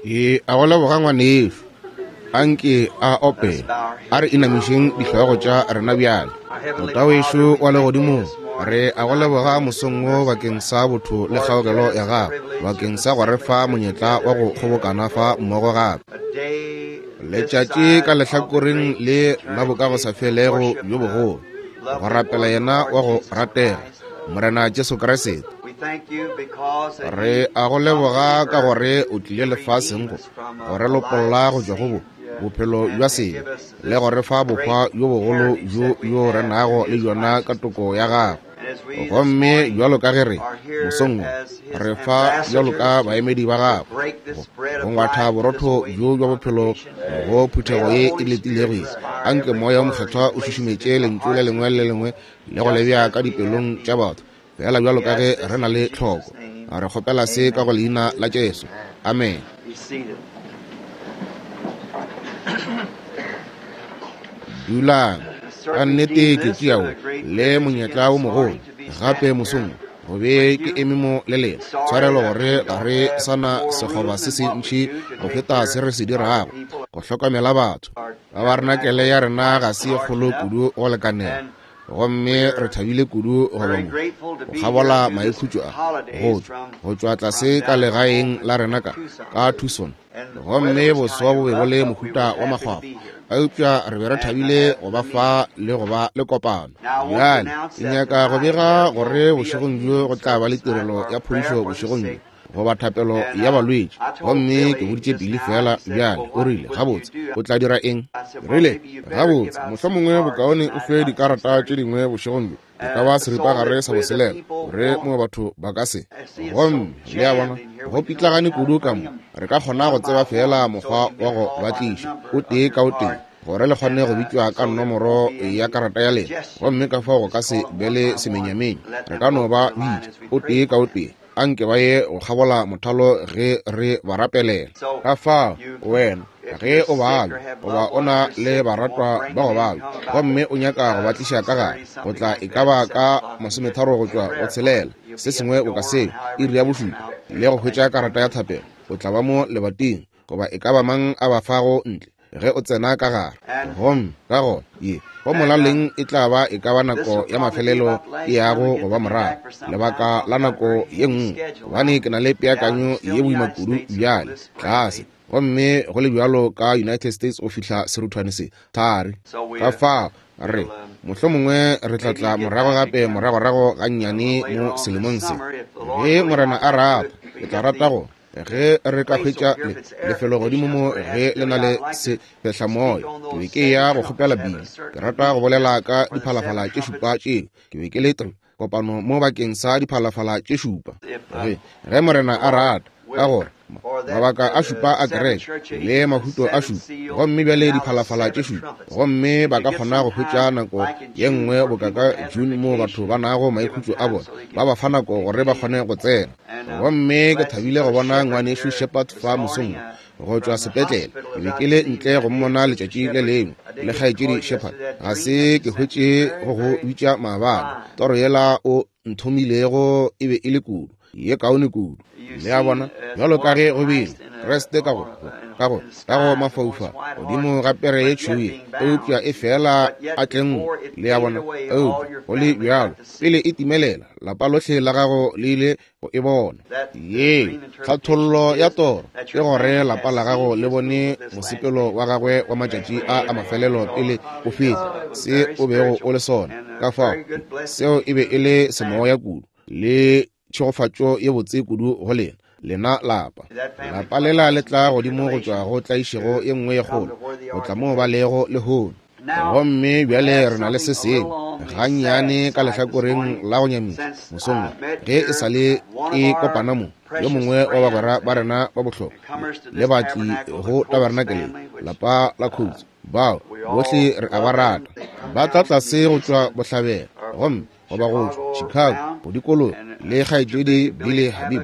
Ke a go leboga ngwanešu. Anke a opele. A re inamišeng dihlogo tša rena bjale. Tatawešu wa legodimong, re a go leboga mosong wo bakeng sa botho le kgaogelo ya gago, bakeng sa go re fa monyetla wa go kgobokana fa mmogo gape. Letšatši ka lehlakoreng le la bokagosafelego bjo bogolo, go rapela yena wa go ratega, Morena Jesu Kriste. Re a go leboga ka gore o tlile lefaseng go go re lopolla go tšwa go bo bophelo bja sebe le go re fa bohwa bjo bogolo bjo bjo re nago le bjona ka toko ya gago. Gomme bjalo ka ge re mosong wo re fa bjalo ka baemedi ba gago go go ngwatha borotho bjo bja bophelo go phuthego ye e letilego ye, anke Moya wo Mokgethwa o šušumetše lentšu le lengwe le lengwe le go le bea ka dipelong tša batho, feela bjalo ka ge re na le tlhoko. Re kgopela se ka go Leina la Jesu. Amene. Dulang. Ka nnete ke tšea wo le monyetla wo mogolo gape mosong go be ke eme mo le lena. Tshwarelo gore ga re sa na sekgoba se se ntši go feta se re se dirago go hlokomela batho. Tabarenakele ya rena ga se ye kgolo kudu go lekanela, gomme re thabile kudu go ba mo go kgabola maikhutšo a go tšwa go tšwa tlase ka legaeng la rena ka ka Tucson. Gomme boso bo be bo le mohuta wa makgwakgwa, eupša re be re thabile go ba fa le go ba le kopano. Bjale ke nyaka go bega gore bošegong bjo go tla ba le tirelo ya phodišo bošegong bjo, goba thapelo ya balwetši. Gomme ke boditše Billy feela bjale, o rile, Gabotse, o tla dira eng? Ke rile, Gabotse, mohlomongwe bokaone o fe dikarata tše dingwe bošegong bjo, e ka ba seripagare sa boselela, gore mo batho ba ka se. Gomme, le a bona, go pitlagane kudu ka mo, re ka kgona go tseba feela mokgwa wa go ba tliša, o tee ka o tee, gore le kgone go bitšwa ka nomoro ya karata ya lena. Gomme ka fao go ka se be le semenyamenye, re ka no ba bitša, o tee ka o tee. Anke ba ye go kgabola mothalo ge re ba rapelela. Ka fao, wena, ge o babja, goba o na le baratwa ba go babja, gomme o nyaka go ba tliša ka gare, go tla e ka ba ka masometharo go tšwa go tshelela, se sengwe boka seo, iri ya bošupa, le go hwetša karata ya thapelo, o tla ba mo lebating, goba e ka ba mang a ba fago ntle ge o tsena ka gare. Gomme ka gona ye go molaleng e tla ba e ka ba nako ya mafelelo e yago go ba morago lebaka la nako ye nngwe, gobane ke na le peakanyo ye boima kudu bjale tlase, gomme go le bjalo ka United States go fihla seruthwane se thari. Ka fao re mohlomongwe re tla tla morago gape moragorago gannyane mo selemong se, ge Morena a rata. Ke tla rata go ge re ka hwetša le, lefelo godimo mo ge le na le sefehlamoya. Ke be ke ya go kgopela Billy, ke rata go bolela ka diphalafala tše šupa tšeo. Ke be ke le tr kopano mo bakeng sa diphalafala tše šupa, ge, ge Morena a rata, ka gore mabaka a šupa a kereke le mahuto a šupa, gomme bjale diphalafala tše šupa, gomme ba ka kgona go hwetša nako ye nngwe boka ka June moo batho ba nago maikhutšo a bona, ba ba fa nako gore ba kgone go tsena. Gomme ke thabile go bona ngwanešu Shepherd fa mosong wo, go tšwa sepetlele. Ke be ke le ntle go mmona letšatši le lengwe, le kgaetšedi Shepherd. Ga se ke hwetše go go bitša maabane. Toro yela o nthomilego e be e le kudu, ye kaone kudu. Le a bona, bjalo ka ge go bile, Kriste ka go, ka go, ka go mafaufau, godimo ga pere ye tšhweu ye, eupša e fela a tlenngwe. Le a bona, eupša go le bjalo, pele e timelela, lapa lohle la gago le ile go e bona. Ye tlhathollo ya toro ke gore lapa la gago le bone mosepelo wa gagwe wa matšatši a a mafelelo pele o feta se o bego o le sona. Ka fao seo e be e le semoya kudu le tšhegofatšo ye botse kudu go lena, lena lapa. Lapa lela le tla godimo go tšwa go tlaišego ye nngwe ye kgolo, go tla moo ba lego lehono. Gomme bjale re na le se sengwe gannyane ka lehlakoreng la go nyamiša mosong wo, ge e sa le ke kopana mo, yo mongwe wa bagwera ba rena ba bohlokwa le batli go tabernakeleng, lapa la Coats, bao bohle re a ba rata, ba tla tlase go tšwa bohlabela, gomme goba go tšwa Chicago, go dikologa le kgaetšedi Billy Habib,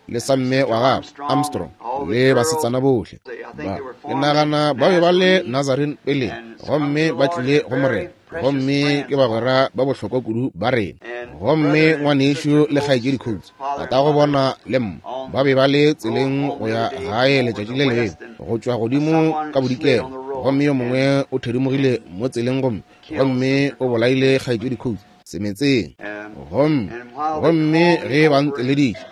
le samme wa gagwe Armstrong, le basetsana bohle ba. Ke nagana ba be ba le Nazarene peleng, gomme ba tlile go Morena, gomme ke bagwera ba bohlokwa kudu ba rena. Gomme ngwanešu le kgaetšedi Coates, tatago bona le mma, ba be ba le tseleng go ya gae letšatši le lengwe, go tšwa godimo ka bodikela, gomme yo mongwe o thedimogile mo tseleng gomme, gomme o bolaile kgaetšedi Coates semetseng. Gomme, gomme ge ba nteleditše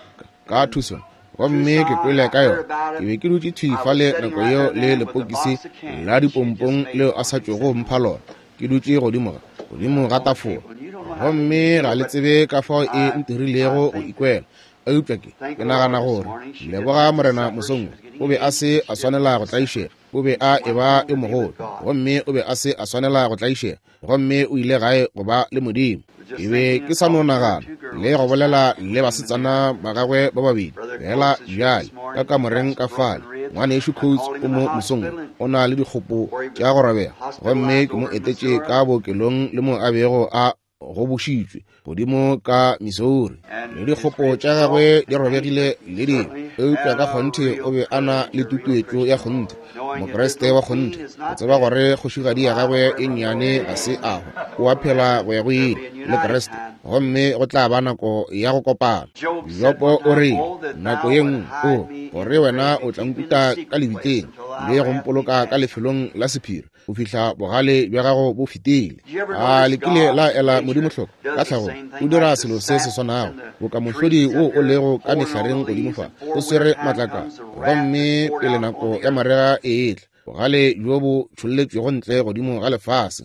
ka Tucson, gomme ke kwele ka yona, ke be ke dutše thwi fale nako yeo le lepokisi la dipompong leo a sa tšwego mpha lona, ke dutše godimo ga, godimo ga tafola. Gomme ga le tsebe ka fao e ntirilego go ikwela. Eupša ke, ke nagana gore, leboga Morena mosong wo, o be a se a swanela go tlaišega. O be a eba yo mogolo, gomme o be a se a swanela go tlaišega, gomme o ile gae go ba le Modimo. Ke be ke sa no nagana le go bolela le basetsana ba gagwe ba babedi fela bjale ka kamoreng ka fale. Ngwanešu Coates o mo mosong o na le dikgopo tša go robega, gomme ke mo etetše ka bookelong le mo a bego a gobošitšwe godimo ka Missouri, le dikgopo tša gagwe di robegile le dingwe, eupša ka kgonthe o be a na le tutuetšo ya kgonthe, Mokriste wa kgonthe, go tseba gore kgošigadi ya gagwe e nnyane ga se a hwa, o a phela go ya go ile le Kriste, gomme go tla ba nako ya go kopana. Jopo o rile nako ye nngwe, o gore wena o tla nkuta ka lebitleng le go mpoloka ka lefelong la sephiri go fihla bogale bja gago bo fetile. A le kile la ela Modimo hloko? Ka tlhago o dira selo se se swanago, boka mohlodi wo o lego ka mehlareng godimo fa, o swere matlakala, gomme pele nako ya marega e etla, bogale bjo bo tšholletšwego ntle godimo ga lefase.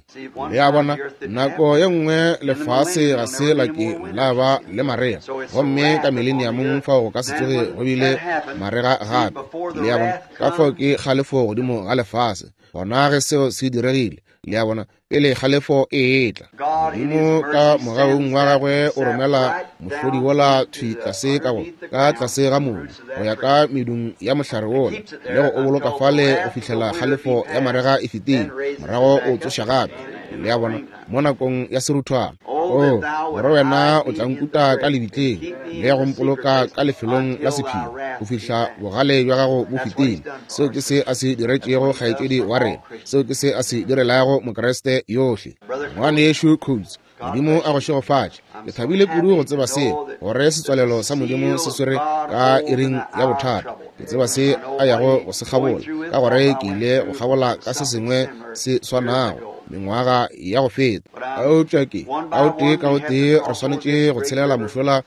Le a bona, nako ye nngwe lefase ga se la ke la ba le marega, gomme ka mileniamong fao go ka se tsoge go bile marega gape. Le a bona, ka fao ke kgalefo godimo ga lefase. Gona ge seo se diregile, le a bona, pele kgalefo e etla, Modimo ka mogaung wa gagwe o romela mohlodi wola thwi tlase ka go, ka tlase ga mobu, go ya ka medung ya mohlare wola, le go o boloka fale go fihlela kgalefo ya marega e fetile, morago o tsoša gape, le a bona, mo nakong ya seruthwana. O, gore wena o tla nkuta ka lebitleng le go mpoloka ka lefelong la sephiri go fihla bogale bja gago bo fetile. Seo ke se a se diretšego kgaetšedi wa rena. Seo ke se a se direlago Mokriste yohle. Ngwanešu Coates, Modimo a go šegofatše. Ke thabile kudu go tseba seo, gore setswalelo sa Modimo se swere ka iring ya bothata. Ke tseba se a yago go se kgabola, ka gore ke ile go kgabola ka se sengwe se swanago mengwaga ya go feta. Eupša ke, ka o tee ka o tee re swanetše go tshelela mošola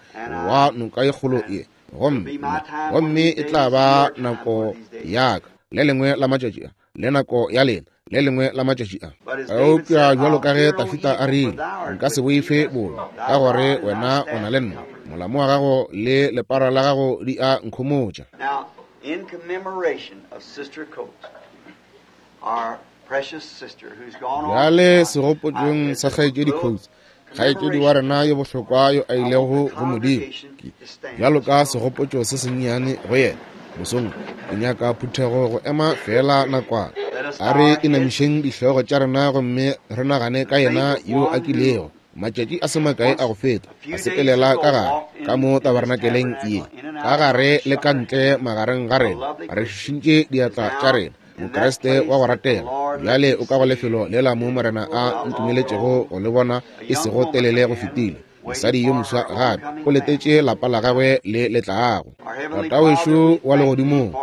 wa noka ye kgolo ye, gomme, gomme e tla ba nako ya ka le lengwe la matšatši a, le nako ya lena le lengwe la matšatši a. Eupša bjalo ka ge Tafita a rile, nka se boife bobe, ka gore wena o na le nna, molamo wa gago le lepara la gago di a nkhomotša. Now, in commemoration of Sister Coates, our precious sister who's gone on, Bjale segopotšong sa kgaetšedi Coates, kgaetšedi wa rena yo bohlokwa yo a ilego go Modimo, bjalo ka segopotšo se sennyane go yena mosong, ke nyaka phuthego go ema feela nakwana. A re inamišeng dihlogo tša rena gomme re nagane ka yena yo a kilego matšatši a se makae a go feta a sepelela ka gare ka mo tabernakeleng ye, ka gare le ka ntle magareng ga rena, re šišintše diatla tša rena. Mokriste wa go ratega, bjale o ka go lefelo lela mo Morena a ntumeletšego go le bona e sego telele go fetile. Mosadi yo moswa gape o letetše lapa la gagwe le le tlago. Tatawešo wa legodimong,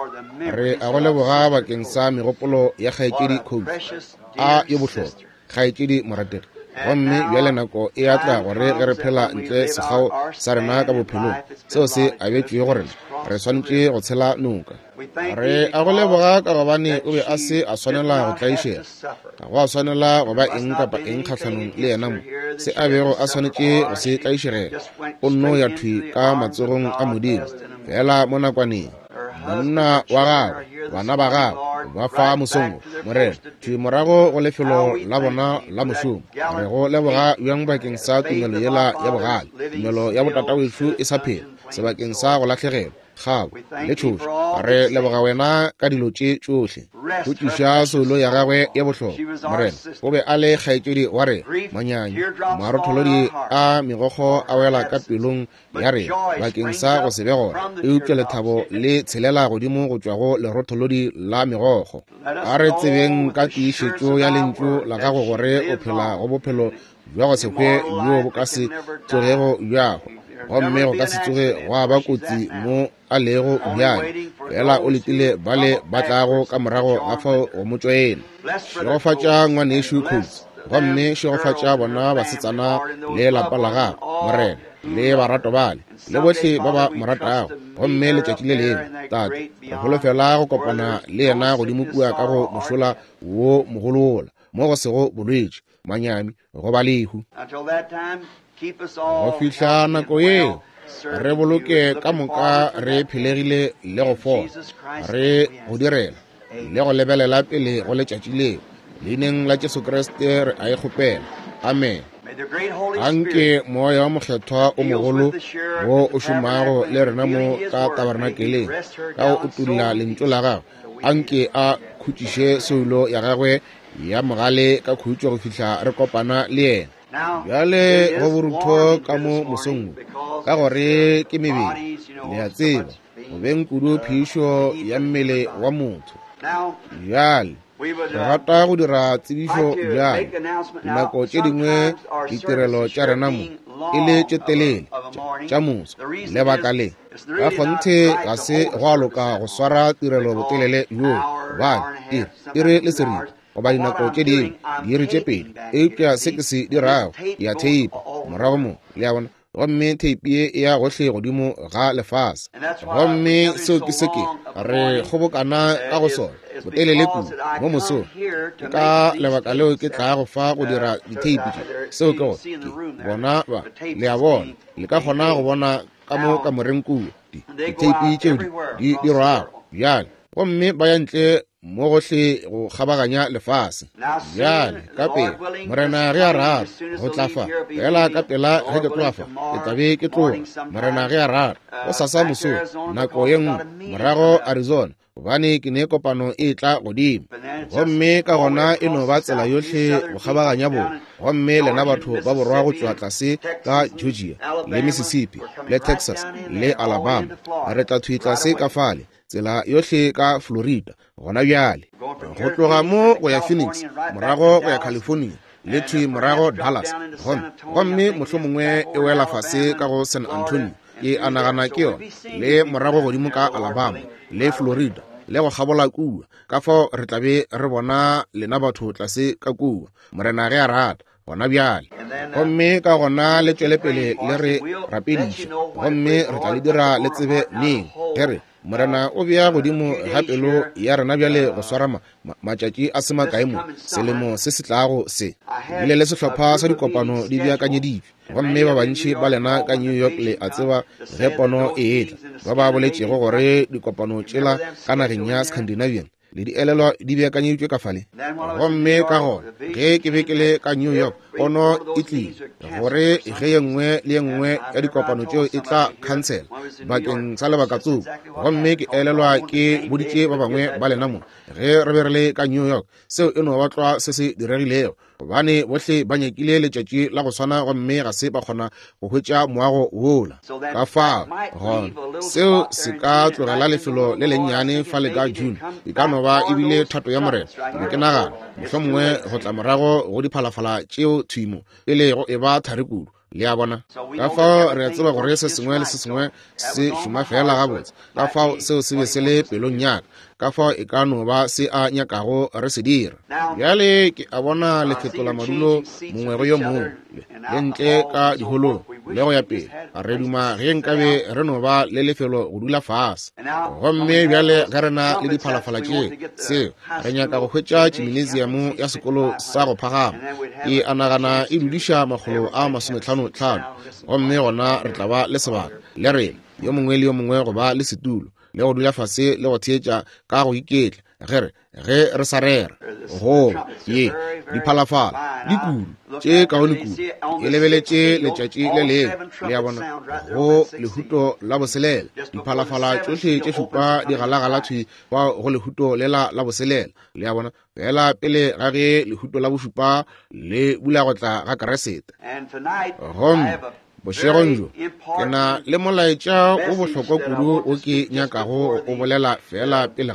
re a go leboga bakeng sa megopolo ya kgaetšedi Coates a yo bohlokwa, kgaetšedi morategi. Gomme bjale nako e a tla gore ge re phela ntle sekgao sa rena ka bophelong, seo se abetšwego go rena, re swanetše go tshela noka. Re a go leboga ka gobane o be a se a swanela go tlaišega, ga go a swanela go ba eng kapa eng kgahlanong le yena mo, se a bego a swanetše go se tlaišegela, o nno ya thwi ka matsogong a Modimo, feela mo nakwaneng. Monna wa gagwe, bana ba gagwe, ba fa mosong wo, Morena, thwi morago go lefelo la bona la mošomo. Re go leboga bjang bakeng sa tumelo yela ya bogale, tumelo ya botatawešo e sa phela, sebakeng sa go lahlegelwa, kgabo le tšhošo. Re leboga wena ka dilo tše tšohle. Go tliša soulo ya gagwe ye bohlokwa, Morena, o be a le kgaetšedi wa rena, manyanyi, marotholodi a megokgo a wela ka pelong ya rena bakeng sa go se be gona, eupša lethabo le tshelela godimo go tšwa go lerotholodi la megokgo. A re tsebeng ka tiišetšo ya lentšu la gago gore o phela go bophelo bja go se hwe bjo bo ka se tsogego bja hwa, gomme go ka se tsoge gwa ba kotsi mo a lego bjale, fela o letile bale ba tlago ka morago ga fao go mo tšoena. Šegofatša ngwanešu Coats, gomme šegofatša bona basetsana le lapa la gagwe, Morena, le barato bale, le bohle ba ba mo ratago. Gomme letšatši le lengwe, Tate, re holofela go kopana le yena godimo kua ka go mošola wo mogolola, mo go sego bolwetši, manyami, goba lehu. Go fihla nako yeo, re boloke ka moka re phelegile le go fola, re go direla le go lebelela pele go letšatši leo. Leineng la Jesu Kriste re a e kgopela. Amen. Anke Moya wa Mokgethwa o mogolo wo o šomago le rena mo ka tabernakeleng ka go utolla lentšu la gagwe, anke a khutšiše soulo ya gagwe ya mogale ka khutšo go fihla re kopana le yena. Bjale go borutho ka mo mosong wo, ka gore ke mebele, le a tseba, go beng kudu phišo ya mmele wa motho. Bjale re rata go dira tsebišo bjale. Dinako tše dingwe ditirelo tša rena mo e le tše telele tša moso. Lebaka le ka kgonthe ga se go a loka go swara tirelo botelele bjoo, gobane iri le seripa goba dinako tše dingwe diiri tše pedi. Eupša se ke se dirago, ke a theipa morago mo, le a bona, gomme theipi ye e ya gohle godimo ga lefase. Gomme seo ke se ke re kgobokana ka go sona botelele kudu mo mosong. Ke ka lebaka leo ke tlago fa go dira ditheipi tše. Seo ke gore ke bona ba, le a bona, le ka kgona go bona ka mo kamoreng kua ditheipi tšeo di dirwago bjale, gomme ba ya ntle mo gohle go kgabaganya lefase. Bjale ka pela, Morena ge a rata, go tla fa fela ka pela ge ke tloga fa, ke tla be ke tloga, Morena ge a rata, go sasa mosong nako ye nngwe morago Arizona, gobane ke ne kopano e tla godimo. Gomme ka gona e no ba tsela yohle go kgabaganya borwa, gomme lena batho ba borwa go tšwa tlase ka Georgia le Mississippi le Texas le Alabama, re tla thwi tlase ka fale, tsela yohle ka Florida gona bjale, go tloga mo go ya Phoenix, morago go ya California, le thwi morago Dallas, gomme mohlomongwe e wela fase ka go San Antonio, ke a nagana ke yona, le morago godimo ka Alabama le Florida le go kgabola kua. Ka fao re tla be re bona lena batho tlase ka kua, Morena ge a rata, gona bjale. Gomme ka gona le tšwele pele le re rapediša, gomme re tla le dira le tsebe neng ge re Morena o bea godimo ga pelo ya rena bjale go swara matšatši a se makae mo selemo se se tlago se. Bile le sehlopha sa dikopano di beakanyeditšwe, gomme ba bantši ba lena ka New York le a tseba ge pono e etla, ba ba boletšego gore dikopano tšela ka nageng ya Scandinavian le di elelwa di beakanyeditšwe ka fale. Gomme ka gona ge ke be ke le ka New York, pono e tlile gore ge ye nngwe le ye nngwe ya dikopano tšeo e tla khansela bakeng sa lebaka tsoko. Gomme ke elelwa ke boditše ba bangwe ba lena mo ge re be re le ka New York, seo e no ba tlwa se se diregilego, gobane bohle ba nyakile letšatši la go swana gomme ga se ba kgona go hwetša moago wola. Ka fao gona seo se ka tlogela lefelo le lennyane fale ka June, e ka no ba ebile thato ya Morena. Ke be ke nagana mohlomongwe go tla morago go diphalafala tšeo thwi mo pele go e ba thari kudu, le a bona. Ka fao re a tseba gore se sengwe le se sengwe se šoma fela gabotse. Ka fao seo se be se le pelong ya ka, ka fao e ka no ba se a nyakago re se dira. Bjale ke a bona le fetola madulo mongwe go yo mongwe, le ntle ka diholong le go ya pele. Re duma ge nkabe re no ba le lefelo go dula fase. Gomme bjale ge re na le diphalafala tše, seo re nyaka go hwetša tšiminesiamo ya sekolo sa go phagama, ke a nagana e dudiša 155, gomme gona re tla ba le sebaka le rena yo mongwe le yo mongwe go ba le setulo le go dula fase le go theetša ka go iketla ge re sa rera. Go ye diphalafala di kudu tše kaone kudu, e lebeletše letšatši le lengwe, le a bona, go lehuto la boselela, diphalafala tšohle tše šupa di galagala thwi kwa go lehuto lela la boselela, le a bona, fela pele ga ge lehuto la bošupa le bula go tla ga Keresete. Gomme bošegong bjo ke na le molaetša o bohlokwa kudu o ke nyakago go o bolela fela pele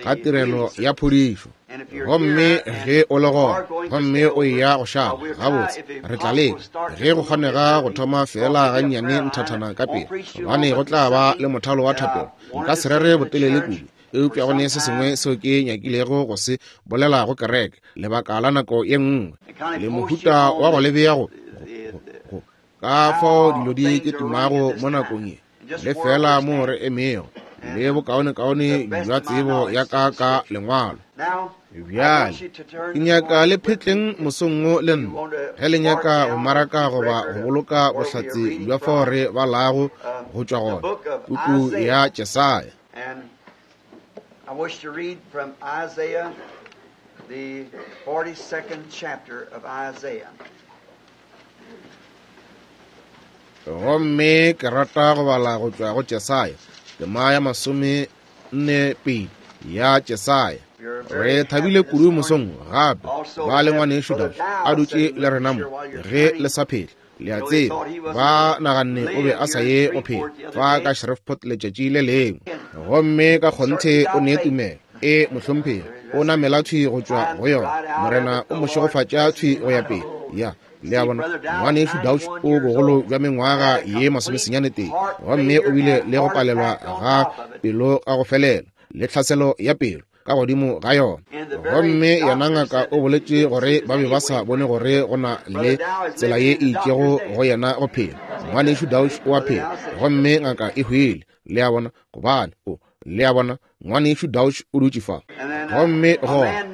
ga tirelo ya phodišo. Gomme ge o le gona, gomme o eya go šala, gabotse, re tla leka, ge go kgonega, go thoma feela gannyane nthathana ka pele, gobane go tla ba le mothalo wa thapelo. Nka se rere botelele kudu, eupša go ne se sengwe seo ke nyakilego go se bolela go kereke lebaka la nako ye nngwe, le mohuta wa go le bea go, go, ka fao dilo di ke tumago mo nakong ye, le feela mo re emego, le bokaonekaone bja tsebo ya ka ka Lengwalo. Bjale, ke nyaka le phetleng mosong wo le nna, ge le nyaka go maraka goba go boloka bohlatse bja fao re balago go tšwa gona, puku ya Jesaya. I wish to read from Isaiah, the 42nd chapter of Isaiah. Gomme ke rata go bala go tšwa go Jesaya, tema ya 42 ya Jesaya. Re thabile kudu mosong gape ba le ngwanešu Dauch a dutše le rena mo, ge le sa phela. Le a tseba, ba naganne o be a sa ye go phela fa ka Shreveport letšatši le lengwe. Gomme ka kgonthe o ne tumelo e mohlomphegi, o namela thwi go tšwa go yona. Morena o mo šegofatša thwi go ya pele. Ya, le a bona, ngwanešu Dauch o bogolo bja mengwaga ye 91, gomme o bile le go palelwa ga pelo ga go felela le tlhaselo ya pelo ka godimo ga yona. Gomme yena ngaka o boletše gore ba be ba sa bone gore go na le tsela ye e itšego go yena go phela. Ngwanešu Dauch o a phela, gomme ngaka e hwile. Le a bona, gobane o, le a bona, ngwanešu Dauch o dutše fa. Gomme gona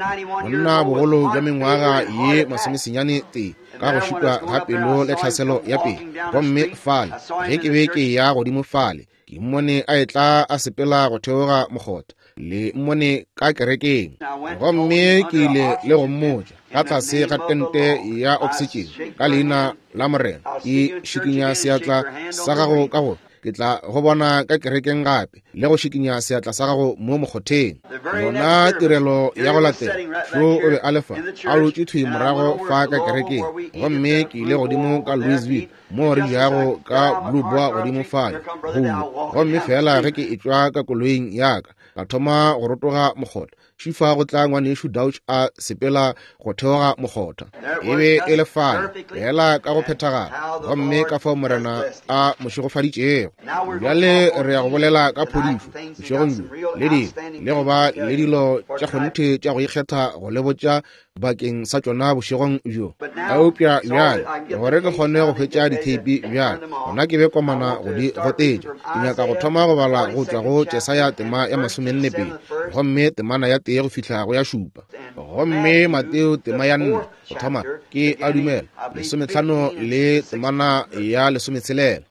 monna bogolo bja mengwaga ye 91 ka go šitwa ga pelo le tlhaselo ya pelo. Gomme fale ge ke be ke ya godimo fale, ke mmone a etla a sepela go theoga mokgotha, le mmone ka kerekeng. Gomme ke ile le go mmotša ka tlase ga tente ya oxygen ka leina la Morena, ke šikinya seatla sa gago ka go ke tla go bona ka kerekeng gape, le go šikinya seatla sa gago mo mokgotheng. Yona tirelo ya go latela, šo o be a le fa, a dutše thwi morago fa ka kerekeng. Gomme ke ile godimo ka Louisville, mo re jago ka Blue Boar godimo fale, go gomme fela ge ke etšwa ka koloing ya ka, ka thoma go rotoga mokgotha. Šifa go tla ngwanešu Dauch a sepela go theoga mokgotha. E be e le fale, fela ka go phethagala, gomme ka fao Morena a mo šegofaditšego. Bjale re ya go bolela ka phodišo bošegong bjo, le dilo, le go ba le dilo tša kgonthe tša go ikgetha go le botša bakeng sa tšona bošegong bjo. Eupša bjale, gore ke kgone go hwetša ditheipi bjale, gona ke be komana go di gotetša. Ke nyaka go thoma go bala go tšwa go Jesaya tema ya 42, gomme temana ya 1 go fihla go ya 7. Gomme Mateo tema ya 4, go thoma, ke a dumela, 15 le temana ya 16.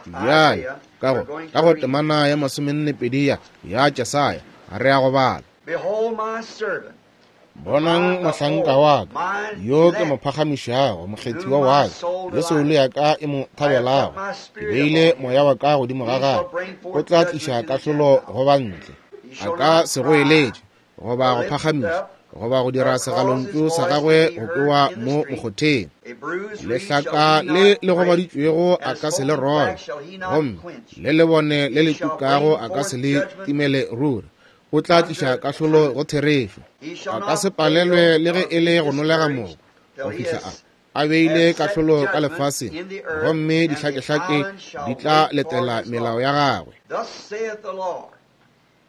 Bjale, ka go temana ya 42 ya Jesaya, re ya go bala. Bonang mohlanka wa ka, yo ke mo phagamišago, mokgethiwa wa ka, le soulo ya ka e mo thabelago. Ke beile moya wa ka godimo ga gagwe, o tla tliša kahlolo go bantle. A ka se goeletše, goba go phagamiša, goba go dira segalontšu sa gagwe go kwewa mo mokgotheng. Lehlaka le le gobaditšwego a ka se le robe, gomme le lebone le le tukago a ka se le timele ruri. O tla tliša kahlolo go therešo. A ka se palelwe le ge e le go nolega moko, go fihla a beile kahlolo ka lefaseng, gomme dihlakehlake di tla letela melao ya gagwe.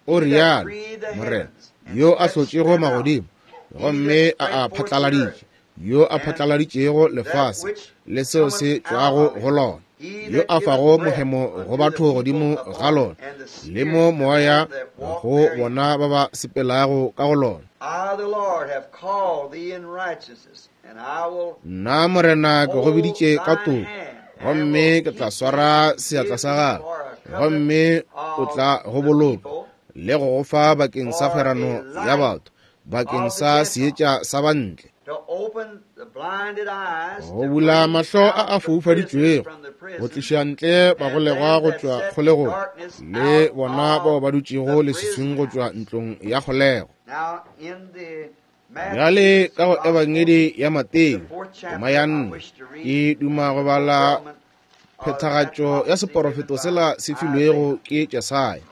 O rialo Morena, yo a hlotšego magodimo, gomme a a phatlaladitše, yo a phatlaladitšego lefase le seo se tšwago go lona, yo a fago mohemo go batho godimo ga lona, le mo moya go bona ba ba sepelago ka go lona. Nna Morena ke go biditše ka toko, gomme ke tla swara seatla sa gago, gomme o tla go boloka le go go fa bakeng sa kgwerano ya batho, bakeng sa seetša sa bantle, go bula mahlo a a foufaditšwego, go tliša ntle bagolegwa go tšwa kgolegong, le bona bao ba dutšego leswiswing go tšwa ntlong ya kgolego. Bjale ka go Ebangedi ya Mateo, tema ya 4, ke duma go bala phethagatšo ya seporofeto sela se filwego ke Jesaya.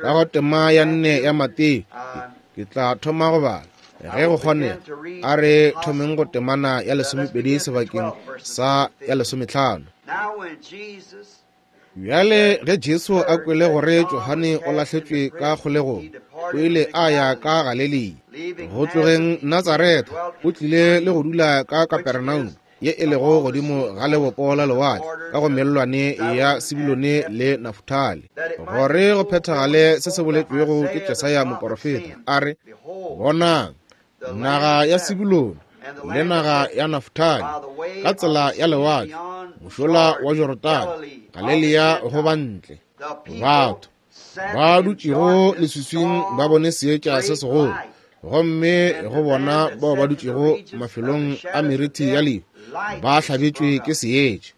Ka go tema ya 4 ya Mateo, ke tla thoma go bala. Ge go kgonega, a re thomeng go temana ya 12 sebakeng sa ya 15. Bjale ge Jesu a kwele gore Johane o lahletšwe ka kgolegong, o ile a ya ka Galilea. Go tlogeng Natsaretha, o tlile le go dula ka Kapernaum, ye e lego godimo ga lebopo la lewatle, ka go mellwane ya Sebulone le Nafutali, gore go phethagale se se boletšwego ke Jesaya moporofeta, a re, Bonang, naga ya Sebulone le naga ya Nafutali, ka tsela ya lewatle, mošola wa Jorodane, Galilea go bantle, batho ba dutšego leswiswing ba bone seetša se segolo, gomme go bona bao ba dutšego mafelong a meriti ya lehu ba hlabetšwe ke seetša.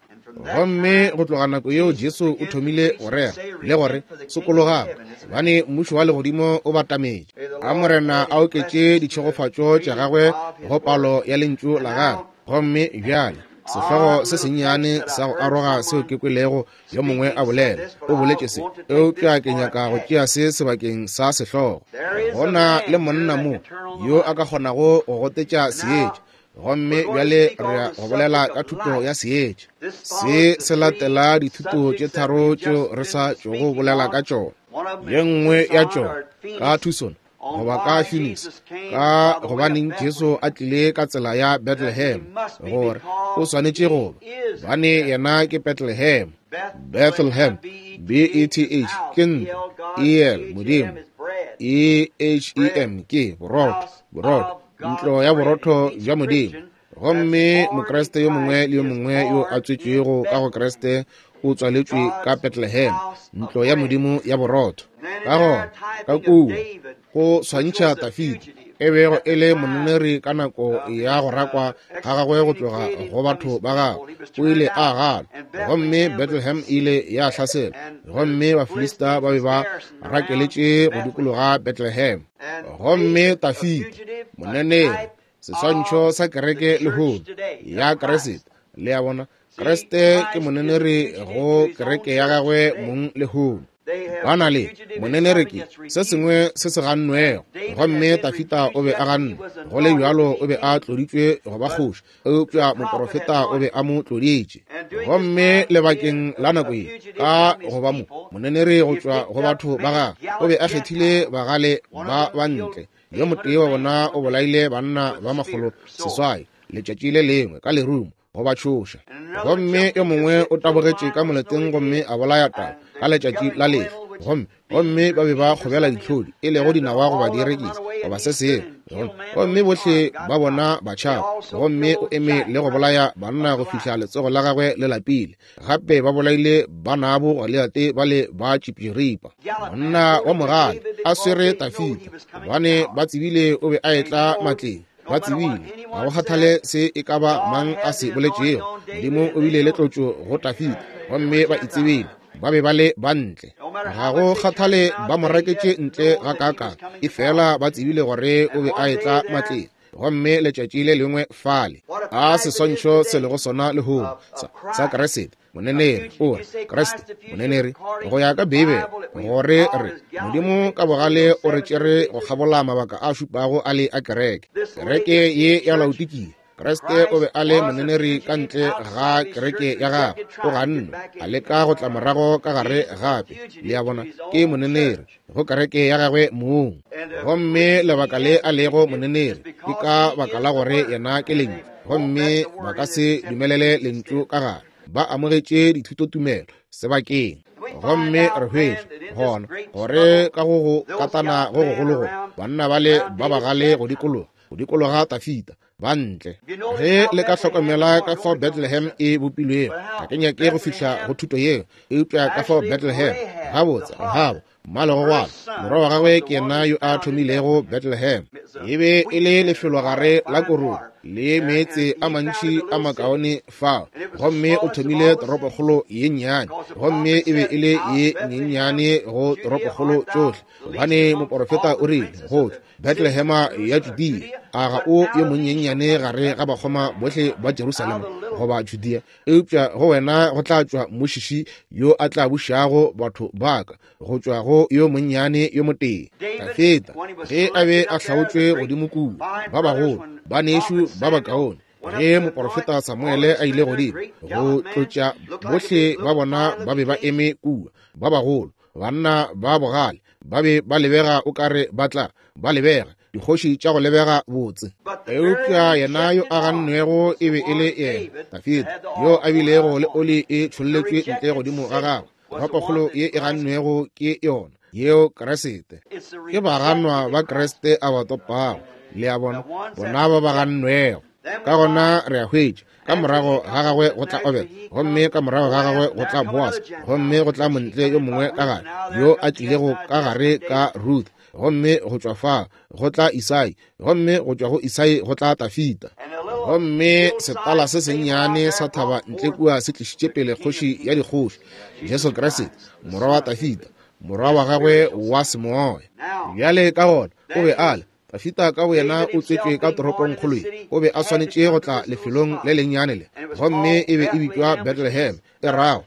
Gomme go tloga nako yeo Jesu o thomile go rera le gore, Sokologang, gobane mmušo wa legodimo o batametše. A Morena a oketše ditšhegofatšo tša gagwe go palo ya lentšu la gagwe. Gomme bjale sehlogo se sennyane sa go aroga seo ke kwelego yo mongwe a bolela, o boletše se, eupša ke nyaka go tšea se sebakeng sa sehlogo. Go na le monna mo yo a ka kgonago go gotetša seetša, gomme bjale re ya go bolela ka thuto ya seetša. Se se latela dithuto tše tharo tšeo re sa tšogo bolela ka tšona. Ye nngwe ya tšona ka Tucson goba ka Phoenix, ka gobaneng Jesu a tlile ka tsela ya Bethlehem, gore o swanetše go ba, bane yena ke Bethlehem. Bethlehem, B-E-T-H, ke ntlo, E-L, Modimo, E-H-E-M, ke borotho, borotho, ntlo ya borotho bja Modimo. Gomme Mokriste yo mongwe le yo mongwe yo a tswetšwego ka go Kriste o tswaletšwe ka Bethlehem, ntlo ya Modimo ya borotho. Ka gona, ka kua, go swantšha Dafida, e bego e le moneneri ka nako ya go rakwa ga gagwe go tloga go batho ba gagwe, o ile a gana, gomme Bethlehem e ile ya hlaselwa, gomme Bafilista ba be ba rakeletše go dikologa Bethlehem. Gomme Dafida, moneneri, seswantšho sa kereke lehono ya Kriste, le a bona, Kriste ke moneneri go kereke ya gagwe mong lehono. Ba na le moneneri ke se sengwe se se gannwego, gomme Dafida o be a gannwe, go le bjalo o be a tloditšwe go ba kgoši, eupša moporofeta o be a mo tloditše. Gomme lebakeng la nako ye, ka go ba mo moneneri go tšwa go batho ba gagwe, o be a kgethile bagale ba bantle. Yo motee wa bona o bolaile banna ba 800 letšatši le lengwe ka lerumo go ba tšhoša, gomme yo mongwe o tabogetše ka moleteng gomme a bolaya tau ka letšatši la lefe, gomme ba be ba kgobela ditlhodi, e lego dinawa goba dierekisi goba se sengwe, gomme bohle ba bona ba tšhaba, gomme o eme le go bolaya banna go fihla letsogo la gagwe le lapile. Gape ba bolaile banabo Goliate ba le ba tšipširipa, monna wa mogale a swere Dafida, gobane ba tsebile o be a etla matleng. Ba tsebile, ga go kgathale se e ka ba mang a se boletšego, Modimo o bile le tlotšo go Dafida, gomme ba itsebile ba be ba le bantle. Ga go kgathale ba mo raketše ntle ga kaka, e fela ba tsebile gore o be a etla matleng. Gomme letšatši le lengwe fale, a seswantšho se lego sona lehono sa Kriste moneneri, o re Kriste moneneri go ya ka Beibele, gore re Modimo ka bogale o re tšere go kgabola mabaka a šupago a le a kereke, kereke ye ya Laodikia. Kriste o be a le moneneri ka ntle ga kereke ya gagwe, o gannwe, a leka go tla morago ka gare gape. Le a bona, ke moneneri go kereke ya gagwe mong. Gomme lebaka le a lego moneneri ke ka baka la gore yena ke lentšu, gomme ba ka se dumelele lentšu ka gare. Ba amogetše dithutotumelo sebakeng. Gomme re hwetša gona gore ka go go katana go gogolo go banna bale ba bagale go dikologa Dafida ba ntle. Ge le ka hlokomela ka fao Bethlehem e bopilwego, ga ke nyake go fihla go thuto yeo, eupša ka fao Bethlehem, gabotse, Rahaba, mmalegogwana, morwa wa gagwe ke yena yo a thomilego Bethlehem. E be e le lefelogare la korong le meetse a mantši a makaone fao, gomme o thomile toropokgolo ye nnyane, gomme e be e le ye nyenyane go toropokgolo tšohle, gobane moporofeta o rile go tšwa Bethlehema ya Judea, a ga o yo monyenyane gare ga bakgoma bohle ba Jerusalema? goba Judea, eupša go wena go tla tšwa mmušiši yo a tla bušago batho ba ka, go tšwa go yo monnyane yo motee. Dafida, ge a be a hlaotšwe godimo kua, ba bagolo, banešu ba bakaone, ge moporofeta Samuele a ile godimo go tlotša, bohle ba bona ba be ba eme kua, ba bagolo, banna ba bogale, ba be ba lebega o kare ba tla ba lebega dikgoši tša go lebega botse. Eupša yena yo a gannwego e be e le yena Dafida, yo a bilego le oli e tšholletšwe ntle godimo ga gagwe, toropokgolo ye e gannwego ke yona yeo Kriste. Ke baganwa ba Kriste a ba topago, le a bona, bona ba ba gannwego. Ka gona re a hwetša, ka morago ga gagwe go tla Obed, gomme ka morago ga gagwe go tla Boaz, gomme go tla montle yo mongwe ka gare, yo a tlilego ka gare ka Ruth, gomme go tšwa fa go tla Isai, gomme go tšwa go Isai go tla Tafita. Gomme setala se sennyane sa thaba ntle kua se tlišitše pele kgoši ya dikgoši, Jesu Kriste, morwa wa Tafita, morwa wa gagwe wa semoya. Bjale ka gona o be a le Dafida ka boyena o tswetšwe ka toropongkgolo ye, o be a swanetše go tla lefelong le lennyane le, gomme e be e bitšwa Bethlehem, e rago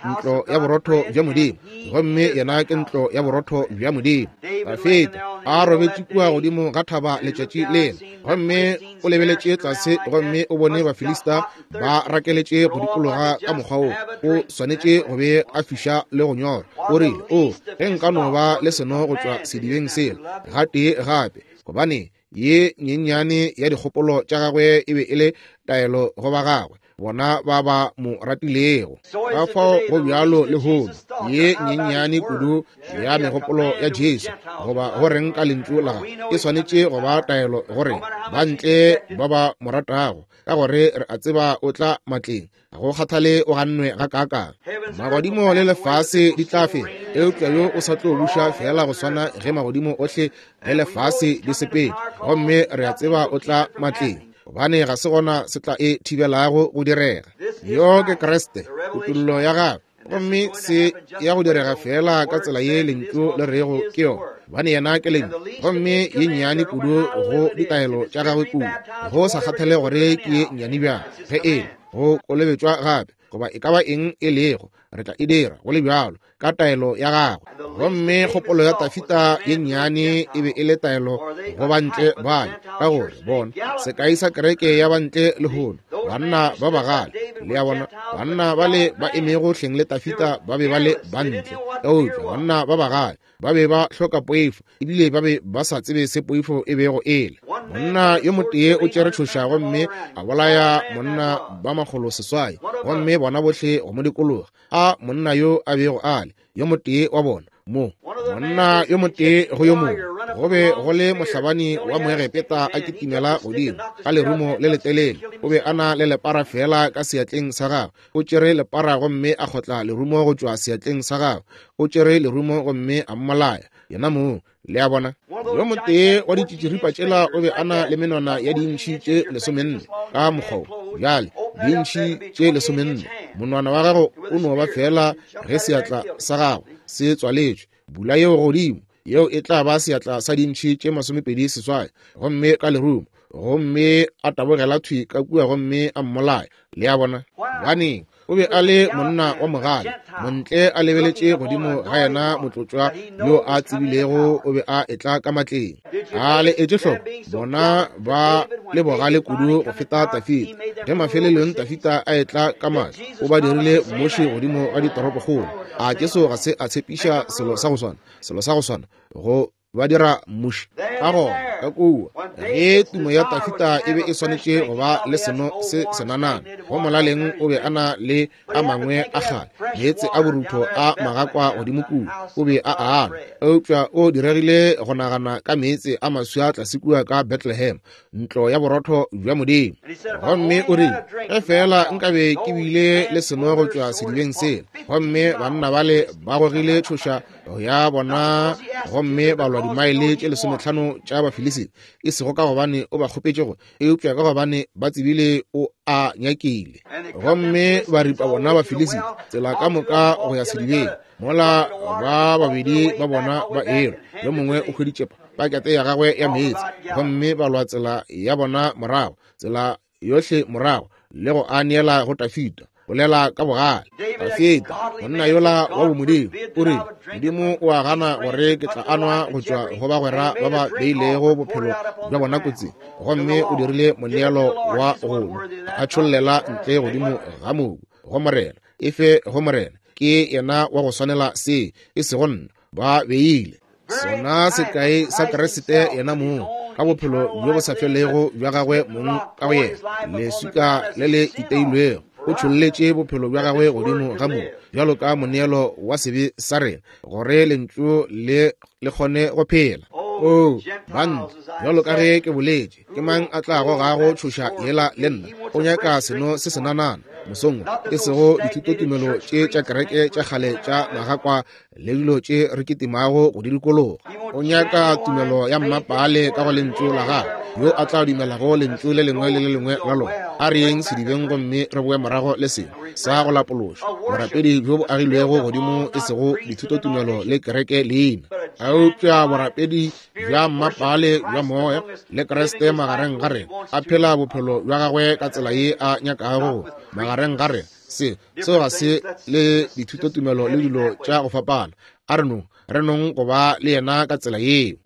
ntlo ya borotho bja Modimo, gomme yena ke ntlo ya borotho bja Modimo. Dafida a robetše kua godimo ga thaba letšatši lela, gomme o lebeletše tlase gomme o bone Bafilista ba rakeletše go dikologa ka mokgwa wo, o swanetše go be a fiša le go nyora. O rile, o, ge nka no ba le seno go tšwa sedibeng sela gatee gape, gobane ye nyenyane ya dikgopolo tša gagwe e be e le taelo go ba gagwe, bona ba ba mo ratilego. Ka fao go bjalo lehono, ye nyenyane kudu ya megopolo ya Jesu, goba go reng ka lentšu la gagwe, e swanetše go ba taelo gore ba ntle ba ba mo ratago, ka gore re a tseba o tla matleng, ga go kgathale o gannwe ga kaakang. Magodimo le lefase di tla fela, eupša yo o sa tlo buša fela go swana ge magodimo ohle le lefase di sepetše, gomme re a tseba o tla matleng, gobane ga se gona se tla e thibelago go direga. Yo ke Kriste, kutollo ya gagwe, gomme se ya go direga fela ka tsela ye lentšu le rego ke yona, gobane yena ke lentšu, gomme ye nnyane kudu go ditaelo tša gagwe kudu, go sa kgathale gore ke ye nnyane bjang, ge e go kolobetšwa gape goba e ka ba eng e lego, re tla e dira go le bjalo ka taelo ya gagwe. Gomme kgopolo ya Tafita ye nnyane e be e le taelo go bantle bale, ka gore bona sekai sa kereke ya bantle lehono, banna ba bagale, le a bona, banna bale ba emego hleng le Tafita ba be ba le bantle, eupša banna ba bagale ba be ba hloka poifo, ebile ba be ba sa tsebe se poifo e bego e le. Monna yo motee o tšere tšhoša gomme a bolaya monna ba 600, gomme bona bohle go mo dikologa. A monna yo a bego a le yo motee wa bona mo, monna yo motee go yo mongwe, go be go le mohlabani wa Moegepeta a kitimela godimo ka lerumo le letelele, o be a na le lepara fela ka seatleng sa gagwe. O tšere lepara gomme a kgotla lerumo go tšwa seatleng sa gagwe, o tšere lerumo gomme a mmolaya yena mong. Le a bona, yo motee wa ditšitširipa tšela o be a na le menwana ya diintšhi tše 14 ka mokgwa wo. Bjale, diintšhi tše 14, monwana wa gago o no ba fela ge seatla sa gago se tswaletšwe. Bula yeo godimo, yeo e tla ba seatla sa diintšhi tše 28, gomme ka lerumo, gomme a tabogela thwi ka kua gomme a mmolaya. Le a bona? Gobaneng? O be a le monna wa mogale, montle a lebeletše godimo ga yena motlotšwa yo a tsebilego o be a etla ka matleng. A le etše hloko, bona ba le bogale kudu go feta Tafita. Ge mafelelong Tafita a etla ka matla, o ba dirile mmuši godimo ga ditoropokgolo. A Jesu ga se a tshepiša selo sa go swana, selo sa go swana go ba dira mmuši? Ka gona ka kua ge tumo ya Tafita e be e swanetše go ba le seno se senanana, go molaleng o be a na le a mangwe a kgale meetse a borutho a magakwa godimo kua, o be a anwa, eupša o diregile go nagana ka meetse a maswa tlase kua ka Bethlehem, ntlo ya borotho bja Modimo. Gomme o rile, ge feela nkabe ke bile le seno go tšwa sedibeng sela. Gomme banna bale ba gogile tšhoša ya bona gomme ba lwa dimaele tše 15 tša Bafilisita, e sego ka gobane o ba kgopetše go, eupša ka gobane ba tsebile o a nyakile. Gomme ba ripa bona Bafilisita tsela ka moka go ya sedibeng, mola ba babedi ba bona ba elwa, yo mongwe o hweditše pakete ya gagwe ya meetse, gomme ba lwa tsela ya bona morago, tsela yohle morago. le go a neela go Dafida. Bolela ka bogale. Dafida, monna yola wa bomodimo, o rile, Modimo o a gana gore ke tla anwa go tšwa go bagwera ba ba beilego bophelo bja bona kotsing. Gomme o dirile moneelo wa go nwa, a tšhollela ntle godimo ga mobu, go Morena. Efe go Morena, ke yena wa go swanela se, e sego nna. Ba beile sona sekai sa Kriste yena mong ka bophelo bjo bo sa felego bja gagwe mong ka go yena, leswika le le iteilwego. O tšholletše bophelo bja gagwe godimo ga mobu bjalo ka moneelo wa sebe sa rena, gore lentšu le le kgone go phela. Oo, banna, bjalo ka ge ke boletše, ke mang a tla gogago tšhoša yela le nna? O nyaka seno se senanana mosong wo, e sego dithutotumelo tše tša kereke tša kgale tša magakwa le dilo tše re kitimago go di dikologa. O nyaka tumelo ya mmapaale ka go lentšu la gagwe, yo a tla dumelago lentšu le lengwe le le lengwe la lona. A re yeng sedibeng gomme re boe morago le sengwe sa go lapološa, borapedi bjo bo agilwego godimo, e sego dithutotumelo le kereke leina, eupša borapedi bja mmapaale bja moya le Kriste magareng ga rena, a phela bophelo bja gagwe ka tsela ye a nyakago magareng ga rena. Se seo ga se le dithutotumelo le dilo tša go fapana. A re nong, re nong go ba le yena ka tsela yeo.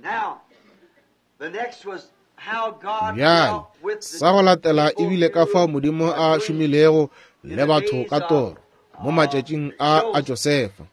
Bjale, sa go latela ebile ka fao Modimo a šomilego le batho ka toro mo matšatšing a a Josefa.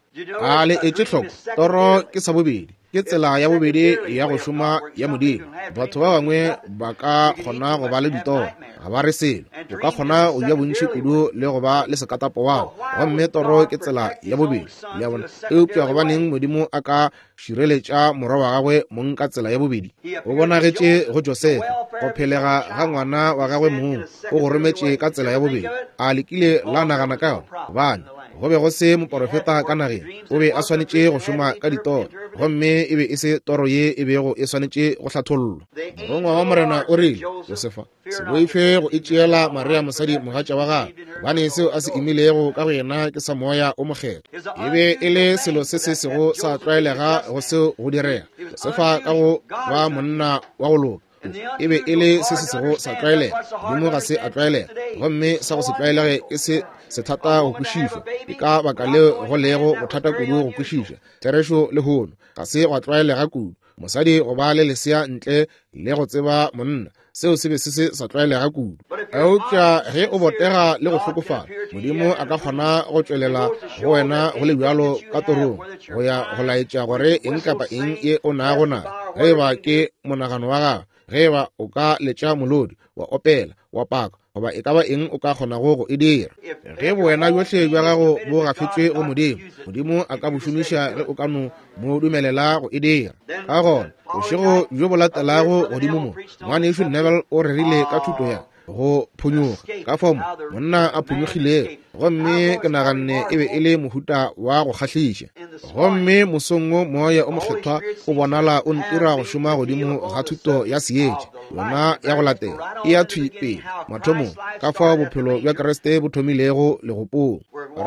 A le etše hloko, toro ke sa bobedi, ke tsela ya bobedi ya go šoma ya Modimo. Batho ba bangwe ba ka kgona go ba le ditoro, ga ba re selo. O ka kgona go ja bontši kudu le go ba le sekatapo wao, gomme toro ke tsela ya bobedi, le a bona. Eupša gobaneng Modimo a ka šireletša morwa wa gagwe mong ka tsela ya bobedi? O bonagetše go Josefa go phelega ga ngwana wa gagwe mong, o go rometše ka tsela ya bobedi. A le kile la nagana ka yona? Gobane go be go se moporofeta ka nageng, o be a swanetše go šoma ka ditoro, gomme e be e se toro ye e bego e swanetše go hlathollwa. Morongwa wa Morena o rile, Josefa, se boife go itšeela Maria mosadi mogatša wa gagwe, gobane seo a se imilego ka go yena ke sa Moya o Mokgethwa. E be e le selo se se sego sa tlwaelega go seo go direga. Josefa ka go ba monna wa go loka, e be e le se se sego sa tlwaelega. Modimo ga se a tlwaelega, gomme sa go se tlwaelege ke se sethata go kwešišwa. Ke ka baka leo go lego bothata kudu go kwešiša therešo lehono. Ga se gwa tlwaelega kudu mosadi go ba le lesea ntle le go tseba monna. Seo se be se se sa tlwaelega kudu. Eupša ge o botega le go hlokofala, Modimo a ka kgona go tšwelela go wena go le bjalo ka torong, go ya go laetša gore eng kapa eng ye o nago nayo, ge eba ke monagano wa gago, ge eba o ka letša molodi, wa opela, wa paka, goba e ka ba eng o ka kgonago go e dira. Ge bowena bjohle bja gago bo gafetšwe go Modimo, Modimo a ka bo šomiša ge o ka no mo dumelela go e dira. Ka gona, bošego bjo bo latelago godimo mo, Ngwanešu Neville o rerile ka thuto ya go phonyokga, ka fao monna a phonyokgilego, gomme ke naganne e be e le mohuta wa go kgahliša. Gomme mosong wo Moya o Mokgethwa o bonala o ntira go šoma godimo ga thuto ya seetša, yona ya go latela e ya thwi pele mathomong, ka fao bophelo bja Kriste bo thomilego legopong.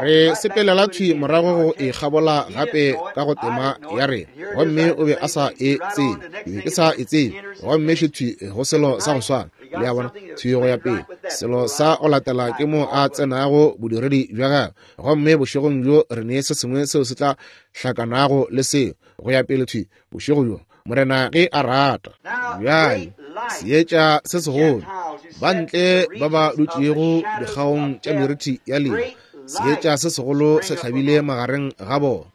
Re sepelela thwi morago go e kgabola gape ka go tema ya rena, gomme o be a sa e tsebe, ke be ke sa e tsebe, gomme še thwi go selo sa go swana, le a bona, thwi go ya pele. Selo sa go latela ke mo a tsenago bodiredi bja gagwe, gomme bošegong bjo re ne se sengwe seo se tla hlakanago le seo go ya pele thwi bošego bjo, Morena ge a rata. Bjale seetša se segolo, ba ntle ba ba dutšego dikgaong tša meriti ya lehu, seetša se segolo se hlabile magareng ga bona,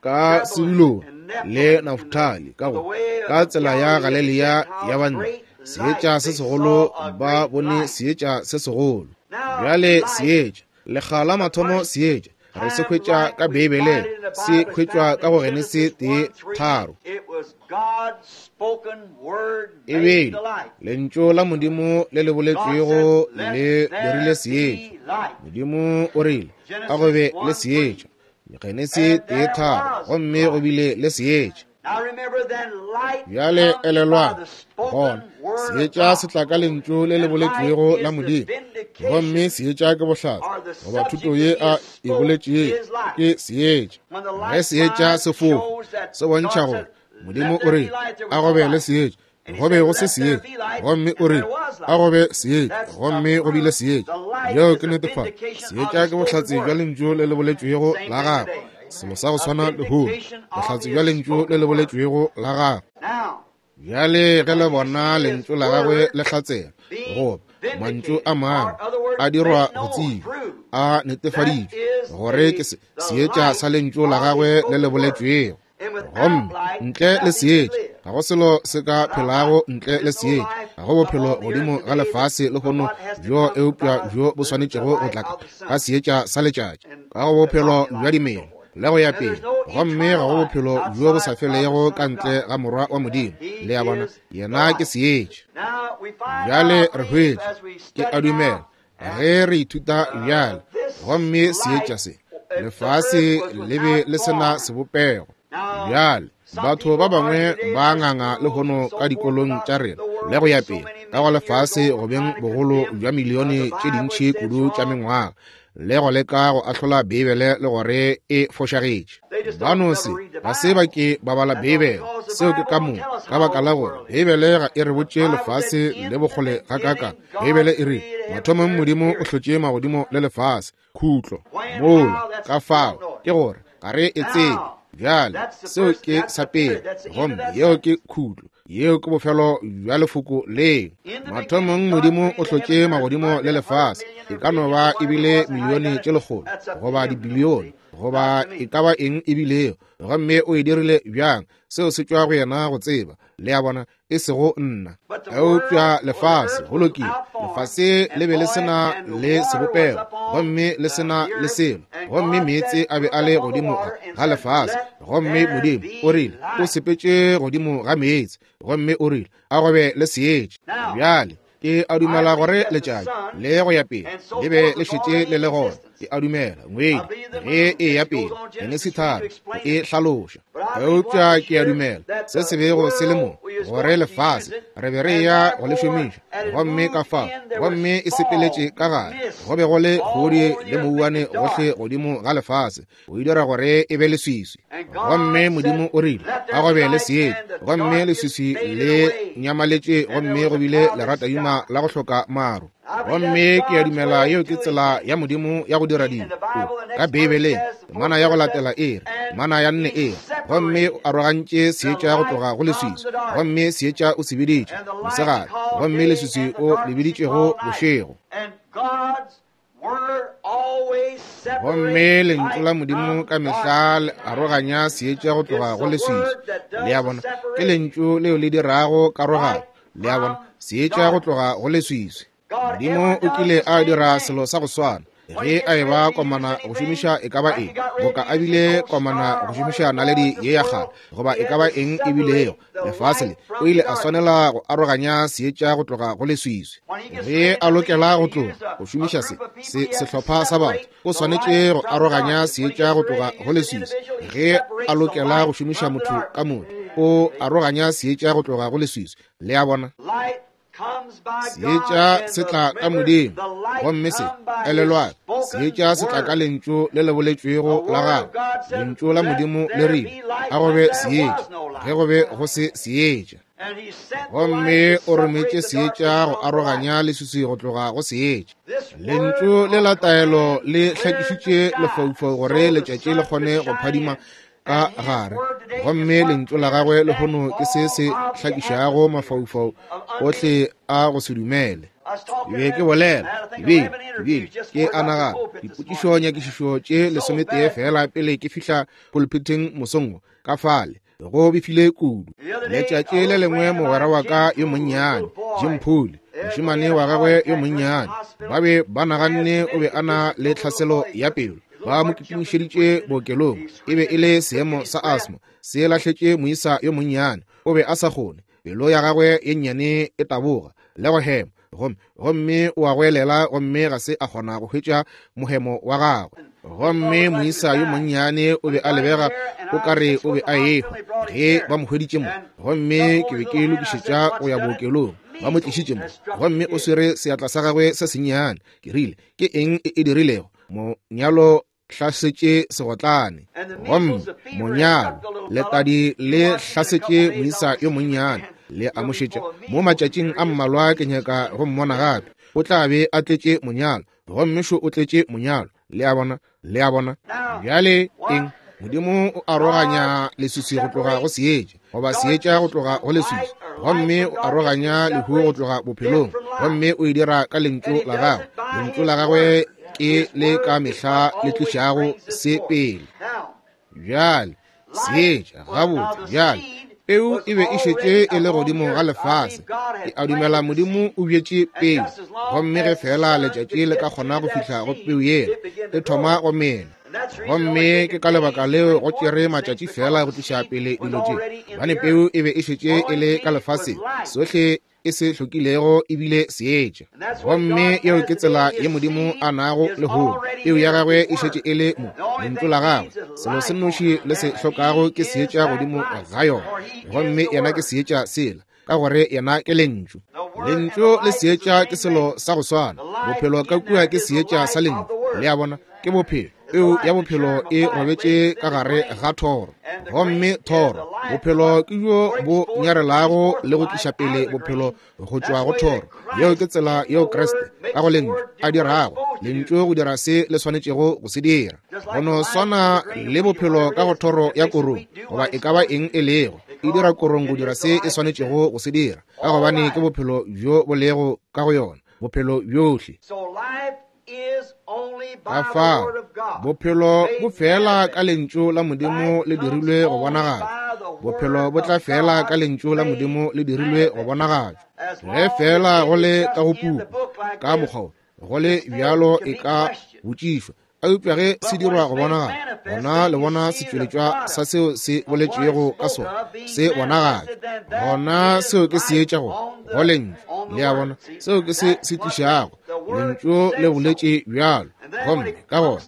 ka Sebulone le Naftali, ka go ka tsela ya Galilea ya bantle, seetša se segolo, ba bone seetša se segolo. Bjale seetša, lekga la mathomo seetša re se hwetša ka Beibeleng, se hwetšwa ka go Genesi 1:3. E be lentšu la Modimo le le boletšwego le dirile seetša. Modimo o rile, a go be le seetša, Genesi 1:3, gomme go bile le seetša. Bjale elelwang, gona seetša se tla ka lentšu le le boletšwego la Modimo, gomme seetša ke bohlatse goba thuto ye a e boletšego ke seetša. Ge seetša se fofa, se bontšha gore Modimo o re a go be le seetša. Go be go se seetša, gomme o rile, A go be seetša, gomme go bile seetša. Yeo ke netefatšo. Seetša ke bohlatse bja lentšu le le boletšwego la gagwe. Selo sa go swana lehono, bohlatse bja lentšu le le boletšwego la gagwe. Bjale ge le bona lentšu la gagwe le hlatsela, goba mantšu a mangwe a dirwa go tsebja, a netefaditšwe gore ke seetša sa lentšu la gagwe le le boletšwego. Gomme ntle le seetša ga go selo se ka phelago, ntle le seetša ga go bophelo godimo ga lefase lehono bjo eupša bjo bo swanetšego go tla ka seetša sa letšatši, ka go bophelo bja dimela le go ya pele. Gomme ga go bophelo bjo bo sa felego ka ntle ga Morwa wa Modimo. Le a bona, yena ke seetša. Bjale re hwetša, ke a dumela, ge re ithuta bjale, gomme seetša se, lefase le be le se na sebopego. Bjale batho ba bangwe ba nganga lehono ka dikolong tša rena le go ya pele, ka go lefase go beng bogolo bja milione tše dintši kudu tša mengwaga, le go leka go ahlola Beibele le gore e fošagetše. Ba no se, ga se ba ke ba bala Beibele. Seo ke ka moka, ka baka la gore Beibele ga e re botše lefase le bokgole gakaakang. Beibele e rile, Mathomong Modimo o hlotše magodimo le lefase, khutlo, mola, ka fao, ke gore ga re e tsebe. Bjale, seo ke sa pele, gomme yeo ke khutlo. Yeo ke bofelo bja lefoko leo. Mathomong Modimo o hlotše magodimo le lefase, e ka no ba e bile milione tše lekgolo goba dibilione goba e ka ba eng e bilego, gomme o e dirile bjang, seo se tšwa go yena go tseba, le a bona, e sego nna. Eupša lefase, go lokile, lefase le be le se na le sebopego gomme le se na le selo, gomme meetse a be a le godimo ga lefase, gomme Modimo o rile o sepetše godimo ga meetse, gomme o rile a go be le seetša. Bjale ke a dumela gore letšatši le go ya pele le be le šetše le le gona. Ke a dumela ngwedi ge e ya pele Genesi 3 e hlaloša. Eupša ke a dumela se se bego se le mo, gore lefase re be re ya go le šomiša, gomme ka fao, gomme e sepeletše ka gare, go be go le kgodi le mouwane gohle godimo ga lefase, o e dira gore e be leswiswi. Gomme Modimo o rile, a go be le seetša, gomme leswiswi le nyamaletše, gomme go bile leratadima la go hloka maru. Gomme ke a dumela yeo ke tsela ya Modimo ya go dira dilo. Ka Beibeleng, temana ya go latela e re, temana ya 4 e re, gomme o arogantše seetša go tloga go leswiswi, gomme seetša o se biditše mosegare, gomme leswiswi o le biditšego bošego. Gomme lentšu la Modimo ka mehla le aroganya seetša go tloga go leswiswi. Le a bona, ke lentšu leo le dirago karogano. Le a bona, seetša go tloga go leswiswi. Modimo o kile a dira selo sa go swana ge a eba komana go šomiša e ka ba eng, boka a bile komana go šomiša naledi ye ya kgale, goba e ka ba eng e bilego lefase le, o ile a swanela go aroganya seetša go tloga go leswiswi. Ge a lokela go tloga go šomiša se, se sehlopha sa batho, o swanetše go aroganya seetša go tloga go leswiswi. Ge a lokela go šomiša motho ka motho, o aroganya seetša go tloga go leswiswi. Le a bona? Seetša se tla ka Modimo, gomme se, elelwang, seetša se tla ka lentšu le le boletšwego la gagwe. Lentšu la Modimo le rile, a go be seetša, ge go be go se seetša. Gomme o rometše seetša go aroganya leswiswi go tloga go seetša. Lentšu le la taelo le hlakišitše lefaufau gore letšatši le kgone go phadima ka gare, gomme lentšu la gagwe lehono ke se se hlakišago mafaufau ohle a go se dumele. Ke be ke bolela, ke be ke a nagana dipotšišo nyakišišo tše 11 fela pele ke fihla pulpiteng mosong wo, ka fale go befile kudu. Letšatši le lengwe mogwera wa ka yo monnyane Jim Poole, mošemane wa gagwe yo monnyane, ba be ba naganne o be a na le tlhaselo ya pelo, ba mo kitimišeditše bookelong. E be e le seemo sa asthma se lahletše moisa yo monnyane, o be a sa kgone, pelo ya gagwe ye nnyane e taboga le go hema, gomme o a goelela, gomme ga se a kgona go hwetša mohemo wa gagwe. Gomme moisa yo monnyane o be a lebega o ka re o be a ehwa ge ba mo hweditše mo, gomme ke be ke lokišetša go ya bookelong, ba mo tlišitše mo, gomme o swere seatla sa gagwe se sennyane. Ke rile, ke eng e e dirilego? Monyalo hlasetše segotlane, gomme monyalo letadi le hlasetše moisa yo monnyane. Le a mo šetša. Mo matšatšing a mmalwa ke nyaka go mmona gape. O tla be a tletše monyalo, gomme šo o tletše monyalo. Le a bona? Le a bona? Bjale eng? Modimo o aroganya leswiswi go tloga go seetša, goba seetša go tloga go leswiswi, gomme o aroganya lehu go tloga bophelong, gomme o e dira ka lentšu la gagwe. Lentšu la gagwe ke le ka mehla le tlišago se pele. Bjale seetša, gabotse, bjale peu e be e šetše e le godimo ga lefase. Ke a dumela Modimo o bjetše peu, gomme ge fela letšatši le ka kgona go fihla go peu yela, e thoma go mela. Gomme ke ka lebaka leo go tšere matšatši fela go tliša pele dilo tše, gobane peu e be e šetše e le ka lefaseng. Sohle e se hlokilego ebile seetša. Gomme yeo ke tsela ye Modimo a nago lehono. Peu ya gagwe e šetše e le mo, lentšu la gagwe. Selo se nnoši le se hlokago ke seetša godimo ga yona. Gomme yena ke seetša sela, ka gore yena ke lentšu. Lentšu le seetša ke selo sa go swana. Bophelo ka kua ke seetša sa lentšu. Le a bona, ke bophelo. Peu ya bophelo e robetše ka gare ga thoro, gomme thoro, bophelo ke bjo bo nyarelago le go tliša pele bophelo go tšwa go thoro. Yeo ke tsela yeo Kriste ka go lentšu a dirago lentšu go dira se le swanetšego go se dira. Go no swana le bophelo ka go thoro ya korong, goba e ka ba eng e lego, e dira korong go dira se e swanetšego go se dira, ka gobane ke bophelo bjo bo lego ka go yona, bophelo bjohle. Ka fao bophelo bo fela ka lentšu la Modimo le dirilwe go bonagatšwa. Bophelo bo tla fela ka lentšu la Modimo le dirilwe go bonagatšwa. Ge fela go le ka go puku ka mokgwa go le bjalo e ka botšišwa, eupša ge se dirwa go bonagala, gona le bona setšweletšwa sa seo se boletšwego ka sona se bonagatšwa, gona seo ke seetša go go lentšu. Le a bona, seo ke se se tlišago lentšu le boletše bjalo. Gomme ka gona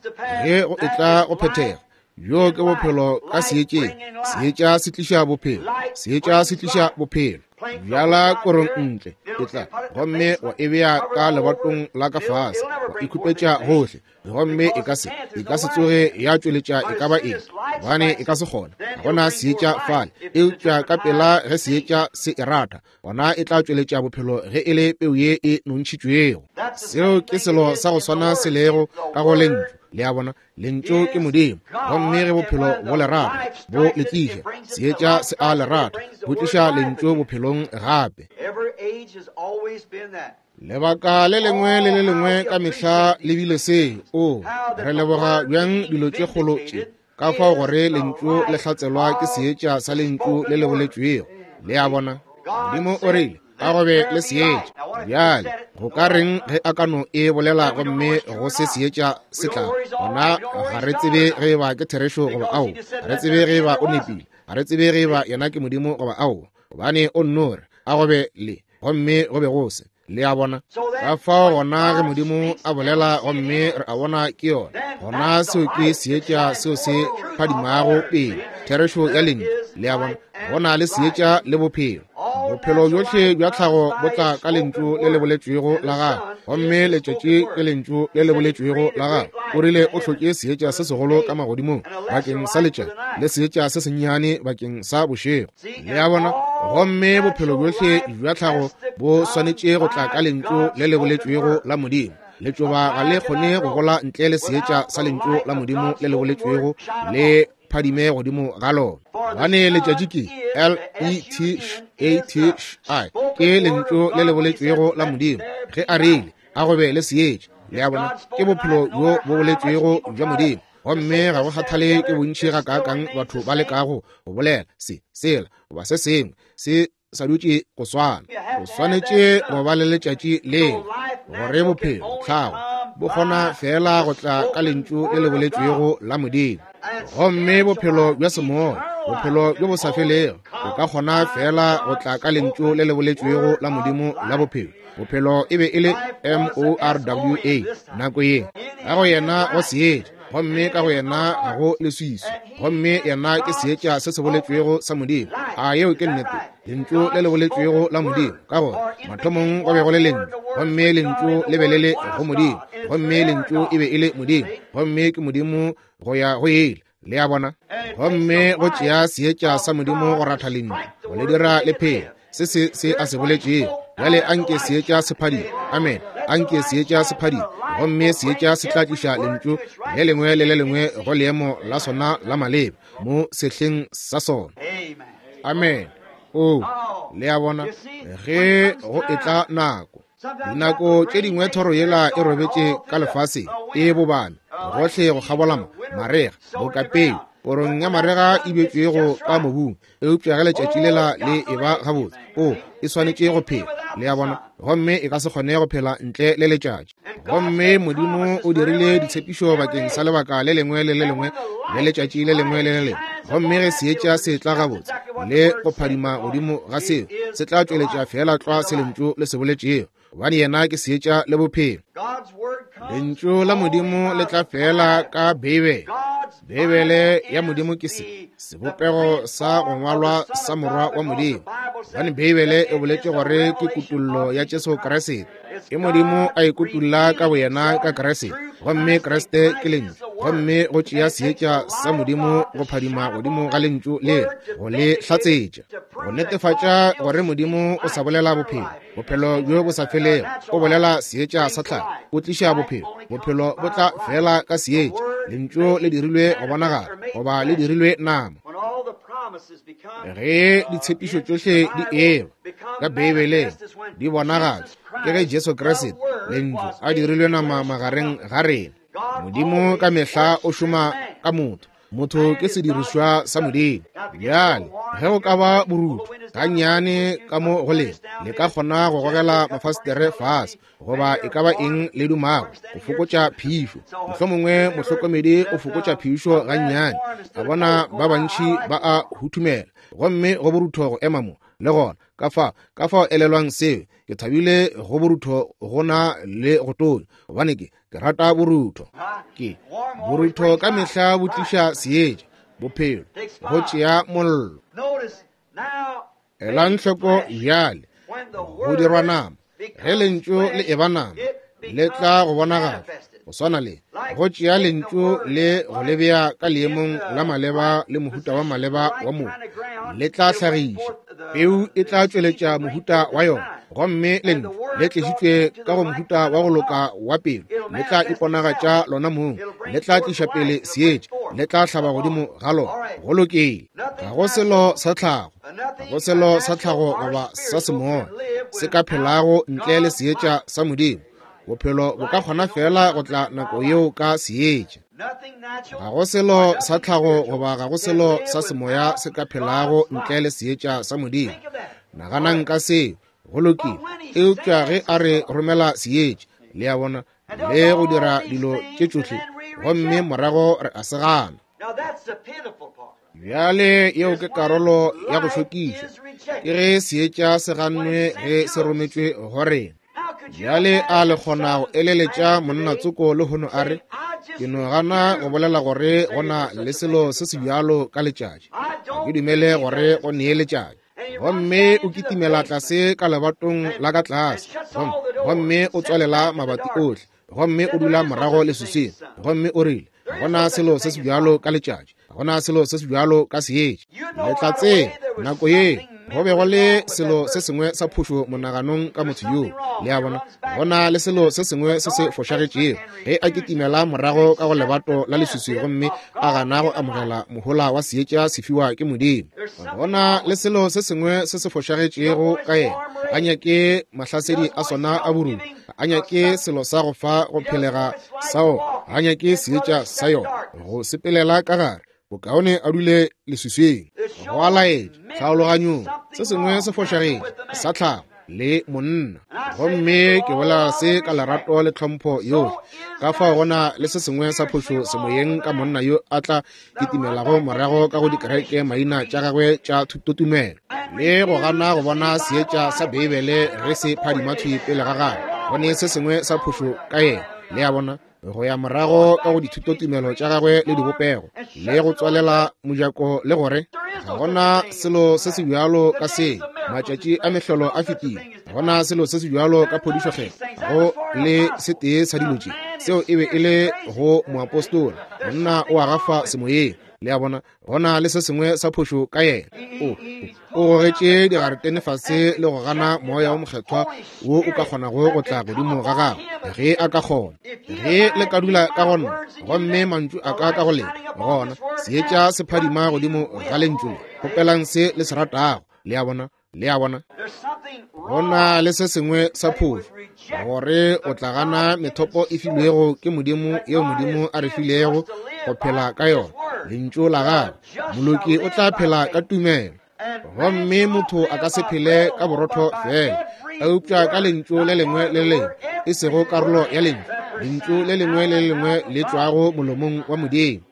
ge go etla go phethega, bjo ke bophelo ka seetšeng. Seetša se tliša bophelo, seetša se tliša bophelo. Bjala korong ntle, e tla, gomme wa e bea ka lebatong la ka fase, wa e khupetša gohle, gomme e ka se, e ka se tsoge ya tšweletša e ka ba eng, gobane e ka se kgone. Ga gona seetša fale, eupša ka pela ge seetša se e ratha, gona e tla tšweletša bophelo ge e le peu ye e nontšhitšwego. Seo ke selo sa go swana se lego ka go lentšu. Le a bona? Lentšu ke Modimo, gomme ge bophelo bo le rata, bo le tliša seetša, se a le rata, bo tliša lentšu bophelong gape. Lebaka le lengwe le le lengwe ka mehla le bile se. O, re leboga bjang dilo tše kgolo tše, ka fao gore lentšu le hlatselwa ke seetša sa lentšu le le boletšwego. Le a bona? Modimo o rile, a go be le seetša. Bjale go ka reng ge a ka no e bolela gomme go se seetša se tla? Gona ga re tsebe ge e ba ke therešo goba ao, ga re tsebe ge e ba o nepile, ga re tsebe ge e ba yena ke Modimo goba ao, gobane o nno re a go be le, gomme go be go se. Le a bona? Ka fao gona ge Modimo a bolela gomme re a bona ke yona, gona seo ke seetša seo se phadimago pele, therešo ya lentšu. Le a bona? Go na le seetša le bophelo. Bophelo bjohle bja tlhago bo tla ka lentšu le le boletšwego la gagwe, gomme letšatši ke lentšu le le boletšwego la gagwe. O rile o hlotše seetša se segolo ka magodimong bakeng sa letšatši, le seetša se sennyane bakeng sa bošego. Le a bona? Gomme bophelo bjohle bja tlhago bo swanetše go tla ka lentšu le le boletšwego la Modimo. Letšoba ga le kgone go gola ntle le seetša sa lentšu la Modimo le le boletšwego le phadime godimo ga lona. Gobane letšatši ke L-E-T-H-A-T-H-I, ke lentšu le le boletšwego la Modimo. Ge a rile, a go be le seetša, le a bona, ke bophelo bjo bo boletšwego bja Modimo. Gomme ga go kgathale ke bontši gakaakang batho ba lekago go bolela se, sela, goba se sengwe, se sa dutše go swana. O swanetše go ba le letšatši leo gore bophelo tlhago bo kgona feela go tla ka lentšu le le boletšwego la Modimo. Gomme bophelo bja semoya, bophelo bjo bo sa felego, bo ka kgona feela go tla ka lentšu le le boletšwego la Modimo la bophelo. Bophelo e be e le M-O-R-W-A nako ye. Ka go yena go seetša, gomme ka go yena ga go leswiswi, gomme yena ke seetša se se boletšwego sa Modimo. A yeo ke nnete? Lentšu le le boletšwego la Modimo, ka gore mathomong go be go le Lentšu, gomme Lentšu le be le le go Modimo, gomme Lentšu e be e le Modimo, gomme ke Modimo go ya go ile. Le a bona? Gomme go tšea seetša sa Modimo go ratha Lentšu, go le dira le phele. Se se se a se boletšego. Bjale anke seetša se phadime. Amen. Anke seetša se phadime. Gomme seetša se tla tliša lentšu le lengwe le le lengwe go leemo la sona la maleba mo sehleng sa sona. Amen. O, le a bona, ge go etla nako. Dinako tše dingwe thoro yela e robetše ka lefaseng, e bobame gohle go kgabola mo, marega, boka peu, korong ya marega e bjetšwego ka mobung. Eupša ge letšatši lela le e ba gabotse, o, e swanetše go phela, le a bona, gomme e ka se kgone go phela ntle le letšatši. Gomme Modimo o dirile ditshepišo bakeng sa lebaka le lengwe le le lengwe le letšatši le lengwe le le lengwe. Gomme ge seetša se tla gabotse le go phadima godimo ga seo, se tla tšweletša feela tlwa se lentšu le se boletšego, gobane yena ke seetša le bophelo. Lentšu la Modimo le tla feela ka Beibele. Beibele ya Modimo ke se sebopego sa go ngwalwa sa Morwa wa Modimo, gobane Beibele e boletše gore ke kutollo ya Jesu Kriste. Ke Modimo a ikutulla ka boyena ka Kriste, gomme Kriste ke Lentšu. Gomme go tšea seetša sa Modimo go phadima godimo ga Lentšu le go le hlatsetša, go netefatša gore Modimo o sa bolela bophelo, bophelo bjo bo sa felego. O bolela seetša sa tlhago, o tliša bophelo. Bophelo bo tla fela ka seetša. Lentšu le dirilwe go bonagala, goba le dirilwe nama. Ge ditshepišo tšohle di eba ka Beibeleng di bonagatšwa, ke ge Jesu Kriste, Lentšu, a dirilwe nama magareng ga rena. Modimo ka mehla o šoma ka motho. Motho ke sedirišwa sa Modimo. Bjale, ge go ka ba borutho gannyane ka mo go lena, le ka kgona go gogela mafastere fase, goba e ka ba eng le dumago, go fokotša phišo. Mohlomongwe mohlokomedi o fokotša phišo gannyane, a bona ba bantši ba a huthumela, gomme go borutho go ema mo le gona. Ka fa, ka fao elelwang seo. Ke thabile go borutho go na le go tonya, gobane ke ke rata borutho. Ke borutho ka mehla bo tliša seetša, bophelo, go tšea mollo. Elang hloko bjale, go dirwa nama. Ge lentšu le eba nama, le tla go bonagala go swana le go tšea lentšu le go le bea ka leemong la maleba le mohuta wa maleba wa mobu, le tla hlagiša peu, e tla tšweletša mohuta wa yona. Gomme lentšu le tlišitšwe ka go mohuta wa go loka wa pelo, le tla iponagatša lona mong, le tla tliša pele seetša, le tla hlaba godimo ga lona. Go lokile. Ga go selo sa tlhago, ga go selo sa tlhago goba sa semoya se ka phelago ntle le seetša sa Modimo. Bophelo bo ka kgona fela go tla nako yeo ka seetša. Ga go selo sa tlhago goba ga go selo sa semoya se ka phelago ntle le seetša sa Modimo. Naganang ka seo. Go lokile. Eupša ge a re romela seetša, le a bona, le go dira dilo tše tšohle, gomme morago re a se gana. Bjale yeo ke karolo ya go hlokiša, ke ge seetša se gannwe ge se rometšwe go rena. Bjale a le kgona go eleletša monna tsoko lehono a re, ke no gana go bolela gore go na le selo se se bjalo ka letšatši, ga ke dumele gore go nee letšatši. Gomme o kitimela tlase ka lebatong la ka tlase, gomme o tswalela mabati ohle, gomme o dula morago leswiswing, gomme o rile, ga gona selo se se bjalo ka letšatši, ga gona selo se se bjalo ka seetša. Le tla tseba nako ye go be go le selo se sengwe sa phošo monaganong ka motho yoo. Le a bona, go na le selo se sengwe se se fošagetšego ge a kitimela morago ka go lebato la leswiswi gomme a gana go amogela mohola wa seetša se fiwa ke Modimo. Go na le selo se sengwe se se fošagetšego ka yena. A nyake mahlasedi a sona a borutho, a nyake selo sa go fa go phelega sa ona, a nyake seetša sa yona go sepelela ka gare. Bokaone a dule leswiswing. Go a laetša tlhaologanyong se sengwe se fošagetše sa tlhago le monna. Gomme ke bolela se ka lerato le tlhompho yohle. Ka fao go na le se sengwe sa phošo semoyeng ka monna yo a tla kitimelago morago ka go dikereke maina tša gagwe tša thutotumelo le go gana go bona seetša sa Beibele ge se phadima thwi pele ga gagwe. Go ne se sengwe sa phošo ka yena. Le a bona, go ya morago ka go dithutotumelo tša gagwe le dibopego le go tswalela mojako le gore ga gona selo se se bjalo ka se, matšatši a mehlolo a fetile, ga gona selo se se bjalo ka phodišokgetho, go le se tee sa dilo tše. Seo e be e le go moapostola, monna o a gafa semoyeng. Le a bona, go na le se sengwe sa phošo ka yena. O, o gogetše digaretene fase le go gana Moya wo Mokgethwa wo o ka kgonago go tla godimo ga gagwe, ge a ka kgona. Ge le ka dula ka go nna, gomme mantšu a ka ka go lena, gona seetša se phadima godimo ga lentšu le. Kgopelang se le se ratago. Le a bona? Le a bona? Go na le se sengwe sa phošo, gore o tla gana methopo e filwego ke Modimo yeo Modimo a re filego go phela ka yona, Lentšu la Gagwe. Moloki o tla phela ka tumelo. Gomme motho a ka se phele ka borotho fela, eupša ka lentšu le lengwe le lengwe, e sego karolo ya lentšu, lentšu le lengwe le lengwe le tšwago molomong wa Modimo.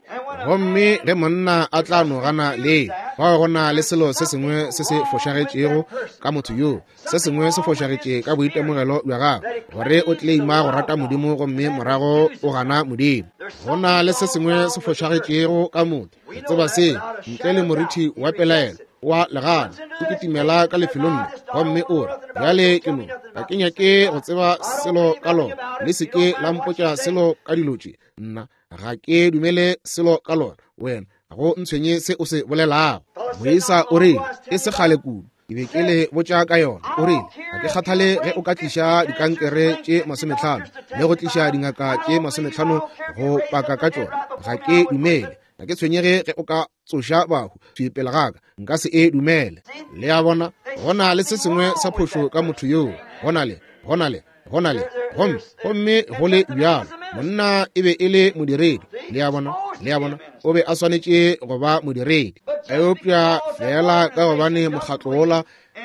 Gomme ge monna a tla no gana le, fao go na le selo se sengwe se se fošagetšego ka motho yoo, se sengwe se fošagetše ka boitemogelo bja gagwe, gore o tleleima go rata Modimo gomme morago o gana Modimo. Go na le se sengwe se fošagetšego ka motho. Re tseba se, ntle le morithi wa pelaelo wa legano, o kitimela ka lefelong le gomme o re, Bjale ke no, ga ke nyake go tseba selo ka lona, le se ke la mpotša selo ka dilo tše, nna ga ke dumele selo ka lona. Wena, ga go ntshwenye se o se bolelago. Moisa o rile, e se kgale kudu, ke be ke le botša ka yona. O rile, ga ke kgathale ge o ka tliša dikankere tše 50 le go tliša dingaka tše 50 go paka ka tšona, ga ke dumele. Ga ke tshwenyege ge o ka tsoša bahu thwi pele ga ka, nka se e dumele. Le a bona, go na le se sengwe sa phošo ka motho yoo. Go na le, go na le, go na le, gomme, gomme go le bjalo, monna e be e le modiredi. Le a bona, le a bona, o be a swanetše go ba modiredi. Eupša feela ka gobane mokgatlo wola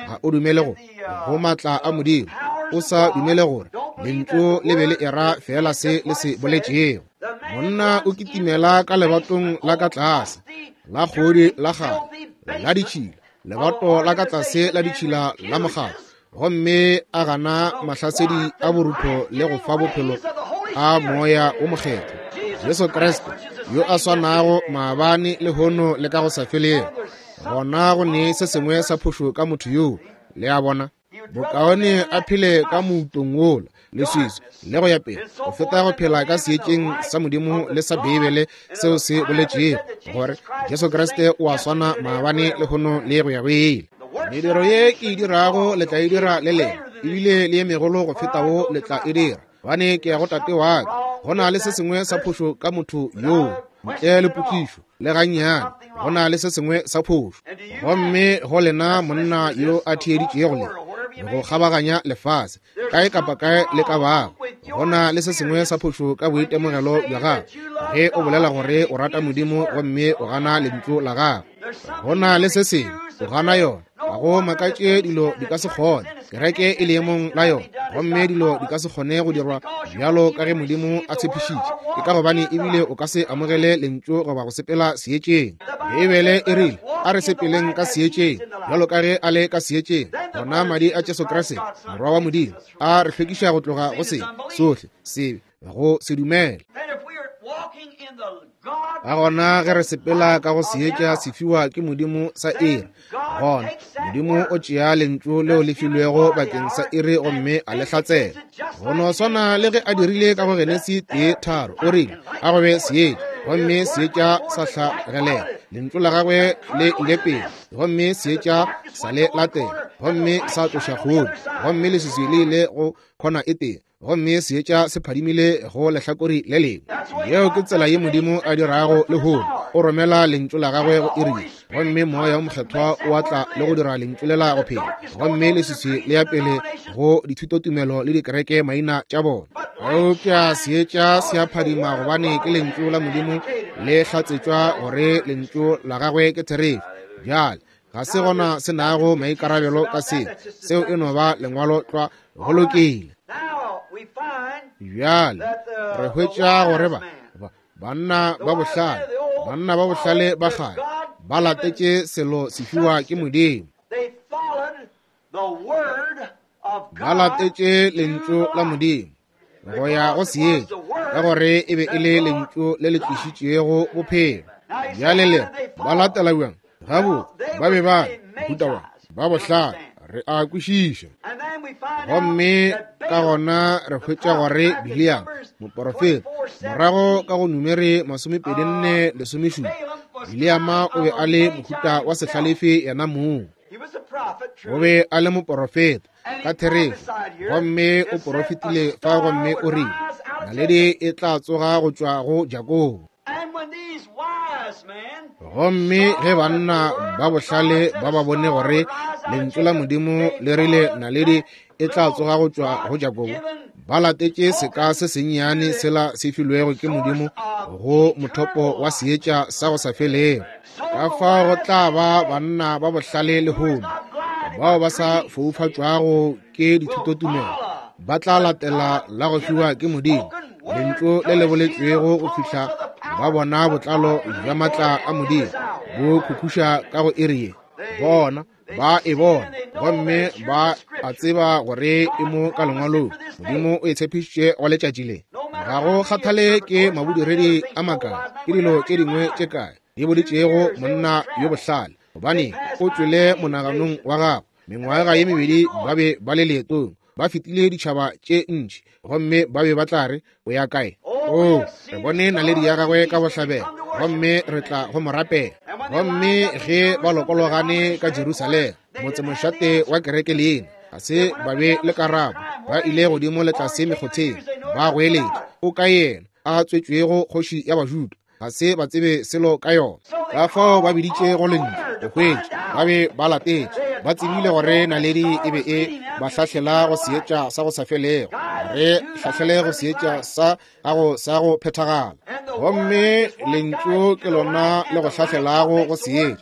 ga o dumele go, go maatla a Modimo, o sa dumele gore lentšu le be le era feela se le se boletšego. Monna o kitimela ka lebatong la ka tlase la kgodi la kgale la ditšhila, lebato la ka tlase la ditšhila la mokgatlo, gomme a gana mahlasedi a borutho le go fa bophelo a Moya wo Mokgethwa, Jesu Kriste yo a swanago maabane, lehono le ka go sa felego. Gona go ne se sengwe sa phošo ka motho yoo. Le a bona? Bokaone a phele ka moutong wola, leswiswi le go ya pele, go feta go phela ka seetšeng sa Modimo le sa Beibele seo se boletšego gore Jesu Kriste o a swana maabane, lehono le go ya go ile. Mediro ye ke e dirago le tla e dira le lena, ebile le ye megolo go feta wo le tla e dira, gobane ke ya go Tate wa ka. Go na le se sengwe sa phošo ka motho yoo, ntle le potšišo le gannyane. Go na le se sengwe sa phošo. Gomme go lena monna yo a theeditšego le go kgabaganya lefase, kae kapa kae le ka bago, go na le se sengwe sa phošo ka boitemogelo bja gago ge o bolela gore o rata Modimo gomme o gana lentšu la gagwe. Go na le se sengwe, o gana yona. Ga go makatše dilo di ka se kgone, kereke e leemong la yona, gomme dilo di ka se kgone go dirwa bjalo ka ge Modimo a tshepišitše. Ke ka gobane ebile o ka se amogele lentšu goba go sepela seetšeng. Beibele e rile, a re sepeleng ka seetšeng bjalo ka ge a le ka seetšeng. Gona madi a Jesu Kriste, Morwa wa Modimo, a re hlwekiša go tloga go sebe sohle, sebe, go se dumele. Ka gona ge re sepela ka go seetša se fiwa ke Modimo sa iri, gona Modimo o tšea lentšu leo le filwego bakeng sa iri gomme a le hlatsela. Go no swana le ge a dirile ka go Genesi 1:3, o rile, a go be seetša, gomme seetša sa hlagelela. Lentšu la gagwe le ile pele, gomme seetša sa le latela, gomme sa tloša kgodi, gomme leswiswi le ile go khona e tee, gomme seetša se phadimile go lehlakori le lengwe. Yeo ke tsela ye Modimo a dirago lehono. O romela lentšu la gagwe go iri, gomme Moya wo Mokgethwa o a tla le go dira lentšu lela go phela, gomme leswiswi le ya pele go dithutotumelo le dikereke maina tša bona. Eupša seetša se a phadima gobane ke lentšu la Modimo le hlatsetšwa gore lentšu la gagwe ke therešo. Bjale ga se gona se nago maikarabelo ka seo, seo e no ba lengwalo tlwa. Go lokile. Bjale re hwetša gore ba, ba, banna ba bohlale, banna ba bohlale ba kgale ba latetše selo se fiwa ke Modimo. Ba latetše lentšu la Modimo go ya go seetša, ka gore e be e le lentšu le le tlišitšego bophelo. Bjale le ba latela bjang? Gabotse, ba be ba mohuta wa ba bohlale, re a kwešiša. Gomme ka gona re hwetša gore Bileam, moporofeta, morago ka go Numeri 24:17, Bileama o be a le mohuta wa sehlalefi yena mong. O be a le moporofeta ka therešo, gomme o porofetile fa gomme o rile naledi e tla tsoga go tšwa go Jakobo. Gomme ge banna ba bohlale ba ba bone gore lentšu la Modimo le rile naledi e tla tsoga go tšwa go Jakobo, ba latetše seka se sennyane sela se filwego ke Modimo go mothopo wa seetša sa go sa felego. Ka fao go tla ba banna ba bohlale lehono bao ba sa foufatšwago ke dithutotumelo, ba tla latela la go fiwa ke Modimo lentšu le le boletšwego go fihla ba bona botlalo bja matla a Modimo bo khukhuša ka go iri ye. Bona ba e bona gomme ba a tseba gore e mo ka lengwalong. Modimo o e tshepišitše go letšatši le. Ga go kgathale ke mabodiredi a makae, ke dilo tše dingwe tše kae di boditšego monna yo bohlale, gobane o tšwele monaganong wa gagwe. Mengwaga ye mebedi ba be ba le leetong, ba fetile ditšhaba tše ntši, gomme ba be ba tla re, o ya kae? O, re bone naledi ya gagwe ka bohlabela, gomme re tla go mo rapela. Gomme ge ba lokologane ka Jerusalema, motsemošate wa kereke leina, ga se ba be le karabo. Ba ile godimo le tlase mekgotheng, ba goeletša, o ka yena a tswetšwego kgoši ya Bajuda? Ga se ba tsebe selo ka yona. Ka fao ba biditše go lentšu go hwetša, ba be ba latetše, ba tsebile gore naledi e be e ba hlahlela go seetša sa go sa felego, re hlahlele go seetša sa gago sa go phethagala. Gomme lentšu ke lona le go hlahlelago go seetša,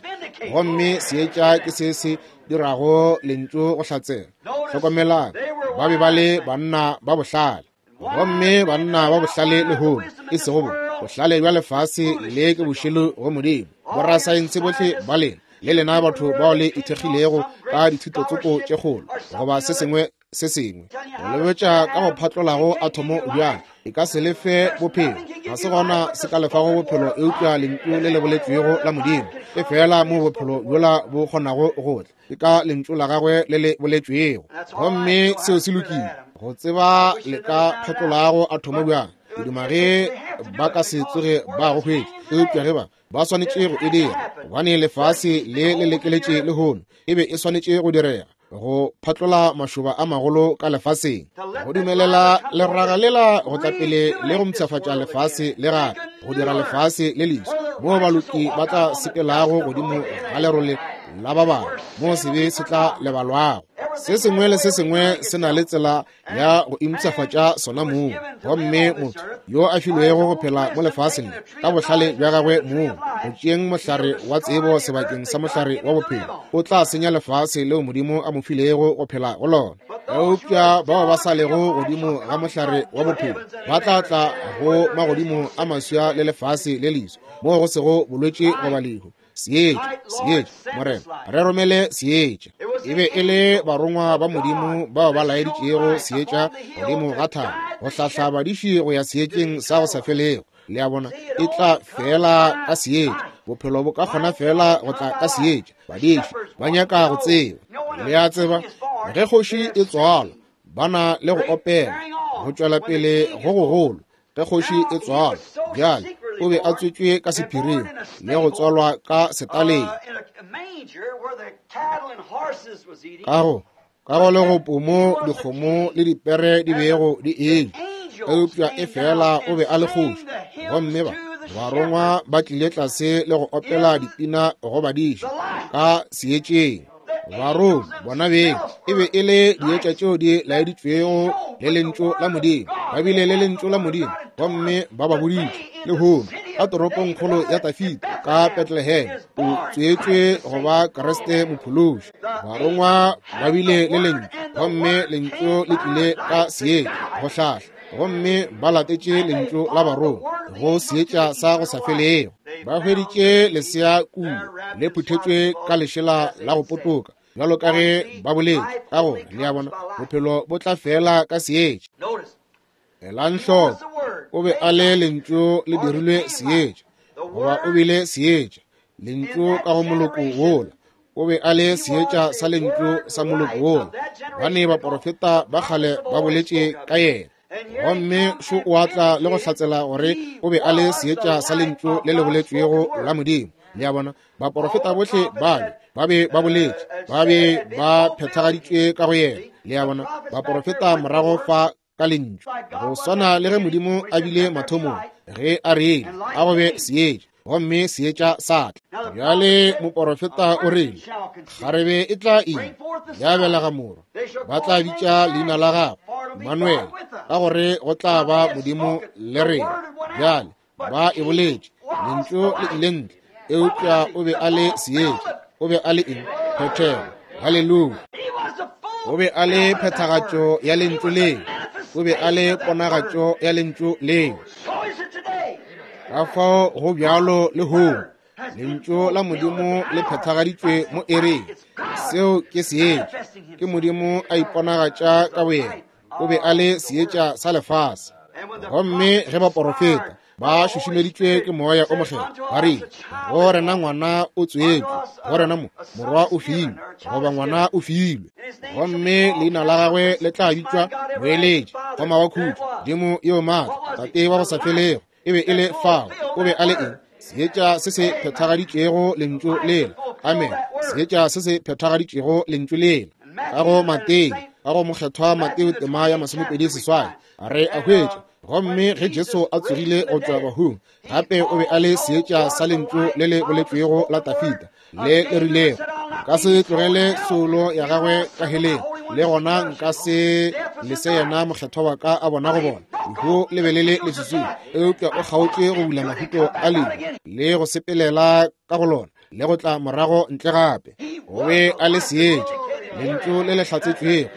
gomme seetša ke se se dirago lentšu go hlatsela. Hlokomelang, ba be ba le banna ba bohlale. Gomme banna ba bohlale lehono, e sego bo bohlale bja lefase le ke bošelo go Modimo. Borasaense bohle ba lena, le lena batho bao le ithekgilego ka dithutotsoko tše kgolo goba se sengwe se sengwe, go lebetša ka go phatlolago athomo bjang, e ka se lefe bophelo. Ga se gona se ka lefago bophelo eupša lentšu le le boletšwego la Modimo. E fela mo bophelo bjola bo kgonago go tla, ke ka lentšu la gagwe le le boletšwego. Gomme seo se lokile go tseba le ka phatlolago athomo bjang. Ke duma ge ba ka se tsoge ba go hwetša, eupša ge ba swanetše go e dira, gobane lefase le le lekeletše lehono, e be e swanetše go direga go phatlola mašoba a magolo ka lefaseng, go dumelela leraga lela go tla pele le go mpshafatša lefase le gape, go dira lefase le leswa moo baloki ba tla sepelago godimo ga lerole la ba bangwe, moo sebe se tla lebalwago. Se sengwe le se sengwe se na le tsela ya go impshafatša sona mong. Gomme motho yo a filwego go phela mo lefaseng ka bohlale bja gagwe mong, go tšeeng mohlare wa tsebo sebakeng sa mohlare wa bophelo, o tla senya lefase leo Modimo a mo filego go phela go lona. Eupša bao ba sa lego godimo ga mohlare wa bophelo ba tla tla go magodimo a maswa le lefase le leswa, moo go sego bolwetši goba lehu. Seetša, seetša, Morena, re romele seetša. E be e le barongwa ba Modimo bao ba laeditšego seetša godimo ga thaba, go hlahla badiši go ya seetšeng sa go sa felego. Le a bona, e tla fela ka seetša. Bophelo bo ka kgona fela go tla ka seetša. Badiši ba nyaka go tseba. Le a tseba, ge kgoši e tswalwa, ba na le go opela, go tšwela pele go gogolo. Ge kgoši e tswalwa, bjale o be a tswetšwe ka sephiring le go tswalwa ka setaleng, ka go le go pomo dikgomo le dipere di bego di eja. Eupša e fela o be a le kgoši, gomme ba barongwa ba tlile tlase le go opela dipina go badiši ka seetšeng. Barongwa bona beng e be e le dietša tšeo di laeditšwego le lentšu la Modimo. Ba bile le lentšu la Modimo, gomme ba ba boditše lehono ka toropongkgolo ya Tafita ka Bethlehem o tswetšwe go ba Kriste mophološi. Barongwa ba bile le lentšu, gomme lentšu le tlile ka seetša go hlahla, gomme ba latetše lentšu la barongwa go seetša sa go sa felego. Ba hweditše lesea kua le phuthetšwe ka lešela la go potoka, bjalo ka ge ba boletše. Ka gore, le a bona, bophelo bo tla fela ka seetša. Elang hloko, o be a le lentšu le dirilwe seetša, goba o bile seetša, lentšu ka go moloko wola. O be a le seetša sa lentšu sa moloko wola, gobane baporofeta ba kgale ba boletše ka yena. Gomme šo o a tla le go hlatsela gore o be a le seetša sa lentšu le le boletšwego la Modimo. Le a bona, baporofeta bohle bale ba be ba boletše, ba be ba phethagaditšwe ka go yena. Le a bona, baporofeta morago fa ka lentšu, go swana le ge Modimo a bile mathomong, ge a rile a go be seetša, gomme seetša sa tla. Bjale moporofeta o rile, kgarebe e tla ima, ya belega morwa, ba tla bitša leina la gagwe Manuel, ka gore go tla ba Modimo le rena. Bjale ba e boletše, lentšu le ile ntle, eupša o be a le seetša. O be a le eng? Phethego. Haleluya. O be a le phethagatšo ya lentšu leo. O be a le ponagatšo ya lentšu leo. Ka fao go bjalo le lehono, lentšu la Modimo le phethagaditšwe mo ereng. Seo ke seetša. Ke Modimo a iponagatša ka boyena. O be a le seetša sa lefase. Gomme ge baporofeta ba šušumeditšwe ke Moya o Mokgethwa, ba rile, go rena ngwana o tswetšwe, go rena mo morwa o filwe, goba ngwana o filwe, gomme leina la gagwe le tla bitšwa Moeletši, Kgoma wa Khutšo, Modimo yo Maatla, Tate wa go sa felego. E be e le fao. O be a le eng? Seetša se se phethagaditšego lentšu lela. Amen. Seetša se se phethagaditšego lentšu lela. Ka go Mateo, ka go Mokgethwa Mateo tema ya 28, re a hwetša, gomme ge Jesu a tsogile go tšwa bahung, gape o be a le seetša sa lentšu le le boletšwego la Tafita, le le rilego, nka se tlogele soulo ya gagwe ka heleng, le gona nka se lese yena mokgethwa wa ka a bona go bona. Lehu le be le le leswiswing, eupša o kgaotše go bula mahuto a lehu le go sepelela ka go lona le go tla morago ntle gape. O be a le seetša, lentšu le le hlatsetšwego,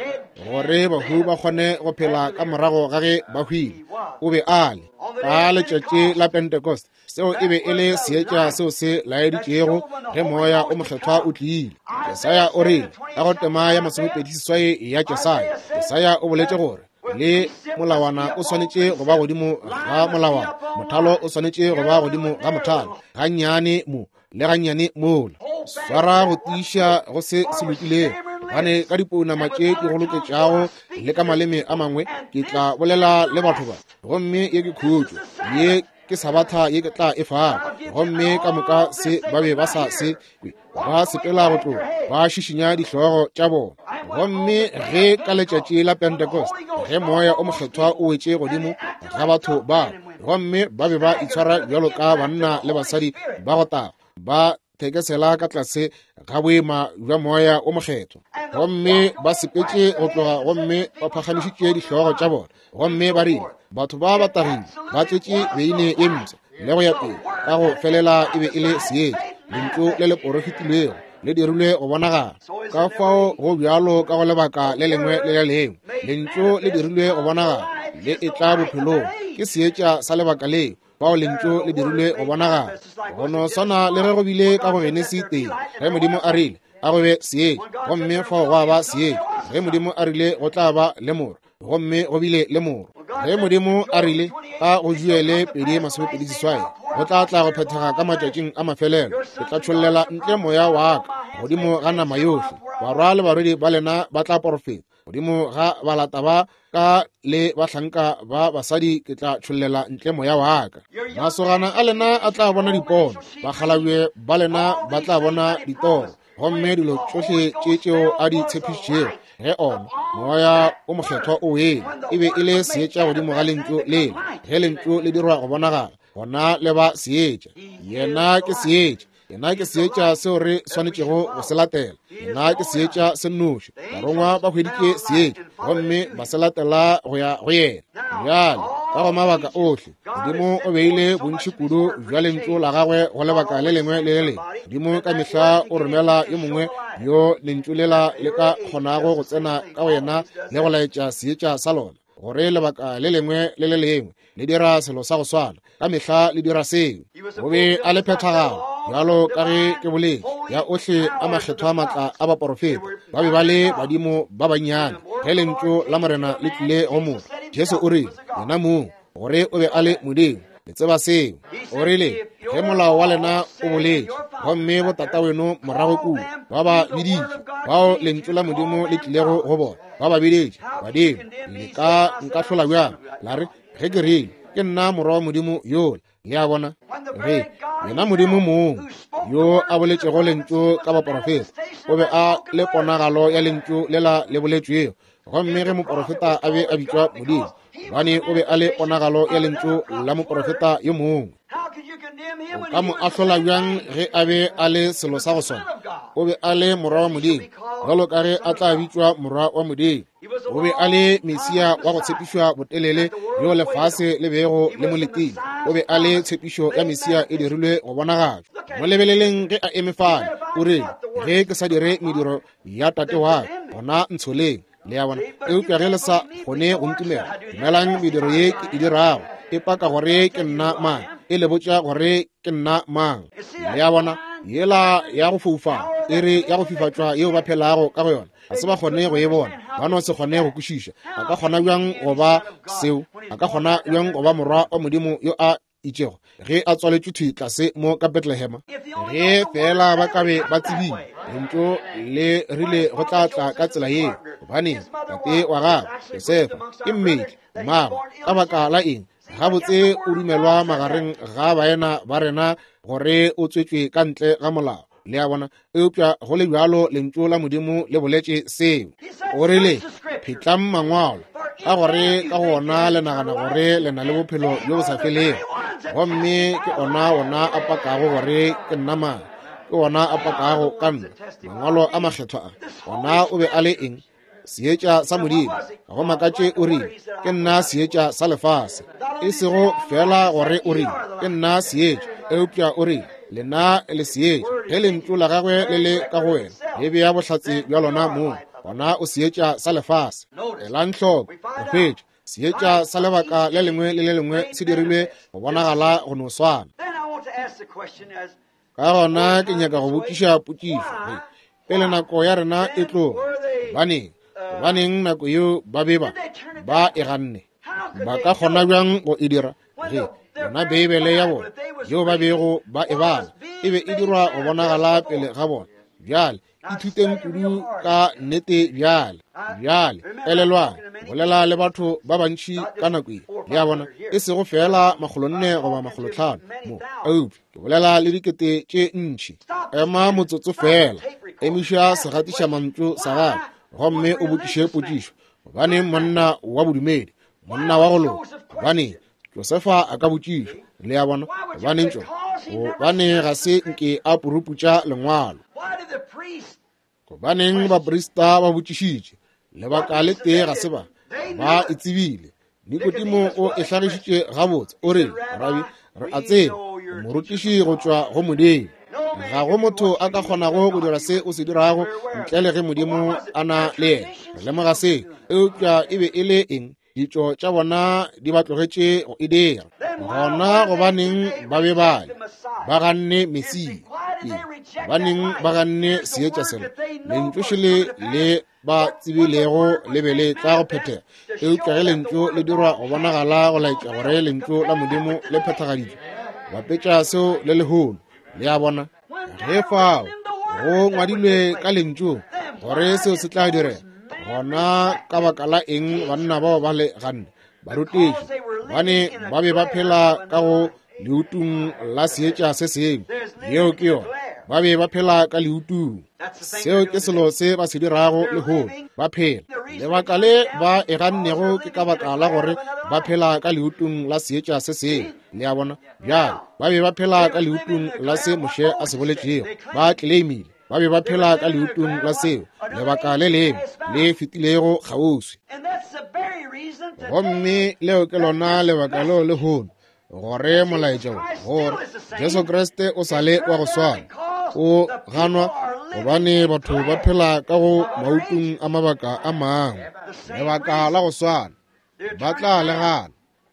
gore bahu ba kgone go phela ka morago ga ge ba hwile. O be a le ka letšatši la Pentecost. Seo e be e le seetša seo se laeditšego ge Moya o Mokgethwa o tlile. Jesaya o rile ka go tema ya 28 ya Jesaya, Jesaya o boletše gore le molawana o swanetše go ba godimo ga molawana, mothalo o swanetše go ba godimo ga mothalo, gannyane mo le gannyane mola. Swara go tiiša go se se lokilego, gobane ka dipounama tše di go loketšago le ka maleme a mangwe ke tla bolela le batho ba, gomme ye ke khutšo, ye ke sabatha ye ke tla e fago. Gomme ka moka se ba be ba sa se kwe, ba sepela go tloga, ba šišinya dihlogo tša bona. Gomme ge ka letšatši la Pentecost, ge Moya o Mokgethwa o wetše godimo ga batho ba, gomme ba be ba itshwara bjalo ka banna le basadi ba go taga, ba thekesela ka tlase ga boima bja Moya o Mokgethwa, gomme ba sepetše go tloga, gomme ba phagamišitše dihlogo tša bona, gomme ba rile, batho ba ba tagile, ba tletše beine ye mpsha, le go ya pele. Ka go felela e be e le seetša, lentšu le le porofetilwego le dirilwe go bonagala. Ka fao go bjalo ka go lebaka le lengwe le le lengwe, lentšu le dirilwe go bonagala, le etla bophelong. Ke seetša sa lebaka leo, fao lentšu le dirilwe go bonagala. Go no swana le ge go bile ka go Genesi 1, ge Modimo a rile a go be seetša, gomme fao gwa ba seetša. Ge Modimo a rile go tla ba le morwa, gomme go bile le morwa. Ge Modimo a rile ka go Joele 2:28, go tla tla go phethega ka matšatšing a mafelelo, ke tla tšhollela ntle moya wa ka godimo ga nama yohle, barwa le barwedi ba lena ba tla porofeta, godimo ga balata ba ka le bahlanka ba basadi ke tla tšhollela ntle moya wa ka. Masogana a lena a tla bona dipono, bakgalabje ba lena ba tla bona ditoro, gomme dilo tšohle tše tšeo a di tshepišitšego ge ona Moya o Mokgethwa o wele, e be e le seetša godimo ga lentšu lela. Ge lentšu le dirwa go bonagala, gona le ba seetša. Yena ke seetša. Yena ke seetša seo re swanetšego go se latela. Yena ke seetša se nnoši. Barongwa ba hweditše seetša gomme ba se latela go ya go yena. Bjale, ka go mabaka ohle, Modimo o beile bontši kudu bja lentšu la gagwe go lebaka le lengwe le le lengwe. Modimo ka mehla o romela yo mongwe yo lentšu lela le ka kgonago go tsena ka go yena le go laetša seetša sa lona, gore lebaka le lengwe le le lengwe le dira selo sa go swana. Ka mehla le dira seo. O be a le phethagalo, bjalo ka ge ke boletše, ya ohle a makgethwa maatla a baporofeta. Ba be ba le badimo ba bannyane ge lentšu la Morena le tlile go motho. Jesu o rile, yena mong, gore o be a le Modimo. Le tseba seo. O rile, ge molao wa lena o boletše, gomme botataweno morago kua ba ba biditše, bao lentšu la Modimo le tlilego go bona, ba ba biditše badimo, le ka nkahlola bjang? La re, ge ke rile, ke nna morwa wa Modimo yola. Le a bona? Ge Yena Modimo mong yo a boletšego lentšu ka baporofeta, o be a le ponagalo ya lentšu lela le boletšwego. Gomme ge moporofeta a be a bitšwa Modimo, gobane o be a le ponagalo ya lentšu la moporofeta yo mongwe. O ka mo ahlola bjang ge a be a le selo sa go swana? O be a le morwa wa Modimo, jalo ka ge a tla bitšwa morwa wa Modimo. O be a le Mesia wa go tshepišwa botelele yo lefase le bego le mo letile. O be a le tshepišo ya Mesia e dirilwe go bonagatšwa. Mo lebeleleng ge a eme fale, o rile, ge ke sa dire mediro ya Tate wa ka, gona ntsholeng. Le a bona? Eupša ge le sa kgone go ntumela, dumelang mediro ye ke e dirago, e paka gore ke nna mang, e le botša gore ke nna mang. Le a bona? Yela ya go foufala, iri ya go fifatšwa yeo ba phelago ka go yona, ga se ba kgone go e bona, ba no se kgone go kwešiša. A ka kgona bjang go ba seo? A ka kgona bjang go ba morwa wa Modimo yo a itšego ge a tswaletšwe thwi tlase mo ka Bethlehema? Ge feela ba ka be ba tsebile, lentšu le rile go tla tla ka tsela yeo, gobane tate wa gagwe Josefa ke mmetli, mmagwe, ka baka la eng, gabotse o dumelwa magareng ga baena ba rena gore o tswetšwe ka ntle ga molao. Le a bona? Eupša go le bjalo lentšu la Modimo le boletše seo. O rile, Phetlang mangwalo, ka gore ka go ona le nagana gore le na le bophelo bjo bo sa felego, gomme ke ona wona a pakago gore ke nna mang, ke wona a pakago ka nna. Mangwalo a makgethwa a, ona o be a le eng? Seetša sa Modimo. Ga go makatše o rile, Ke nna seetša sa lefase. E sego feela gore o rile, Ke nna seetša, eupša o rile, Lena le seetša. Ge lentšu la gagwe le le ka go wena, le bea bohlatse bja lona mong, gona o seetša sa lefase. Elang hloko, go hwetša seetša sa lebaka le lengwe le le lengwe se dirilwe go bonagala go no swana. Ka gona ke nyaka go botšiša potšišo ge pele nako ya rena e tloga. Gobaneng, gobaneng nako yeo ba be ba ba e ganne? Ba ka kgona bjang go e dira ge yona Beibele ya bona yeo ba bego ba e bala e be e dirwa go bonagala pele ga bona? Bjale ithuteng kudu ka nnete bjale. Bjale elelwang, bolela le batho ba bantši ka nako ye, le a bona, e sego feela 400 goba 500 mo, eupša ke bolela le dikete tše ntši. Ema motsotso feela, emiša segatišamantšu sa gago gomme o botšiše potšišo. Gobaneng monna wa bodumedi, monna wa go loka, gobaneng Josefa a ka botšiša? Le a bona? Gobaneng tšona? Gobane ga se nke a puruputša lengwalo. Gobaneng baprista ba botšišitše? Lebaka le tee ga se ba ba e tsebile. Nikodimo o e hlagišitše gabotse, o re, Rabi, re a tseba morutiši go tšwa go Modimo. Ga go motho a ka kgonago go dira se o se dirago ntle le ge Modimo a na le yena. Re lemoga se. Eupša e be e le eng? Ditšo tša bona di ba tlogetše go e dira. Gona gobaneng ba be ba le ba ganne Mesia? Gobaneng ba ganne seetša sela? Lentšu šele le ba tsebilego le be le tla go phethega, eupša ge lentšu le dirwa go bonagala go laetša gore lentšu la Modimo le phethagaditšwe, bapetša seo le lehono. Le a bona? Ge fao go ngwadilwe ka lentšung gore seo se tla direga, gona ka baka la eng banna bao ba le ganne? Barutiši, gobane ba be ba phela ka go leutung la seetša se sengwe. Yeo ke yona. Ba be ba phela ka leutung. Seo ke selo se ba se dirago lehono. Ba phela. Lebaka le ba e gannego ke ka baka la gore ba phela ka leutung la seetša se sengwe. Le a bona? Bjale, ba be ba phela ka leutung la se Moshe a se boletšego. Ba tleleimile. Ba be ba phela ka leutung la seo lebaka le lengwe le fetilego kgauswi. Gomme leo ke lona lebaka leo lehono gore molaetša wo, gore Jesu Kriste o sa le wa go swana, o ganwa gobane batho ba phela ka go mautung a mabaka a mangwe. Lebaka la go swana, ba tla le gana.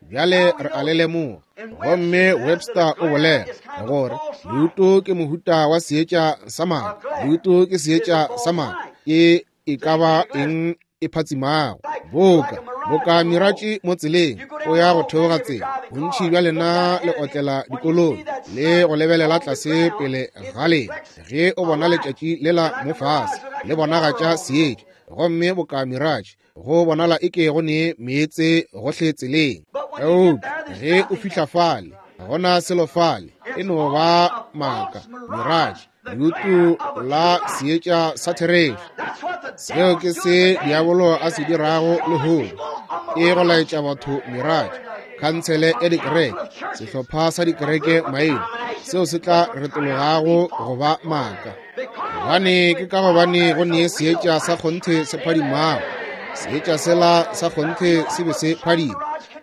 Bjale re a le lemoga. Gomme Webster o bolela gore leuto ke mohuta wa seetša sa mala. Leuto ke seetša sa mala. Ke e ka ba eng e phatsimago, boka boka miratši mo tseleng o ya go theoga tsela. Bontši bja lena le otlela dikoloi le go lebelela tlase pele ga lena ge o bona letšatši lela mo fase le bonagatša seetša, gomme boka miratši go bonala e ke go ne meetse gohle tseleng. Eupša ge o fihla fale, ga gona selo fale. E no ba maaka, mirage, leutu la seetša sa therešo. Seo ke se diabolo a se dirago lehono, ke go laetša batho mirage, khansele ya dikereke, sehlopha sa dikereke maina, seo se tla retologago go ba maaka. Gobane ke ka gobane go ne seetša sa kgonthe se phadimago. Seetša sela sa kgonthe se be se phadima.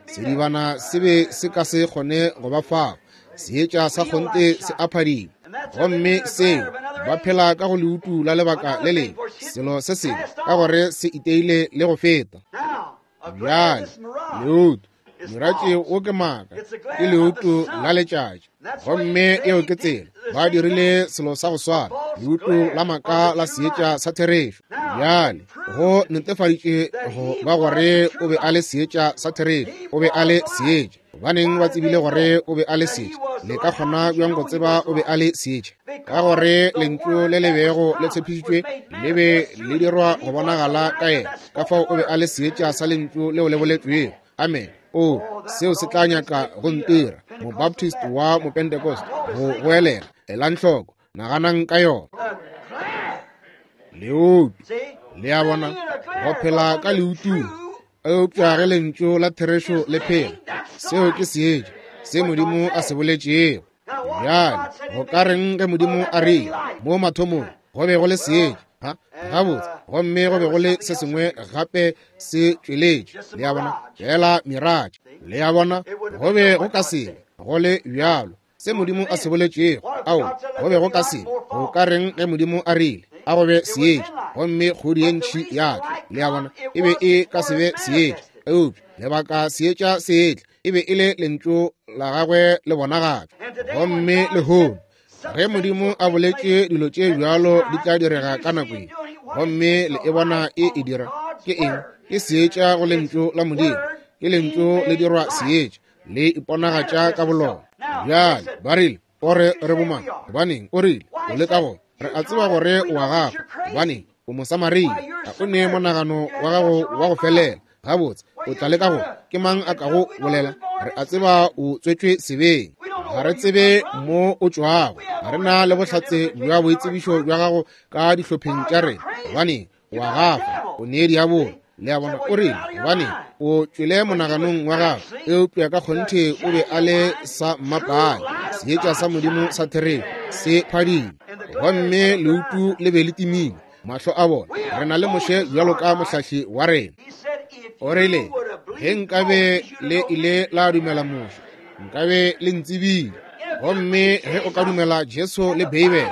Sedibana se be se ka se kgone go ba fao. Seetša sa kgonthe se a phadima. Gomme seo, ba phela ka go leutu la lebaka le lengwe, selo se sengwe, ka gore se iteile le go feta. Bjale, leutu, miratše wo ke maaka, ke leutu la letšatši. Gomme eo ke tsela, ba dirile selo sa go swana, leutu la maaka la seetša sa therešo. Bjale, go netefaditše go ba gore o be a le seetša sa therešo, o be a le seetša. Gobaneng ba tsebile gore o be a le seetša? Le ka kgona bjang go tseba o be a le seetša? Ka gore lentšu le le bego le tshepišitšwe le be le dirwa go bonagala ka yena. Ka fao o be a le seetša sa lentšu leo le boletšwego. Amen. O, seo se tla nyaka go ntira, Mobaptist wa Mopentecost, go goelela. Elang hloko, naganang ka yona. Leutu, le a bona, go phela ka leutung. Eupša ge lentšu la therešo le phela, seo ke seetša se Modimo a se boletšego. Bjale, go ka reng ge Modimo a rile mo mathomong go be go le seetša? Ha, gabotse, gomme go be go le se sengwe gape se tšweletše. Le a bona, feela miratše. Le a bona, go be go ka se go le bjalo. Se Modimo a se boletšego, ao, go be go ka se. Go ka reng ge Modimo a rile a go be seetša, gomme kgodi ye ntši ya tla? Le a bona, e be e ka se be seetša. Eupša lebaka seetša se etla, e be e le lentšu la gagwe le bonagatšwa. Gomme lehono ge Modimo a boletše dilo tše bjalo di tla direga ka nako ye, gomme le e bona e e dira, ke eng? Ke seetša go lentšu la Modimo. Ke lentšu le dirwa seetša, le iponagatša ka bolona. Bjale ba rile, o re re bomang? Gobaneng o rile o le ka go re a tseba gore o a gafa? Gobaneng o Mosamaria, ga o ne monagano wa gago wa go felela. Gabotse, o tla le ka go ke mang a kago bolela? Re a tseba o tswetšwe sebeng, ga re tsebe mo o tšwago, ga re na le bohlatse bja boitsebišo bja gago ka dihlopheng tša rena. Gobaneng o a gafa, o ne diabolo. Le a bona, o rile, gobane o tšwele monaganong wa gago, eupša ka kgonthe o be a le sa mmapale, seetša sa Modimo sa therešo se phadima, gomme leutu le be le timile mahlo a bona. Re na le Moshe bjalo ka mohlahli wa rena. O rile, ge nkabe le ile la dumela Moshe, nkabe le ntsebile. Gomme ge o ka dumela Jesu le Beibele,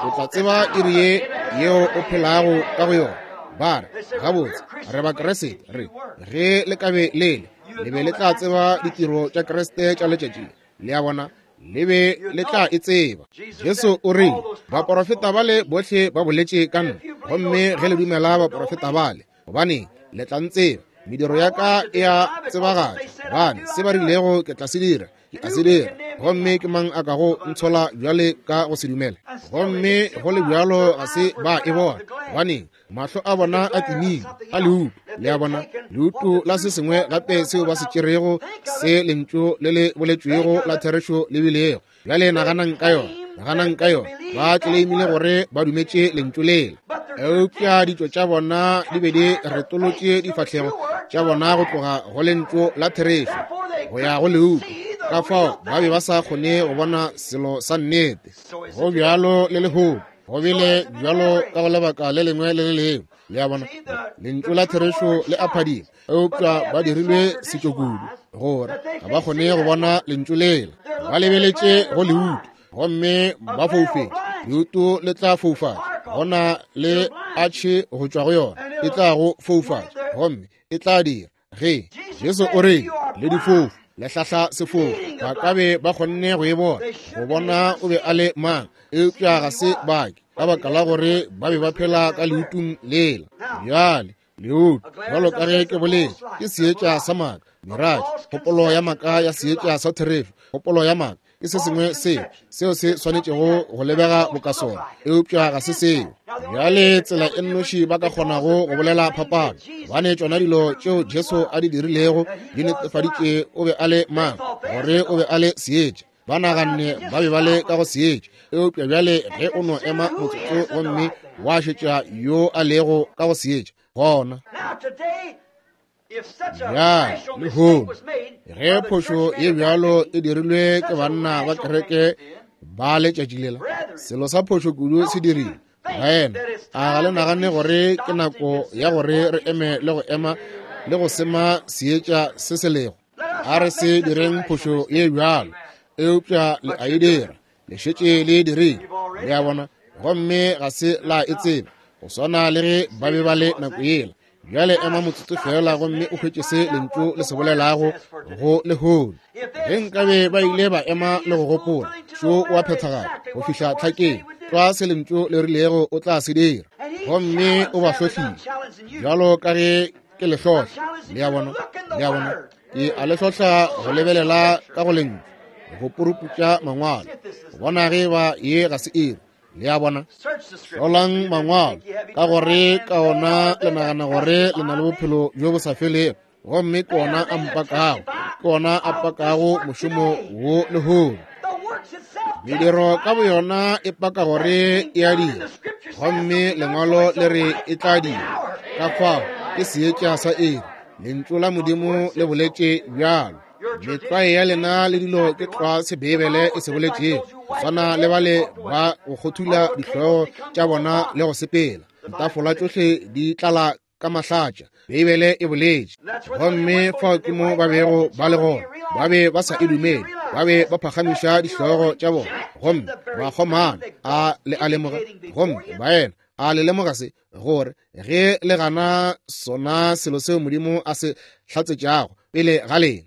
o tla tseba iri ye yeo o phelago ka go yona. Ba re, gabotse, re Bakriste. Re, ge le ka be le le, le be le tla tseba ditiro tša Kriste tša letšatši. Le a bona, le be le tla e tseba. Jesu o rile, baporofeta bale bohle ba boletše ka nna, gomme ge le dumela baporofeta bale, gobaneng le tla ntseba. Mediro ya ka e a tsebagatša, gobane se ba rilego ke tla se dira, ke a se dira. Gomme ke mang a kago ntshola bjale ka go se dumele? Gomme go le bjalo ga se ba e bona, gobaneng mahlo a bona a timile a leutu. Le a bona, leutu la se sengwe gape seo ba se tšerego, se lentšu le le boletšwego la therešo le bilego. Bjale naganang ka yona, naganang ka yona. Ba tleleimile gore ba dumetše lentšu lela, eupša ditšo tša bona di be di retolotše difahlego tša bona go tloga go lentšu la therešo go ya go leutu. Ka fao ba be ba sa kgone go bona selo sa nnete. Go bjalo le lehono, go bile bjalo ka go lebaka le lengwe le le lengwe. Le a bona, lentšu la therešo le a phadima, eupša ba dirilwe setšokudu gore ga ba kgone go bona lentšu lela. Ba lebeletše go leutu gomme ba foufetše. Leutu le tla foufatša, go na le atšhe go tšwa go yona, e tla go foufatša gomme e tla dira ge Jesu o re le difofu le hlahla sefofu. Ba ka be ba kgonne go e bona, go bona o be a le mang, eupša ga se bake, ka baka la gore ba be ba phela ka leutung lela. Bjale leutu, bjalo ka ge ke boletše, ke seetša sa maaka, mirage, kgopolo ya maaka ya seetša sa therešo. Kgopolo ya maaka ke se sengwe seo seo se swanetšego go lebega boka sona, eupša ga se seo. Bjale tsela e nnoši ba ka kgonago go bolela phapano, gobane tšona dilo tšeo Jesu a di dirilego di netefaditše o be a le mang, gore o be a le seetša. Ba naganne ba be ba le ka go seetša. Eupša bjale ge o no ema motsotso gomme wa šetša yo a lego ka go seetša, gona. Bjale, lehono, ge phošo ye bjalo e dirilwe ke banna ba kereke ba letšatši lela, selo sa phošo kudu se dirile. Baena, a ga le nagane gore ke nako ya gore re eme le go ema le go sema seetša se se lego? A re se direng phošo ye bjalo, eupša le a e dira, le šetše le e dirile, le a bona, gomme ga se la e tseba, go swana le ge ba be ba le nako yela. Bjale ema motsotso fela gomme o hwetše se lentšu le se bolelago go lehono. Ge nkabe ba ile ba ema le go gopola, šo wa phethagala go fihla tlhakeng, tlwa se lentšu le rilego o tla se dira, gomme o ba hlohlile bjalo ka ge ke le hlohla. Le a bona, le a bona, ke a le hlohla go lebelela ka go lentšu, go puruputša mangwalo, go bona ge ba ye ga se iri. Le a bona, hlolang mangwalo, ka gore ka ona le nagana gore le na le bophelo bjo bo sa felego, gomme ke ona a mpakago, ke ona a pakago mošomo wo lehono. Mediro ka boyona e paka gore e a dira, gomme lengwalo le re e tla dira. Ka fao ke seetša sa iri, lentšu la Modimo le boletše bjalo. Metlwae ya lena le dilo ke tlwa se Beibele e se boletšego, go swana le bale ba go kgothula dihlogo tša bona le go sepela. Ditafola tšohle di tlala ka mahlatša, Beibele e boletše. Gomme fao ke mo ba bego ba le gona. Ba be ba sa e dumele, ba be ba phagamiša dihlogo tša bona gomme ba kgomana. A le a lemoga? Gomme baena, a le lemoga se, gore ge le gana sona selo seo Modimo a se hlatsetšago pele ga lena,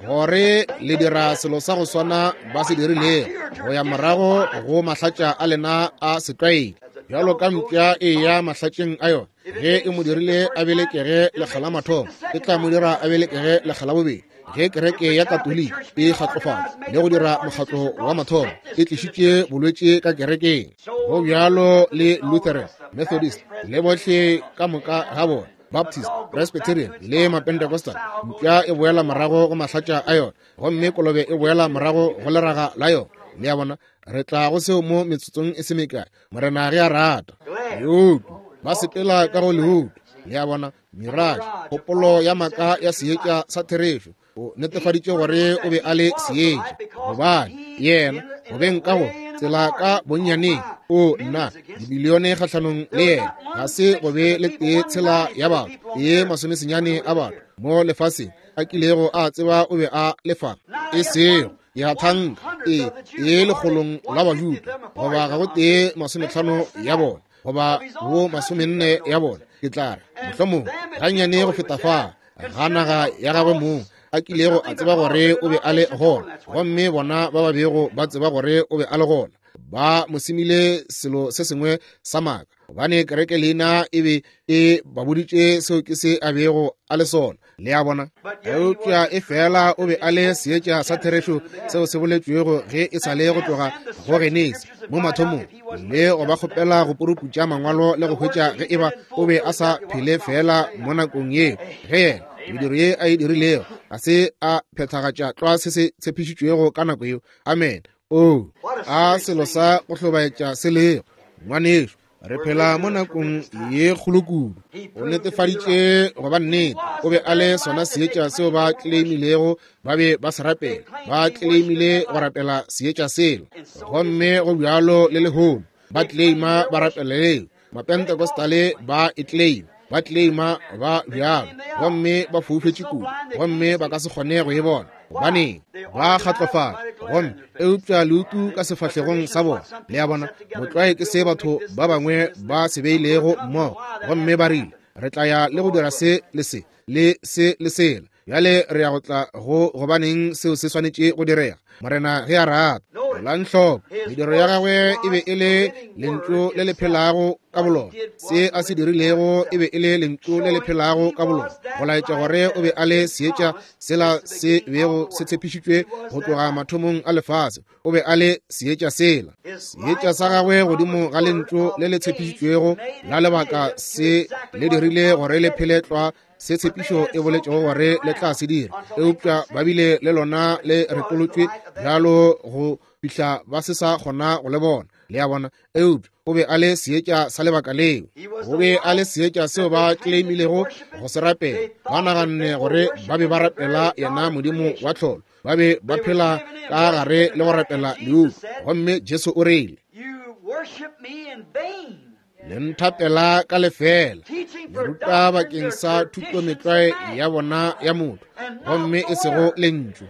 gore le dira selo sa go swana ba se dirilego, go ya morago go mahlatša a lena a setlwaedi, bjalo ka mpša e ya mahlatšeng a yona. Ge e mo dirile a belekege lekga la mathomo, e tla mo dira a belekege lekga la bobedi. Ge kereke ya Katoliki e kgatlofala le go dira mokgatlo wa mathomo, e tlišitše bolwetši ka kerekeng. Go bjalo le Lutheran, Methodist, le bohle ka moka ga bona, Baptist, Presbyterian le Mapentecostal. Mpša e boela morago go mahlatša a yona, gomme kolobe e boela morago go leraga la yona. Le a bona, re tla go seo mo metsotsong e se mekae, Morena ge a rata. Leutu, ba sepela ka go leutu. Le a bona, mirage, kgopolo ya maaka ya seetša sa therešo. O netefaditše gore o be a le seetša, gobane yena go beng ka go tsela ka bonnyaneng, o nna dibilione kgahlanong le yena, ga se go be le tee tshela ya batho, ye masomesenyane a batho mo lefaseng a kilego a tseba o be a lefa, e sego ya thanka e e lekgolong la Bajuda, goba ga go tee masometlhano ya bona, goba bo masomenne ya bona, ke tla re mohlomong gannyane go feta fa, ga naga ya gagwe mong a kilego a tseba gore o be a le gona. Gomme bona ba ba bego ba tseba gore o be a le gona, ba mo semile selo se sengwe sa maaka, gobane kereke leina e be e ba boditše seo ke se a bego a le sona. Le a bona? Eupša e fela o be a le seetša sa therešo seo se boletšwego ge e sa le go tloga go Genesi mo mathomong, le go ba kgopela go puruputša mangwalo le go hwetša ge eba o be a sa phele fela mo nakong yeo, ge yena mediro ye a e dirilego ga se a phethagatša tlwa se se tshepišitšwego ka nako yeo. Amen. Oo, a selo sa go hlobaetša se lego, ngwanešu. Re phela mo nakong ye kgolo kudu. O netefaditše go ba nnete. O be a le sona seetša seo ba tleleimilego ba be ba se rapela. Ba tleleimile go rapela seetša sela. Gomme go bjalo le lehono. Ba tleleima ba rapela leo. Mapentecostale ba e tleleima. Ba tleleima ba bjalo. Gomme ba foufetše kudu. Gomme ba ka se kgone go e bona. Gobaneng? Ba kgatlofala. Gomme eupša leutu ka sefahlegong sa bona. Le a bona, motlwae ke se batho ba bangwe ba se beilego mmogo, gomme ba rile, Re tla ya le go dira se le se, le se le sela. Bjale re ya go tla go, gobaneng seo se swanetše go direga, Morena ge a rata. Elang hloko, mediro ya gagwe e be e le lentšu le le phelago ka bolona. Se a se dirilego e be e le lentšu le le phelago ka bolona, go laetša gore o be a le seetša sela se bego se tshepišitšwe go tloga mathomong a lefase. O be a le seetša sela, seetša sa gagwe godimo ga lentšu le le tshepišitšwego la lebaka se le dirile gore le phele tlwa. se tshepišo e boletšego gore le tla se dira, eupša ba bile le lona le retolotšwe bjalo go fihla ba se sa kgona go le bona. Le a bona? Eupša o be a le seetša sa lebaka leo. O be a le seetša seo ba claimilego go se rapela. Ba naganne gore ba be ba rapela yena Modimo wa tlholo. Ba be ba phela ka gare le go rapela leuku. Gomme Jesu o rile, Le nthapela ka lefela, le ruta bakeng sa thutometlwae ya bona ya motho, gomme e sego lentšu.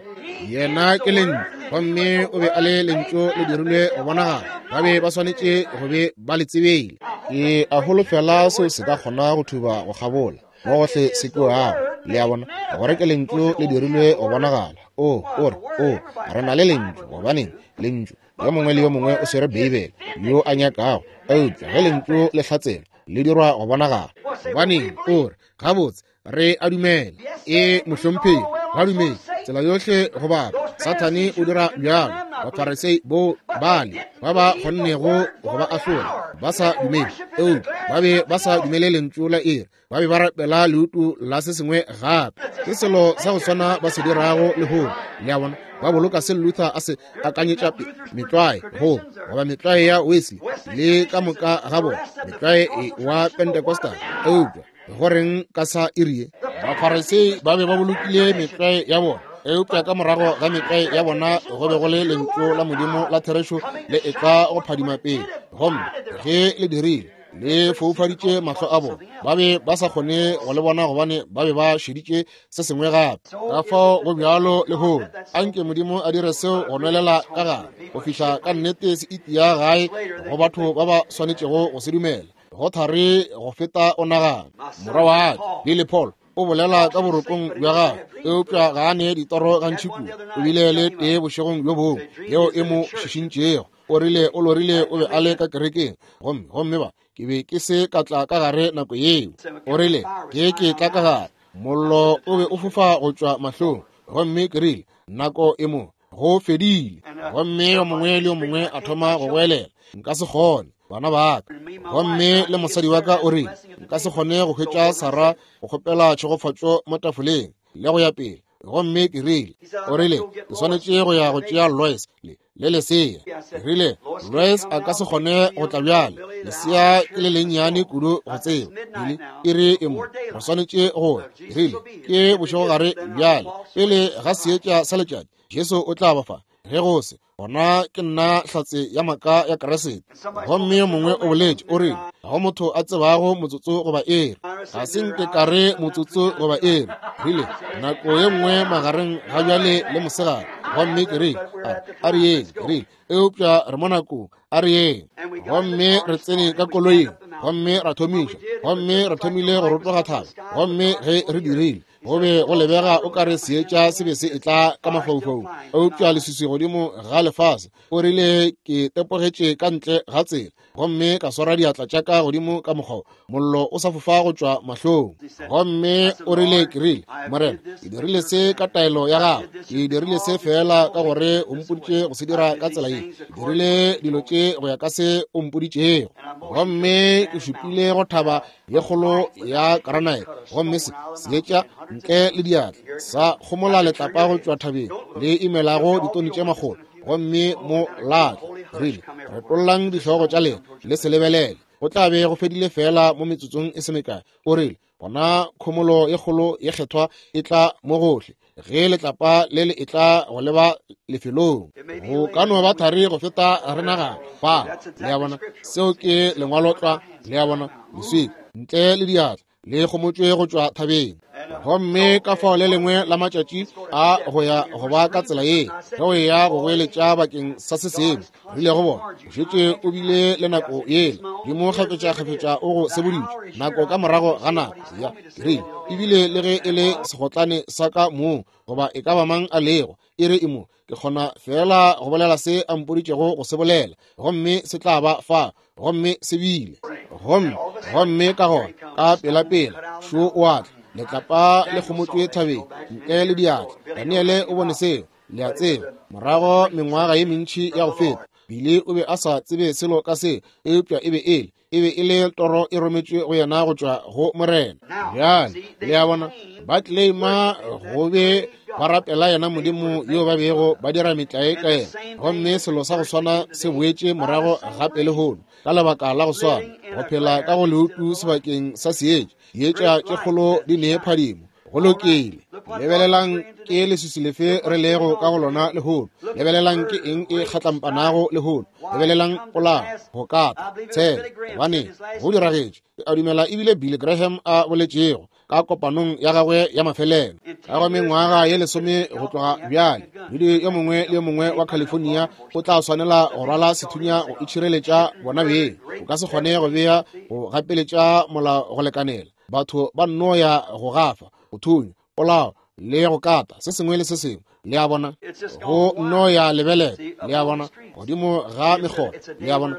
Yena ke lentšu, gomme o be a le lentšu le dirilwe go bonagala. Ba be ba swanetše go be ba le tsebile. Ke a holofela seo se ka kgona go thuba go kgabola mo gohle se kwewago. Le a bona, gore ke lentšu le dirilwe go bonagala. O, o re, o, re na le lentšu. Gobaneng? Lentšu. Yo mongwe le yo mongwe o swere Beibele yo a nyakago, eupša ge lentšu le hlatselwa, le dirwa go bonagala. Gobaneng, o re, gabotse, re a dumela. E, mohlomphegi, ba dumele tsela yohle go bapa. Sathane o dira bjalo. Bafarisei bo bale ba ba kgonnego go ba ahlola ba sa dumele, eupša ba be ba sa dumele lentšu la iri. Ba be ba rapela leutu la se sengwe gape. Ke selo sa go swana ba se dirago lehono. Le a bona, ba boloka se Luther a se akanyetša pele, metlwae go goba metlwae ya Wesley le ka moka ga bona, metlwae wa Pentecostal. Eupša go reng ka sa iri ye? Bafarisei ba be ba bolokile metlwae ya bona, eupša ka morago ga metlwae ya bona go be go le lentšu la Modimo la therešo le etla go phadima pele. Gomme ge le dirile, le foufaditše mahlo a bona. Ba be ba sa kgone go le bona gobane ba be ba šeditše se sengwe gape. Ka fao go bjalo lehono. Anke Modimo a dire seo go nwelela ka gare go fihla ka nnete se itia gae go batho ba ba swanetšego go se dumela. Go thari go feta o nagana. Morwa wa ka, Billy Paul, o bolela ka borokong bja gagwe, eupša ga a ne ditoro gantši kudu. O bile le tee bošegong bjo bongwe yeo e mo šišintšego. O rile o lorile o be a le ka kerekeng, gomme, gomme ba, ke be ke se ka tla ka gare nako yeo. O rile, ke ke tla ka gare, mollo o be o fofa go tšwa mahlong, gomme ke rile, nako e mo, go fedile. Gomme yo mongwe le yo mongwe a thoma go goelela, nka se kgone, bana ba ka. Gomme le mosadi wa ka o rile, nka se kgone go hwetša Sarah go kgopela tšhegofatšo mo tafoleng, le go ya pele. Gomme ke rile, o rile, ke swanetše go ya go tšea Lois le, le lesea. Ke rile, Lois a ka se kgone go tla bjale, lesea ke le lennyane kudu go tseba. Billy, iri e mo, re swanetše go ya. Ke rile, ke bošegogare bjale, pele ga seetša sa letšatši, Jesu o tla ba fa. Ge go se, gona ke nna hlatse ya maaka ya Kriste. Gomme yo mongwe o boletše, o rile, ga go motho a tsebago motsotso goba iri. Ga se nke ka re motsotso goba iri. Rile, nako ye nngwe magareng ga bjale le mosegare. Gomme ke rile, a re yeng. Ke rile, eupša re mo nakong, a re yeng. Gomme re tsene ka koloing, gomme ra thomiša, gomme re thomile go rotoga thaba. Gomme ge re dirile, go be go lebega o ka re seetša se be se etla ka mafaufaung, eupša leswiswi godimo ga lefase. O rile, ke tepogetše ka ntle ga tsela gomme ka swara diatla tša ka godimo ka mokgwa mollo o sa fofa go tšwa mahlong. Gomme o rile, ke rile, Morena, ke dirile se ka taelo ya gago. Ke dirile se feela ka gore o mpoditše go se dira ka tsela ye. Ke dirile dilo tše go ya ka se o mpoditšego. Gomme ke šupile go thaba ye kgolo ya granite, gomme se seetša ntle le diatla sa kgomola letlapa go tšwa thabeng le imelago ditoni tše makgolo, gomme mo latla. Rile, retollang dihlogo tša lena le se lebelele, go tla be go fedile feela mo metsotsong e se mekae. O rile, gona khomolo ye kgolo ye kgethwa e tla mo gohle ge letlapa le le etla go leba lefelong. Go ka no ba thari go feta re nagana. Fa, le a bona, seo ke lengwalo tlwa, le a bona, leswika ntle le diatla le kgomotšwe go tšwa thabeng. Gomme ka fao le lengwe la matšatši a go ya go ba ka tsela ye, ge o eya go goeletša bakeng sa se sengwe, rile go bona, o šetše o bile le nako yela, Modimo kgafetšakgafetša o go seboditše nako ka morago ga nako. Ya, ke rile, ebile le ge e le segotlane sa ka mong, goba e ka ba mang a lego, e re e mo, ke kgona feela go bolela se a mpoditšego go se bolela, gomme se tla ba fa, gomme se bile. Gomme, gomme ka gona, ka pelapela, šo o a tla, letlapa le kgomotšwe thabeng, ntle le diatla. Daniele o bone seo, le a tseba, morago mengwaga ye mentši ya go feta. Billy o be a sa tsebe selo ka se, eupša e be e le e le toro e rometšwe go yena go tšwa go Morena. Bjale le a bona, ba claima go be ba rapela yena Modimo yo ba bego ba dira metlae ka yena, gomme selo sa go swana se boetše morago gape lehono ka lebaka la go swana, go phela ka go leutu sebakeng sa seetša. Dietša tše kgolo di nee phadimo. Go lokile. Lebelelang ke leswiswi lefe re lego ka go lona lehono. Lebelelang ke eng e kgatlampanago lehono. Lebelelang polao, go kata, tshelo. Gobane go diragetše. Ke a dumela ebile Billy Graham a boletšego ka kopanong ya gagwe ya mafelelo ka go mengwaga ye 10 go tloga bjale, modudi yo mongwe le yo mongwe wa California o tla swanela go rwala sethunya go itšhireletša bona beng. O ka se kgone go bea go gapeletša molao go lekanela. Batho ba nno ya go gafa, go thunya, polao le go kata, se sengwe le se sengwe. Le a bona, go nno ya lebelela, le a bona, godimo ga mekgolo. Le a bona,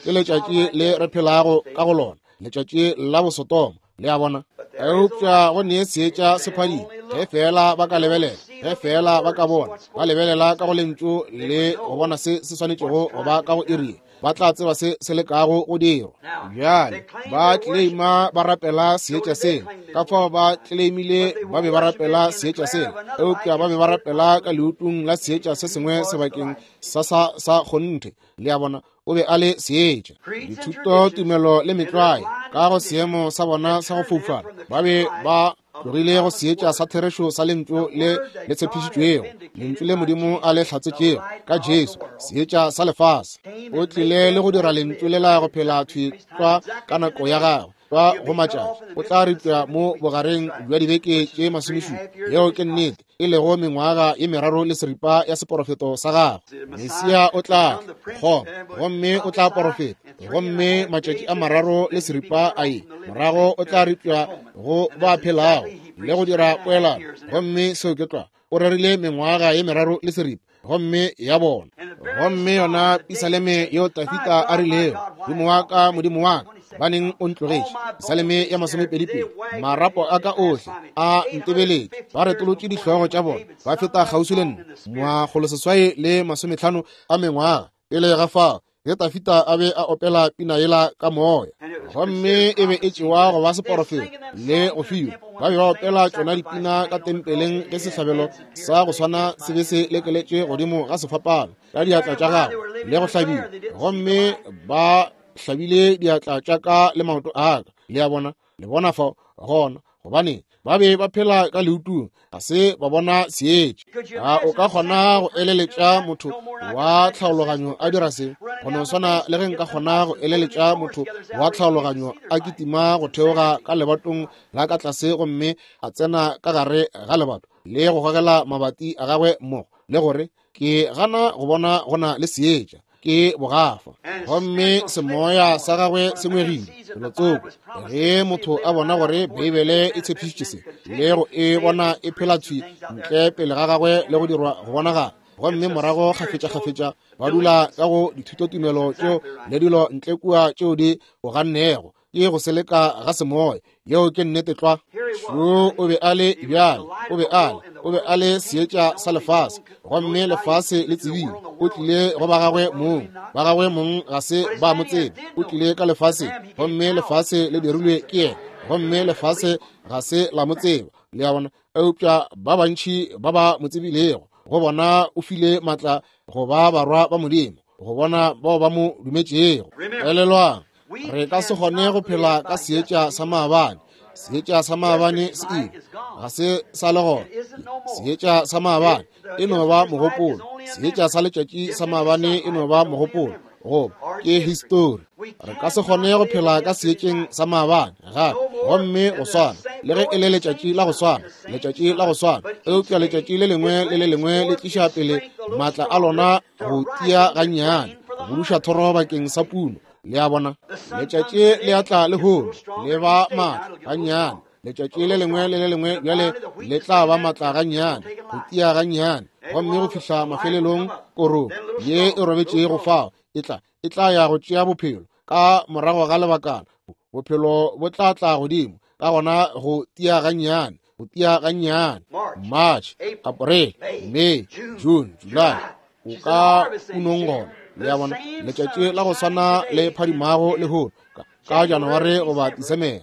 ke letšatši le re phelago ka go lona, letšatši la bosotoma. Le a bona, eupša go nee seetša se phadima ge feela ba ka lebelela, ge feela ba ka bona, ba lebelela ka go lentšu le go bona se se swanetšego go ba ka go iri, ba tla tseba se se lekago go dirwa. Bjale ba claima ba rapela seetša sela, ka fao ba claimile ba be ba rapela seetša sela, eupša ba be ba rapela ka leutung la seetša se sengwe sebakeng sa sa sa kgonthe. Le a bona, o be a le seetša. Dithuto, tumelo le metlwae ka go seemo sa bona sa go foufala, ba be ba tlogile go seetša sa therešo sa lentšu le le tshepišitšwego, lentšu le Modimo a le hlatsetšego ka Jesu, seetša sa lefase. O tlile le go dira lentšu lela go phela thwi tlwa ka nako ya gagwe, tlwa go matšatši. O tla ripša mo bogareng bja dibeke tše 17. Yeo ke nnete, e lego mengwaga ye 3 le seripa ya seporofeto sa gagwe. Mesia o tla tla gomme o tla porofeta, gomme matšatši a 3 le seripa a ye morago o tla ripša go ba phelago le go dira poelano. Gomme seo ke tlwa. O rerile mengwaga ye 3 le seripa gomme ya bona. Gomme yona pisaleme yeo Tafita a rilego, Modimo wa ka, Modimo wa ka, baneng o ntlogetše. Pisaleme ya 22. Marapo a ka ohle a ntebeletše, ba retolotše dihlogo tša bona, ba feta kgauswi le nna. 850 a mengwaga pele ga fao, ge Tafita a be a opela pina yela ka moya, gomme e be e tšewa go ba seporofeto le go fiwa. Ba be ba opela tšona dipina ka tempeleng ge sehlabelo sa go swana se be se lekeletše godimo ga sefapano ka diatla tša gagwe le go hlabiwa, gomme ba hlabile diatla tša ka le maoto a ka. Le a bona, le bona fao gona, gobane ba be ba phela ka leutung, ga se ba bona seetša. A o ka kgona go eleletša motho wa tlhaologanyo a dira se? Go no swana le ge nka kgona go eleletša motho wa tlhaologanyo a kitima go theoga ka lebatong la ka tlase gomme a tsena ka gare ga lebato le go gogela mabati a gagwe mmogo, le gore ke gana go bona go na le seetša, ke bogafa. Gomme semoya sa gagwe se ngwegile felotsoko. Ge motho a bona gore Beibele e tshepišitše se, le go e bona e phela thwi ntle pele ga gagwe le go dirwa go bonagala, gomme morago kgafetša-kgafetša ba dula ka go dithutotumelo tšeo le dilo ntle kua tšeo di o gannego, ke go seleka ga semoya. Yeo ke nnete tlwa. Šo o be a le bjale, o be a le seetša sa lefase, gomme lefase le tsebile. O tlile go ba gagwe mong, ba gagwe mong ga se ba mo tsebe. O tlile ka lefaseng, gomme lefase le dirilwe ke yena, gomme lefase ga se la mo tseba. Le a bona? Eupša ba bantši ba ba mo tsebilego, go bona o file matla go ba barwa ba Modimo, go bona bao ba mo dumetšego. Elelwang, re ka se kgone go phela ka seetša sa maabane. Seetša sa maabane se ile, ga se sa le gona. Seetša sa maabane e no ba mogopolo. Seetša sa letšatši sa maabane e no ba mogopolo, goba ke histori. Re ka se kgone go phela ka seetšeng sa maabane gape, gomme go swana le ge e le letšatši la go swana, letšatši la go swana, eupša letšatši le lengwe le le lengwe le tliša pele maatla a lona go tia gannyane, go buduša thoro bakeng sa puno. Le a bona, letšatši le atla lehono le ba maatla gannyane, letšatši le lengwe le le lengwe bjale le tla ba maatla gannyane, go tia gannyane, gomme go fihla mafelelong korong ye e robetšego fao e tla ya go tšea bophelo. Ka morago ga lebakana bophelo bo tla tla godimo, ka gona go tia gannyane, go tia gannyane. March, April, May, June, July, o ka punong gona. Le a bona, letšatši la go swana le phadimago lehono ka Janaware goba Disemere,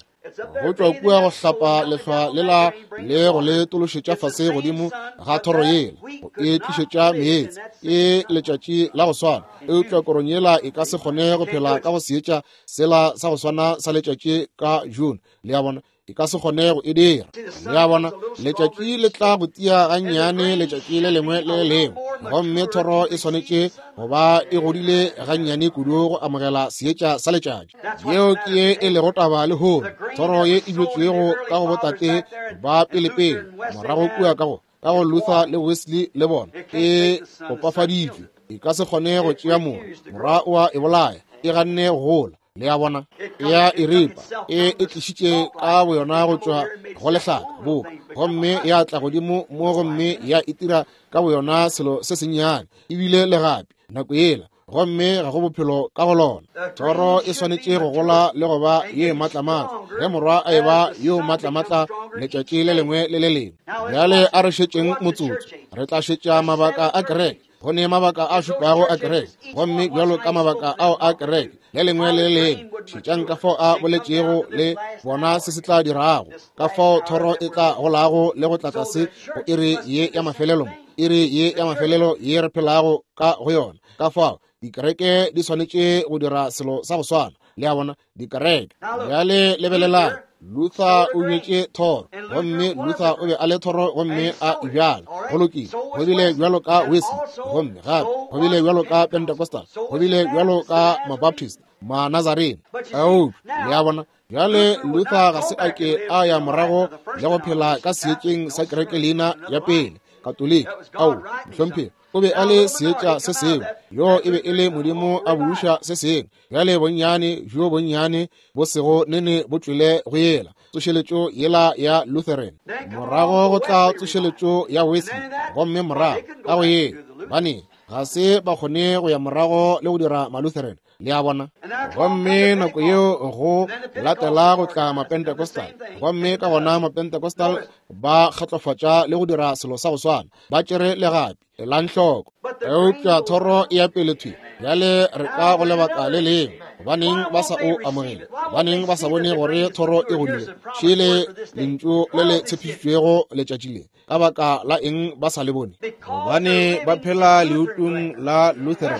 go tšwa kua go hlapa lehlwa lela le go le tološetša fase godimo ga thoro yela go e tlišetša meetse. Ke letšatši la go swana, eupša korong yela e ka se kgone go phela ka go seetša sela sa go swana sa letšatši ka June. Le a bona, e ka se kgone go e dira. Le a bona, letšatši le tla go tia gannyane letšatši le lengwe le le lengwe, gomme thoro e swanetše go ba e godile gannyane kudu go amogela seetša sa letšatši. Yeo ke ye e lego taba lehono, thoro ye e bjetšwego ka go botate ba pelepele morago kua ka go Luther le Wesley le bona, e kopafaditšwe, e ka se kgone go tšea moya, morwa o a e bolaya, e ganne go gola. Le a bona, e a e ripa, e e tlišitše ka boyona go tšwa go lehlaka boka, gomme ya tla godimo mo gomme ya itira ka boyona selo se sennyane, ebile le gape nako yela, gomme ga go bophelo ka go lona. Thoro e swanetše go gola le go ba ye maatlamatla ge morwa a eba yo maatlamatla letšatši le lengwe le le lengwe. Bjale a re šetšeng motsotso, re tla šetša mabaka a kereke. Go ne mabaka a šupago a kereke, gomme bjalo ka mabaka ao a kereke le lengwe le le lengwe, šetšang ka fao a boletšego le bona se se tla dirago, ka fao thoro e tla golago le go tla tlase go iri ye ya mafelelo, iri ye ya mafelelo ye re phelago ka go yona. Ka fao dikereke di swanetše go dira selo sa go swana. Le a bona, dikereke. Bjale lebelelang, Luther o bjetše thoro, gomme Luther o be a le thoro gomme a e bjala. Go lokile. Go bile bjalo ka Wesley, gomme gape go bile bjalo ka Pentecostal, go bile bjalo ka Mabaptist, Manazarene. Eupša, le a bona, bjale Luther ga se a ke a ya morago le go phela ka seetšeng sa kereke leina ya pele, Katoliki. Ao, mohlomphegi, o be a le seetša se sengwe, yo e be e le Modimo a buša se sengwe. Bjale bonnyane bjo bonnyane bo sego nene bo tšwele go yela tsošeletšo yela ya Lutheran, morago go tla tsošeletšo ya Wesley, gomme morago ka go yela, bane ga se ba kgone go ya morago le go dira Malutheran. Le a bona? Gomme nako yeo go latela go tla Mapentecostal, gomme ka gona Mapentecostal ba kgatlofatša le go dira selo sa go swana, ba tšere legapi. Elang hloko, eupša thoro e ya pele thwi. Bjale re ka go lebaka le lengwe. Gobaneng ba sa o amogele? Gobaneng ba sa bone gore thoro e godile? Šele lentšu le le tshepišitšwego letšatši le. Ka baka la eng ba sa le bone? Gobane ba phela leutung la Lutheran,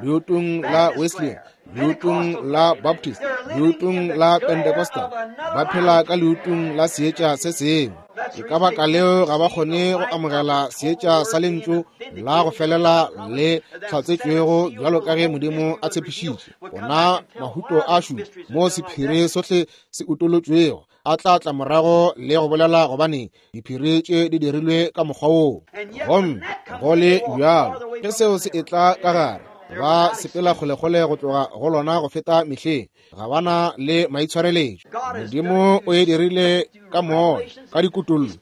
leutung la Wesleyan, leutung la Baptist, leutung la Pentecostal. Ba phela ka leutung la seetša se sengwe. Ke ka baka leo ga ba kgone go amogela seetša sa lentšu la go felela le hlatsetšwego bjalo ka ge Modimo a tshepišitše. Ona mahuto a šupa mo sephiri sohle se utolotšwego a tla tla morago le go bolela gobane diphiri tše di dirilwe ka mokgwa woo. Gomme go le bjalo ge seo se etla ka gare, ba sepela kgolekgole go tloga go lona go feta mehleng. Ga ba na le maitshwareletšo. Modimo o e dirile ka moya, ka dikutollo,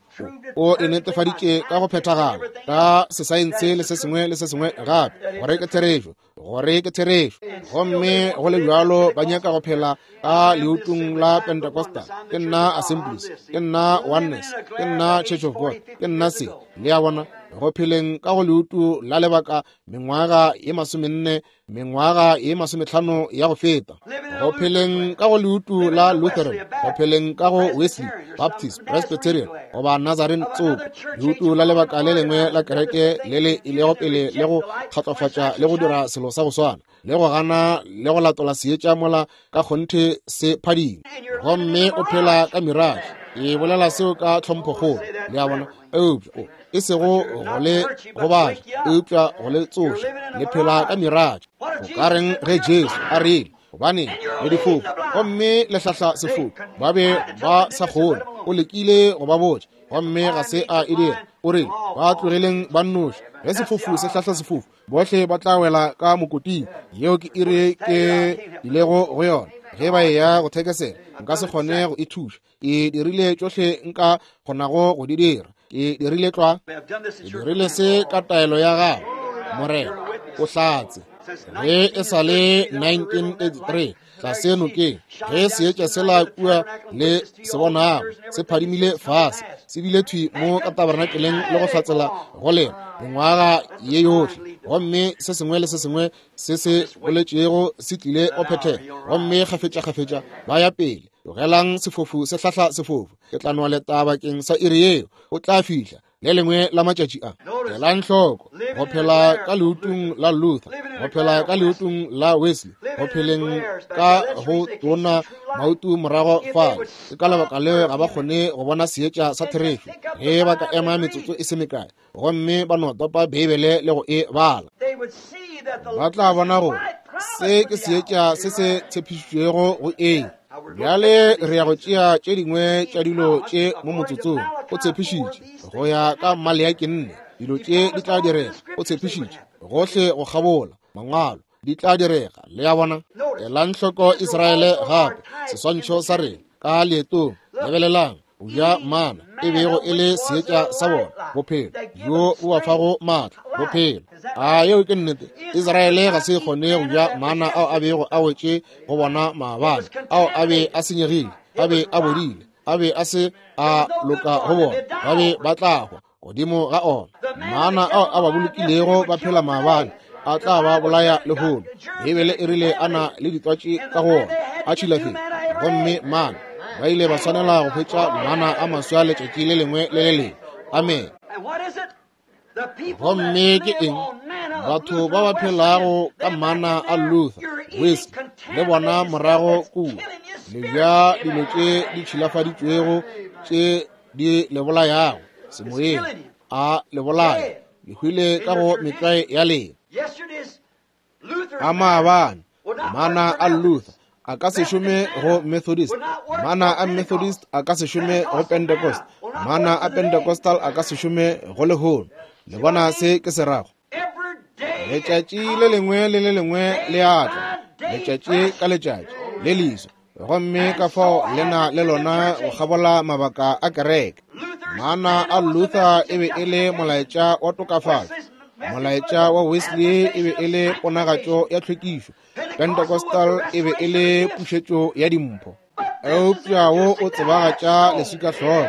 o e netefaditše ka go phethagala ka sesaense le se sengwe le se sengwe gape, gore ke therešo, gore ke therešo. Gomme go le bjalo ba nyaka go phela ka leutung la Pentecostal. Ke nna Assemblies, ke nna Oneness, ke nna Church of God, ke nna se. Le a bona, go pheleng ka go leutu la lebaka mengwaga ye 40, mengwaga ye 50 ya go feta, go pheleng ka go leutu la Lutheran, go pheleng ka go Wesley, Baptist, Presbyterian goba Nazarene tsoko, leutu la lebaka le lengwe la kereke le le ilego pele le go kgatlofatša le go dira selo sa go swana, le go gana le go latola seetša mola ka kgonthe se phadima. Gomme o phela ka mirage. E bolela seo ka tlhomphokgolo, le a bona, eupša o e sego go le gobatša, eupša go le tsoša. Le phela ka mirage. Go ka reng ge Jesu a rile, gobane le difofu gomme le hlahla sefofu? Ba be ba sa kgone. O lekile go ba botša, gomme ga se a e dira. O rile, ba tlogeleng ba nnoši. Ge sefofu se hlahla sefofu, bohle ba tla wela ka mokoting. Yeo ke iri ke ilego go yona. Ge ba eya go thekesela, nka se kgone go e thuša. Ke dirile tšohle nka kgonago go di dira. Ke dirile tlwa. Ke dirile se ka taelo ya gago, Morena. O hlatse. Ge e sa le 1983 tlase nokeng, ge seetša sela kua le se bonago se phadimile fase, se bile thwi mo ka tabernakeleng le go hlatsela go lena mengwaga ye yohle, gomme se sengwe le se sengwe se se boletšego se tlile go phethega, gomme kgafetša-kgafetša ba ya pele. Tlogelang sefofu se hlahla sefofu. Ke tla nwa leta bakeng sa iri yeo. O tla fihla le lengwe la matšatši a. Elang hloko, go phela ka leutung la Luther, go phela ka leutung la Wesley, go pheleng ka go tona mautu morago fale. Ke ka lebaka leo ga ba kgone go bona seetša sa therešo ge ba ka ema metsotso e se mekae gomme ba no topa Beibele le go e bala. Ba tla bona gore se ke seetša se se tshepišitšwego go eng. Bjale re ya go tšea tše dingwe tša dilo tše mo motsotsong. O tshepišitše go ya ka Maleaki 4, dilo tše di tla direga. O tshepišitše gohle go kgabola mangwalo di tla direga. Le a bona? Elang hloko Israele gape, seswantšho sa rena ka leetong. Lebelelang, go ja mana e bego e le seetša sa bona, bophelo bjo bo ba fago maatla, bophelo. A yeo ke nnete? Israele ga se kgone go ja mana ao a bego a wetše go bona maabane, ao a be a senyegile, a be a bodile, a be a se a loka go bona, ba be ba tla hwa godimo ga ona. Mana ao a ba bolokilego ba phela maabane a tla ba bolaya lehono. Beibele e rile a na le ditwatši ka go ona, a tšhilafetse, gomme mana ba ile ba swanela go hwetša mana a maswa letšatši le lengwe le le lengwe. Amen. Gomme ke eng? Batho ba ba phelago ka mana a Luther, Wesley le bona morago kua, le ja dilo tše di tšhilafaditšwego tše di le bolayago semoyeng, a le bolaya, le hwile ka go metlwae ya lena. A maabane mana a Luther a ka se šome go Methodist, mana a Methodist a ka se šome go Pentecost, mana a Pentecostal a ka se šome go lehono. Le bona se ke se rago? Letšatši le lengwe le le lengwe le a tla, letšatši ka letšatši le leswa, gomme ka fao le na le lona go kgabola mabaka a kereke. Mana a Luther e be e le molaetša wa tokafatšo, molaetša wa Wesley e be e le ponagatšo ya tlhwekišo, Pentecostal e be e le pušetšo ya dimpho. Eupša wo o tsebagatša leswikahlogo,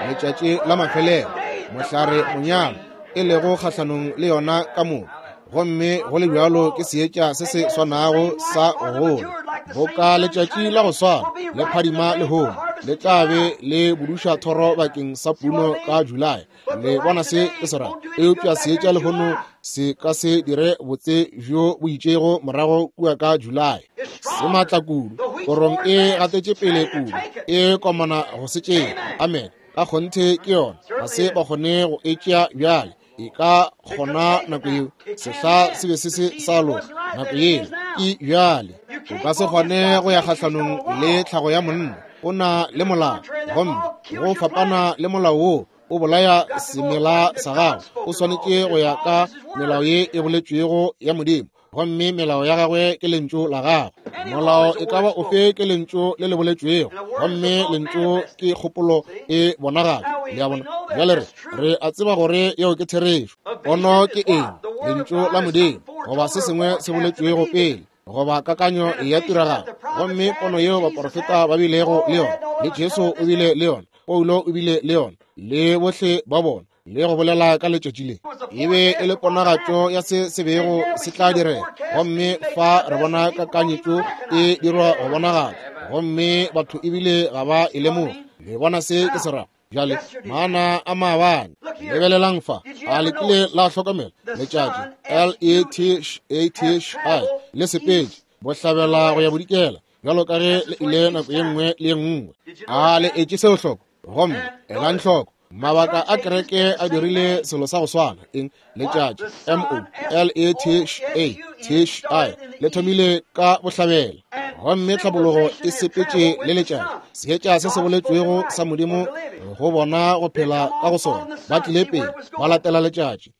letšatši la mafelelo, mohlare monyalo, e lego kgahlanong le yona ka moka. Gomme go le bjalo ke seetša se se swanago sa go gola, boka letšatši la go swana le phadima lehono, le tla be le buduša thoro bakeng sa puno ka Julae. Le bona se ke se ra? Eupša seetša lehono se ka se dire botse bjo bo itšego morago kua ka Julae. Se maatla kudu, korong e gatetše pele kudu, e komana go se tšea. Amen. Ka kgonthe ke yona, ga se ba kgone go e tšea bjale. E ka kgona nako yeo, sehla se be se se sa loka nako yeo, ke bjale. O ka se kgone go ya kgahlanong le tlhago ya monna, o na le molao, gomme go fapana le molao wo o bolaya semela sa gago. O swanetše go ya ka melao ye e boletšwego ya Modimo, gomme melao ya gagwe ke lentšu la gagwe. Molao e ka ba ofe ke lentšu le le boletšwego, gomme lentšu ke kgopolo e bonagala. Le a bona? Bjale re a tseba gore yeo ke therešo. Pono ke eng? Lentšu la Modimo, goba se sengwe se boletšwego pele, goba kakanyo ya tiragalo. Gomme pono yeo baporofeta ba bilego le yona, le Jesu o bile le yona, Paulo o bile le yona, le bohle ba bona, le go bolela ka letšatši le, e be e le ponagatšo ya se se bego se tla direga. Gomme fa re bona kakanyetšo e dirwa go bonagala, gomme batho ebile ga ba e lemoge. Le bona se ke se rago? Bjale mana a maabane, lebelelang fa. A le kile la hlokomela letšatši L-E-T-H-A-T-H-I le sepetše bohlabela go ya bodikela, bjalo ka ge le ile nako ye nngwe le ye nngwe? A le etše seo hloko? Gomme elang hloko, mabaka a kereke a dirile selo sa go swana. Eng? Letšatši L-E-T-H-A-T-H-I le thomile ka bohlabela, gomme tlhabologo e sepetše le letšatši. Seetša se se boletšwego sa Modimo go bona go phela ka go sona, ba tlile pele ba latela letšatši,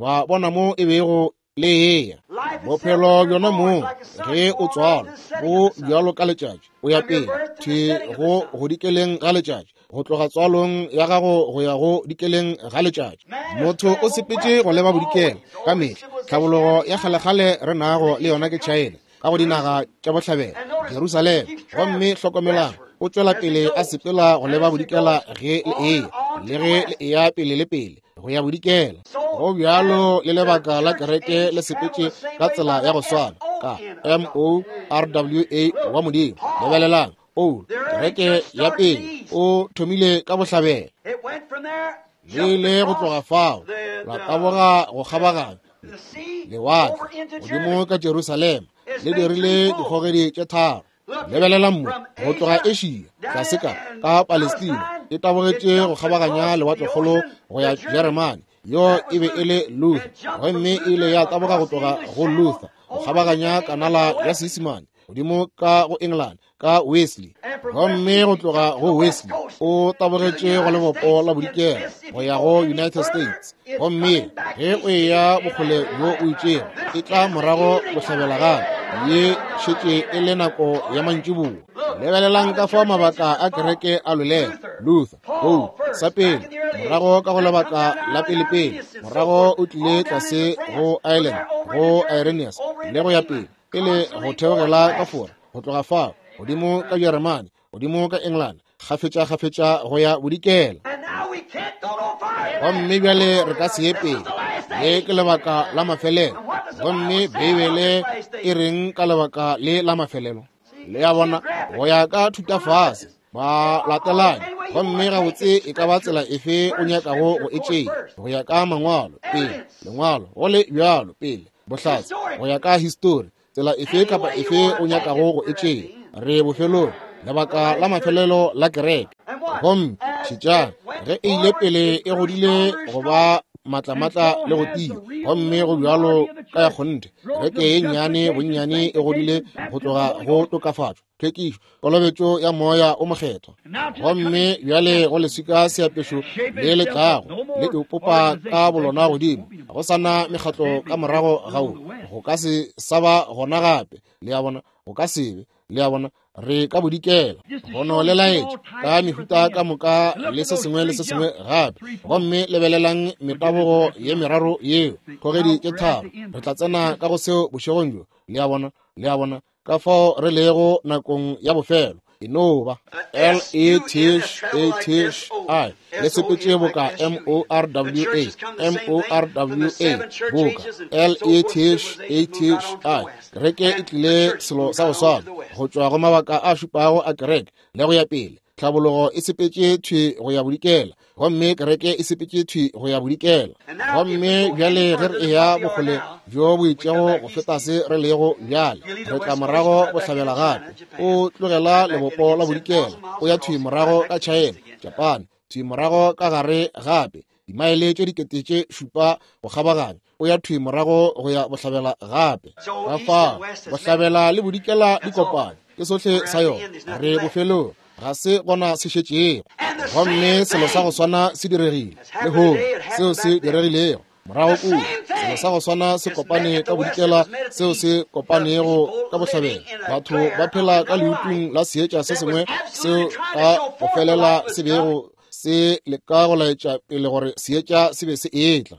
ba bona mo e bego le eya. Bophelo bjona moo ge o tswalwa bo bjalo ka letšatši, o ya pele thwi go godikeleng ga letšatši. Go tloga tswalong ya gago go ya go dikeleng ga letšatši, motho o sepetše go leba bodikela ka mehla. Tlhabologo ya kgalekgale re nago le yona ke China, ka go dinaga tša bohlabela, Jerusalema. Gomme hlokomelang, o tšwela pele a sepela go leba bodikela ge le eya, le ge le eya pele le pele go ya bodikela. Go bjalo le lebaka la kereke le sepetše ka tsela ya go swana ka M-O-R-W-A wa Modimo. Lebelelang, Paulo, kereke ya pele, o thomile ka bohlabela. Le ile go tloga fao la taboga go kgabaganya lewatle godimo ka Jerusalema, le dirile dikgogedi tše tharo. Lebelelang mo, go tloga Asia tlase ka ka Palestina, e tabogetše go kgabaganya lewatlekgolo go ya Jeremane. Yo e be e le Luther, gomme e ile ya taboga go tloga go Luther go kgabaganya kanala ya Seisemane godimo ka go England ka Wesley, gomme go tloga go Wesley o tabogetše go lebopo la bodikela go ya go United States. Gomme ge o eya bokgole bjo o itšego, e tla morago bohlabela gape. Ye šetše e le nako ya mantšiboa. Lebelelang ka fao mabaka a kereke a lwelela. Luther, Paul, sa pele, morago ka go lebaka la pelepele, morago o tlile tlase go Ireland, go Irenaeus, le go ya pele, pele go theogela ka Fora, go tloga fao godimo ka Jeremane, godimo ka England, kgafetša-kgafetša go ya bodikela. Gomme bjale re ka se ye pele. Le ke lebaka la mafelelo. Gomme Beibele e reng ka lebaka le la mafelelo? Le a bona, go ya ka thutafase ba latelane, gomme gabotse e ka ba tsela efe o nyakago go e tšea, go ya ka mangwalo pele, lengwalo go le bjalo pele, bohlatse go ya ka histori, tsela efe kapa efe o nyakago go e tšea. Re bofelong, lebaka la mafelelo la kereke. Gomme šetšang, ge e ile pele e godile go ba matlamatla le go tia, gomme go bjalo ka ya kgonthe, kereke ye nnyane bonnyane e godile go tloga go tokafatšo, tlhwekišo, kolobetšo ya Moya o Mokgethwa. Gomme bjale go leswika seapešo le le tlago le ipopa ka bolona godimo, go sa na mekgatlo ka morago ga wo, go ka se sa ba gona gape. Le a bona, go ka se be. Le a bona, re ka bodikela gono le laetša ka mehuta ka moka le se sengwe le se sengwe gape. Gomme lebelelang metabogo ye meraro yeo, kgogedi tše tharo. Re tla tsena ka go seo bošegong bjo. Le a bona, le a bona ka fao re lego nakong ya bofelo. E no ba L E T H A T H I le sepetše boka M O R W A, M O R W A boka L E T H A T H I. Kereke e tlile selo sa go swana go tšwa go mabaka a šupago a kereke le go ya pele. Tlhabologo e sepetše thwi go ya bodikela, gomme kereke e sepetše thwi go ya bodikela. Gomme bjale ge re eya bokgole bjo bo itšego go feta se re lego bjale, re tla morago bohlabela gape. O tlogela lebopo la bodikela, o ya thwi morago ka China, Japan, thwi morago ka gare gape, dimaele tše dikete tše šupa go kgabaganya, o ya thwi morago go ya bohlabela gape. Ka fao bohlabela le bodikela di kopane, ke sohle sa yona. Re bofelong, ga se gona se šetšego. Gomme selo sa go swana se diregile lehono, seo se diregilego morago kua. Selo sa go swana se kopane ka bodikela, seo se kopanego ka bohlabela. Batho ba phela ka leutung la seetša se sengwe seo ka go felela se bego se leka go laetša pele gore seetša se be se etla,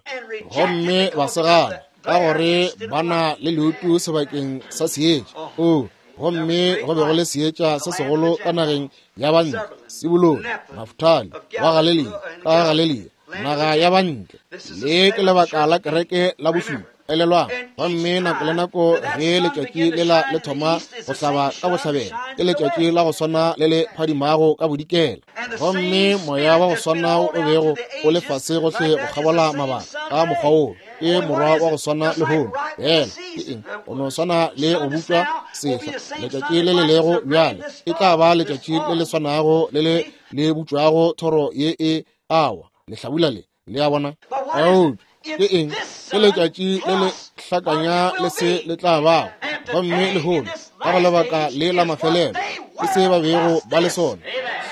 gomme ba se gana ka gore ba na le leutu sebakeng sa seetša. O, gomme go be go le seetša se segolo ka nageng ya bantle, Sebulone, Naftali wa Galelia, ka Galelia, naga ya bantle. Le ke lebaka la kereke la bošupa. Elelwang, gomme nako le nako ge letšatši lela le thoma go hlaba ka bohlabela, ke letšatši la go swana le le phadimago ka bodikela. Gomme moya wa go swana o bego o le fase gohle go kgabola mabaka ka mokgwa woo, ke morwa wa go swana lehono. Bjale ke eng? Go no swana le go butšwa sehla. Letšatši le le lego bjale e tla ba letšatši le le swanago le le le butšwago thoro ye e awa lehlabula le. Le a bona? Eupša ke eng? Ke letšatši le le hlakanya le se le tla bago. Gomme lehono ka go lebaka le la mafelelo ke se ba bego ba le sona,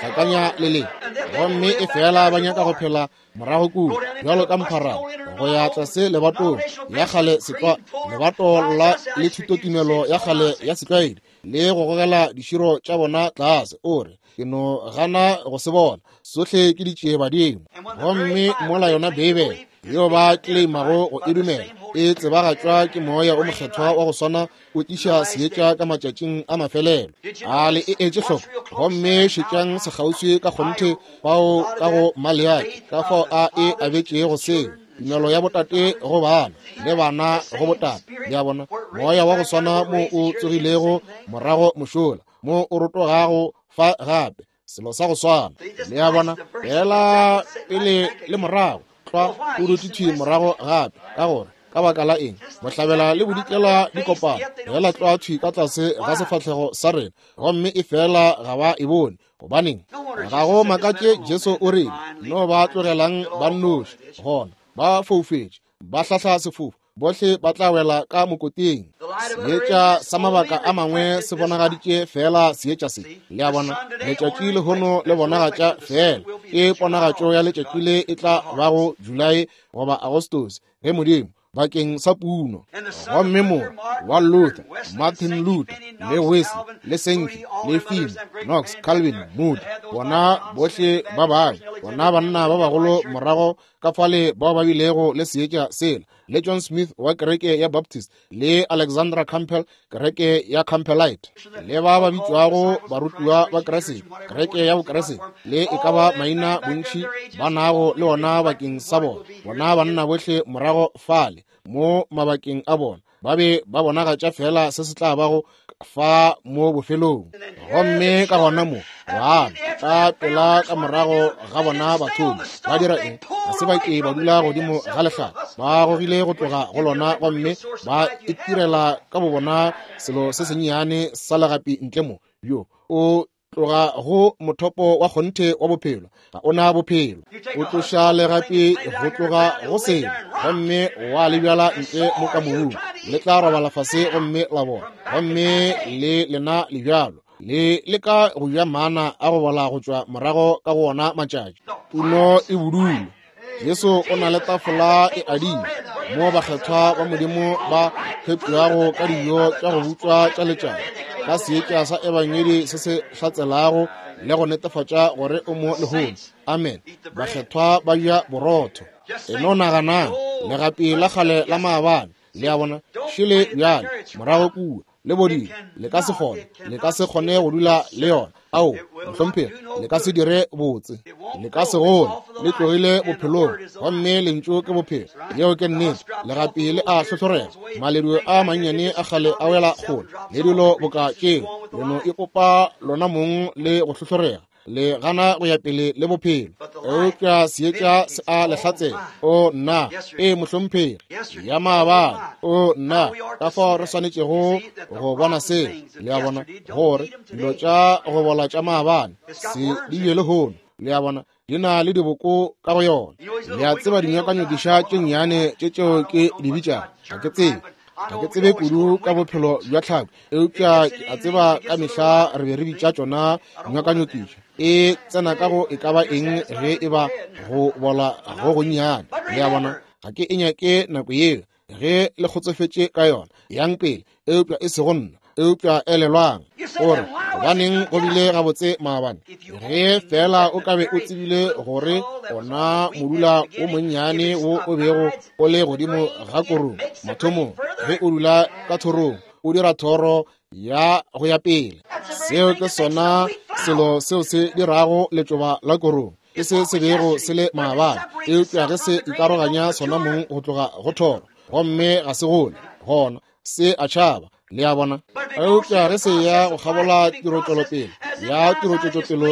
hlakanya le le. Gomme e fela ba nyaka go phela morago kua bjalo ka mpharana go ya tlase lebatong ya kgale setlwa, lebato la le thutotumelo ya kgale ya setlwaedi, le go gogela diširo tša bona tlase. O re, Ke no gana go se bona. Sohle ke ditšiebadimo. Gomme mola yona Beibele yeo ba kleimago go e dumela e tsebagatšwa ke Moya o Mokgethwa wa go swana o tliša seetša ka matšatšing a mafelelo. A le e etše hloko? Gomme šetšang sekgauswi ka kgonthe fao ka go Maleaki, ka fao a e abetšego seo, tumelo ya botate go bana le bana go botate. Le a bona, Moya wa go swana mo o tsogilego morago mošola, mo o rotogago fa gape, selo sa go swana. Le a bona, fela pele le morago, tlwa o dutše thwi morago gape, ka gore ka baka la eng bohlabela le bodikela di kopana fela tlwa thwi ka tlase ga sefahlego sa rena, gomme e fela ga ba e bone. Gobaneng, ga go makatše Jesu o rile, no ba tlogelang ba nnoši, gona ba foufetše, ba hlahla sefofu, bohle ba tla wela ka mokoting. Seetša sa mabaka a mangwe se bonagaditše feela seetša se. Le a bona, letšatši lehono le bonagatša feela ke ponagatšo ya letšatši le e tla bago Julae goba Agostose, ge Modimo bakeng sa puno. Gomme mo wa Luther, Martin Luther, le Wesley, le Sankey, le Finney, Knox, Calvin, Moody, bona bohle ba bangwe, bona banna ba bagolo morago ka fale bao ba bilego le seetša sela, le John Smith wa kereke ya Baptist, le Alexandra Campbell, kereke ya Campbellite, le ba ba bitšwago barutiwa ba Kriste, kereke ya Bokriste, le e ka ba maina bontši ba nago le ona bakeng sa bona. Bona banna bohle morago fale mo mabakeng a bona ba be ba bonagatša fela se se tla bago fa mo bofelong. Gomme ka gona mo bana ka pela ka morago ga bona bathomi ba dira eng? Ga se ba ke ba dula godimo ga lehlare, ba gogile go tloga go lona gomme ba itirela ka bobona selo se sennyane sa legapi ntle mo. Bjo o tloga go mothopo wa kgonthe wa bophelo, ga o na bophelo. O tloša legapi go tloga go selo gomme wa le bjala ntle mo ka mobung, le tla robala fase gomme la bona, gomme le lena le bjalo le leka go ja mana a go bola go tšwa morago ka go ona matšatši. Puno e budule. Jesu o na le tafola e adile mo bakgethwa ba Modimo ba fepšwago ka dijo tša go butšwa tša letšatši, ka seetša sa ebangedi se se hlatselago le go netefatša gore o mo lehono. Amen. Bakgethwa ba ja borotho. E no naganang, legapi la kgale la maabane, le a bona, šele bjale morago kua le bodile, le ka se kgone, le ka se kgone go dula le yona. Ao, mohlomphegi, le ka se dire botse, le ka se gole, le tlogile bophelong, gomme lentšu ke bophelo. Yeo ke nnete. Legapi le a hlohlorega, maledu a mannyane a kgale a wela kgole, le dilo boka tšeo, le no ipopa lona mong le go hlohlorega, le gana go ya pele le bophelo. Eupša seetša se a le hlatsela. O nna, ee mohlomphegi, ya maabane. O nna, ka fao re swanetšego go bona seo. Le a bona, gore dilo tša go bola tša maabane se di bje lehono. Le a bona, di na le diboko ka go yona. Le a tseba dinyakanyokiša tše nnyane tše tšeo ke di bitšago, ga ke tsebe, ga ke tsebe kudu ka bophelo bja tlhako, eupša ke a tseba ka mehla re be re bitša tšona dinyakanyokiša. E tsena ka go e ka ba eng ge e ba go bola go gonnyane. Le a bona, ga ke e nyake nako yeo ge le kgotsofetše ka yona, yang pele, eupša e sego nna. Eupša elelwang gore gobaneng go bile gabotse maabane, ge fela o ka be o tsebile gore ona modula o monnyane wo o bego o le godimo ga korong mathomong, ge o dula ka thorong, o dira thoro ya go ya pele. Seo ke sona selo seo se dirago letšoba la korong, ke se se bego se le maabane. Eupša ge se ikaroganya sona mong go tloga go thoro, gomme ga se gole, gona se a tšhaba. Le a bona? Eupša ge se ya go kgabola tirotšwelopele ya tirotšwetšopelo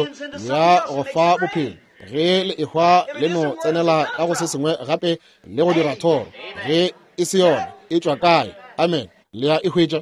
ya go fa bophelo, ge le ehwa le no tsenela ka go se sengwe gape le go dira thoro, ge e se yona, e tšwa kae? Amen. Le a e hwetša?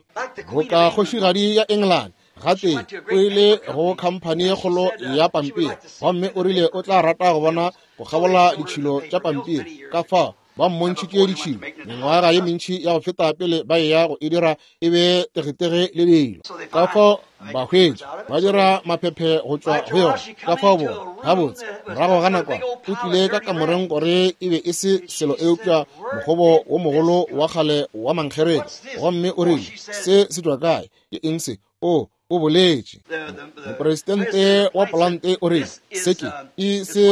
Boka kgošigadi ya England gatee o ile go khamphani ye kgolo ya pampiri, gomme o rile o tla rata go bona go kgabola ditšhilo tša pampiri. Ka fao ba mmontšhitše ditšhilo mengwaga ye mentši ya go feta pele ba eya go e dira e be tegetege le dilo. Ka fao ba hwetša ba dira maphephe go tšwa go yona. Ka fao bona gabotse morago ga nakwana o tlile ka kamoreng gore e be e se selo eupša mokgobo wo mogolo wa kgale wa mankgereke, gomme o rile, se se tšwa kae? Ke eng se? O, O boletše. Mopresidente wa polante o rile, Se ke e se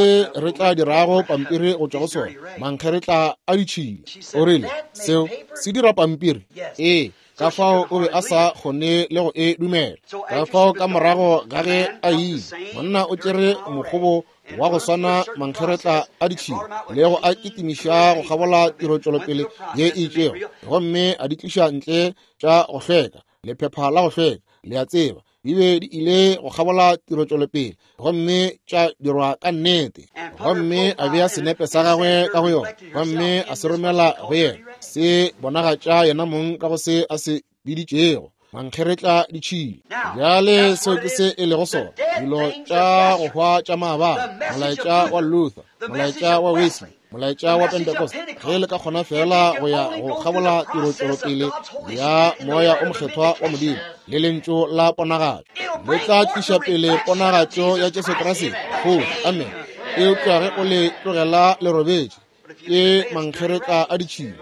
re tla dirago pampiri go tšwa go sona, mankgeretla a ditšhila. O rile, Seo se dira pampiri? Ee. Ka fao o be a sa kgone le go e dumela. Ka fao ka morago ga ge a ile, monna o tšere mokgobo wa go swana mankgeretla a ditšhila le go a kitimiša go kgabola tirotšwelopele ye e itšego, gomme a di tliša ntle tša go hlweka, lephepha la go hlweka, le a tseba, di be di ile go kgabola tirotšwelopele gomme tša dirwa ka nnete. Gomme a bea senepe sa gagwe ka go yona, gomme a se romela go yena, se bonagatša yena mong ka go se a se biditšego mankgeretla ditšhila. Bjale seo ke se e lego sona, dilo tša go hwa tša maabane, molaetša wa Luther, molaetša wa Wesley, molaetša wa Pentecost. Ge le ka kgona feela go ya go kgabola tirotšwelopele ya Moya o Mokgethwa wa Modimo le lentšu la ponagatšo, le tla tliša pele ponagatšo ya Jesu Kriste. Go, amen. Eupša ge o le tlogela le robetše, ke mankgeretla a ditšhila.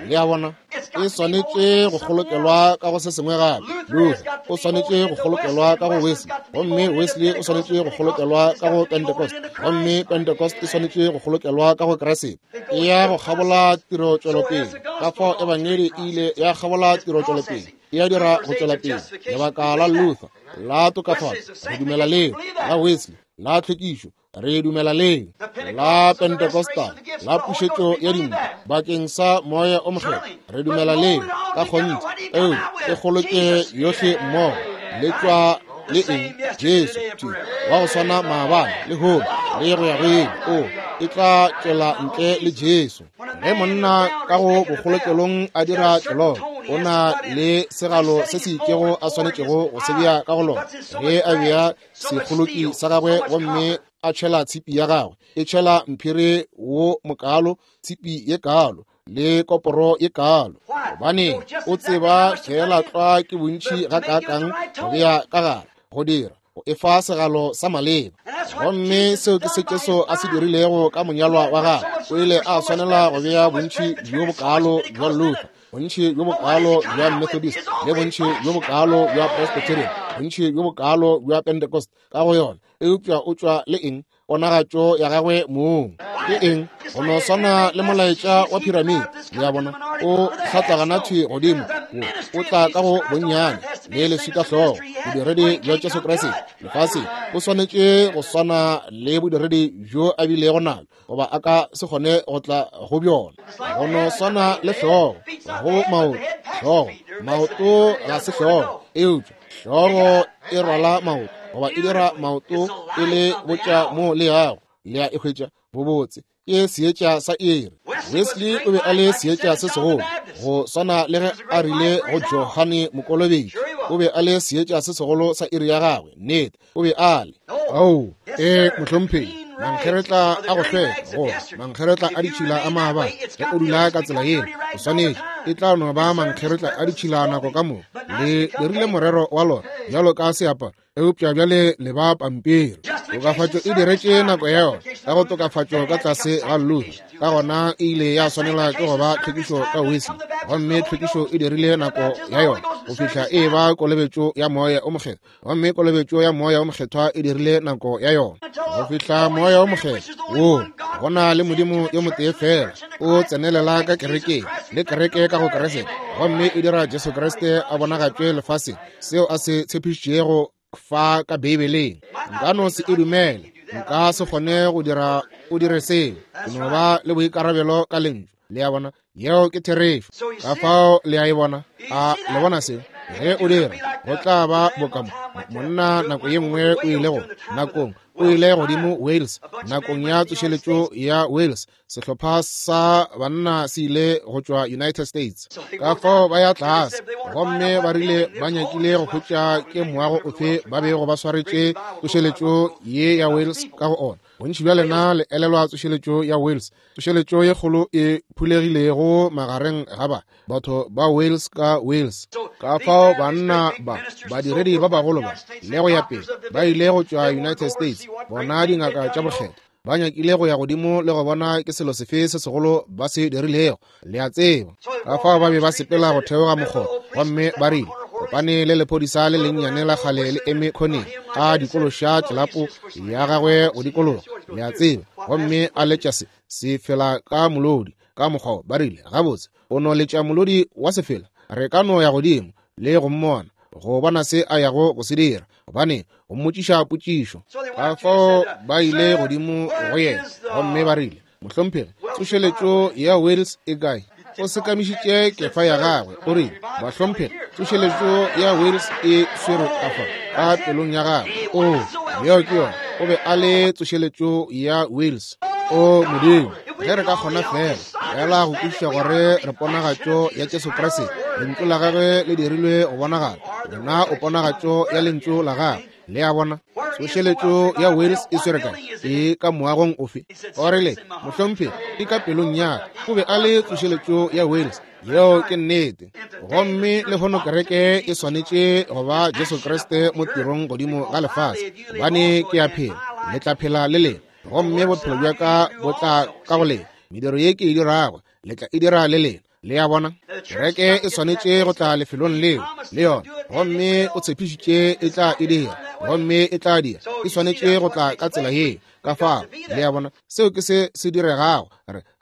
Le a bona, e swanetše go kgolokelwa ka go se sengwe gape. Luther o swanetše go kgolokelwa ka go Wesley, gomme Wesley o swanetše go kgolokelwa ka go Pentecost, gomme Pentecost e swanetše go kgolokelwa ka go Kriste. E ya go kgabola tirotšwelopele. Ka fao Ebangedi e ile ya kgabola tirotšwelopele, e ya dira go tšwela pele. Lebaka la Luther la tokafatšo, re dumela leo, la Wesley la tlhwekišo, re dumela leo, la Pentecostal la pušetšo ya dimpho bakeng sa Moya o Mokgethwa, re dumela leo ka kgonthe. Eo e kgoloke yohle mmogo, le tšwa le eng? Jesu thwi wa go swana maabane le lehono le go ya go ile. O e tla tšwela ntle le Jesu. Ge monna ka go bokgolokelong a dira tlelolo, o na le segalo se se itšego a swanetšego go se bea ka go lona. Ge a bea sekgoloki sa gagwe gomme a tšhela tshipi ya gagwe, e tšhela mphiri wo mokaalo, tshipi ye kaalo le koporo ye kaalo, gobane o tseba feela tlwa ke bontši gakaakang go bea ka gare go dira go efa segalo sa maleba. Gomme seo ke se Jesu a se dirilego ka monyalwa wa gagwe. O ile a swanela go bea bontši bjo bokaalo bja Luther, bontši bjo bokaalo bja Methodist, le bontši bjo bokaalo bja Presbyterian, bontši bjo bokaalo bja Pentecost ka go yona. Eupša o tšwa le eng? Ponagatšo ya gagwe mong. Ke eng? Go no swana le molaetša wa piramide. Le a bona? O hlatlagana thwi godimo, o tla ka go bonnyane le leswikahlogo. Bodiredi bja Jesu Kriste lefaseng o swanetše go swana le bodiredi bjo a bilego nabjo, goba a ka se kgone go tla go bjona. Go no swana le hlogo go maoto. Hlogo, maoto ga se hlogo, eupša hlogo e rwala maoto, goba e dira maoto e le botša mo le yago. Le a e hwetša bobotse ke seetša sa iri. Wesley o be a le seetša se segolo, go swana le ge a rile go Johane Mokolobetši. O be a le seetša se segolo sa iri ya gagwe. Nnete, o be a le. Ao, ee, mohlomphegi, mankgeretla a go hlweka, goba mankgeretla a ditšhila a maabane. Ge o dula ka tsela yeo, o swanetše, e tla no ba mankgeretla a ditšhila nako ka moka. Le dirile morero wa lona bjalo ka seaparo, eupša bjale le ba pampiri. Tokafatšo e diretše nako ya yona ka go tokafatšo ka tlase ga Luther, ka gona e ile ya swanela ke go ba tlhwekišo ka Wesley, gomme tlhwekišo e dirile nako ya yona go fihla e ba kolobetšo ya Moya o Mokgethwa, gomme kolobetšo ya Moya o Mokgethwa e dirile nako ya yona go fihla Moya o Mokgethwa wo go na le Modimo yo motee fela o tsenelela ka kerekeng le kereke ka go Kriste, gomme e dira Jesu Kriste a bonagatšwe lefaseng, seo a se tshepišitšego fa ka Beibeleng. Nka no se e dumele, nka se kgone go dira o dire seo. Ke no ba le boikarabelo ka lentšu. Le a bona? Yeo ke therešo. Ka fao le a e bona? A le bona seo? Ge o dira, go tla ba boka monna nako ye nngwe o ile go nakong o ile godimo Wales nakong ya tsošeletšo ya Wales. Sehlopha sa banna se ile go tšwa United States. Ka fao ba ya tlase gomme ba rile ba nyakile go hwetša ke moago ofe ba bego ba swaretše tsošeletšo ye ya Wales ka go ona. Bontši bja lena le elelwa tsošeletšo ya Wales, tsošeletšo ye kgolo e phulegilego magareng ga ba batho ba Wales ka Wales. Ka fao banna ba badiredi ba bagolo ba le go ya pele ba ile go tšwa United States, bona dingaka tša bokgethwa ba nyakile go ya godimo le go bona ke selo sefe se segolo ba se dirilego, le a tseba. Ka fao ba be ba sepela go theoga mokgotha, gomme ba rile, Kopane le lephodisa le lennyane la kgale le eme khoneng, a dikološa tlelapo ya gagwe go dikologa, le a tseba, gomme a letša se sefela ka molodi ka mokgwa. Ba rile, gabotse, o no letša molodi wa sefela, re ka no ya godimo le go mmona, go bona se a yago go se dira, gobane go mmotšiša potšišo. Ka fao ba ile godimo go yena gomme ba rile, mohlomphegi, tsošeletšo ya Wales e kae? O sekamišitše kefa ya gagwe, o rile, bahlomphegi, tsošeletšo ya Wales e swerwe ka fa ka pelong ya gagwe. O, yeo ke yona. O be a le tsošeletšo ya Wales. O Modimo, ge re ka kgona fela fela go kwešiša gore re ponagatšo ya Jesu Kriste, lentšu la gagwe le dirilwe go bonagala, wena o ponagatšo ya lentšu la gagwe. Le a bona? Tsošeletšo ya Wales e swere kae? E ka moagong ofe? O rile, mohlomphegi, e ka pelong ya ka. O be a le tsošeletšo ya Wales. Yeo ke nnete. Gomme lehono kereke e swanetše go ba Jesu Kriste mo tirong godimo ga lefase, gobane ke a phela, le tla phela le lena, gomme bophelo bja ka bo tla ka go lena. Mediro ye ke e dirago, le tla e dira le lena. Le a bona? Kereke e swanetše go tla lefelong leo le yona, gomme o tshepišitše e tla e dira, gomme e tla dira. E swanetše go tla ka tsela yeo. Ka fao, le a bona, seo ke se se diregago.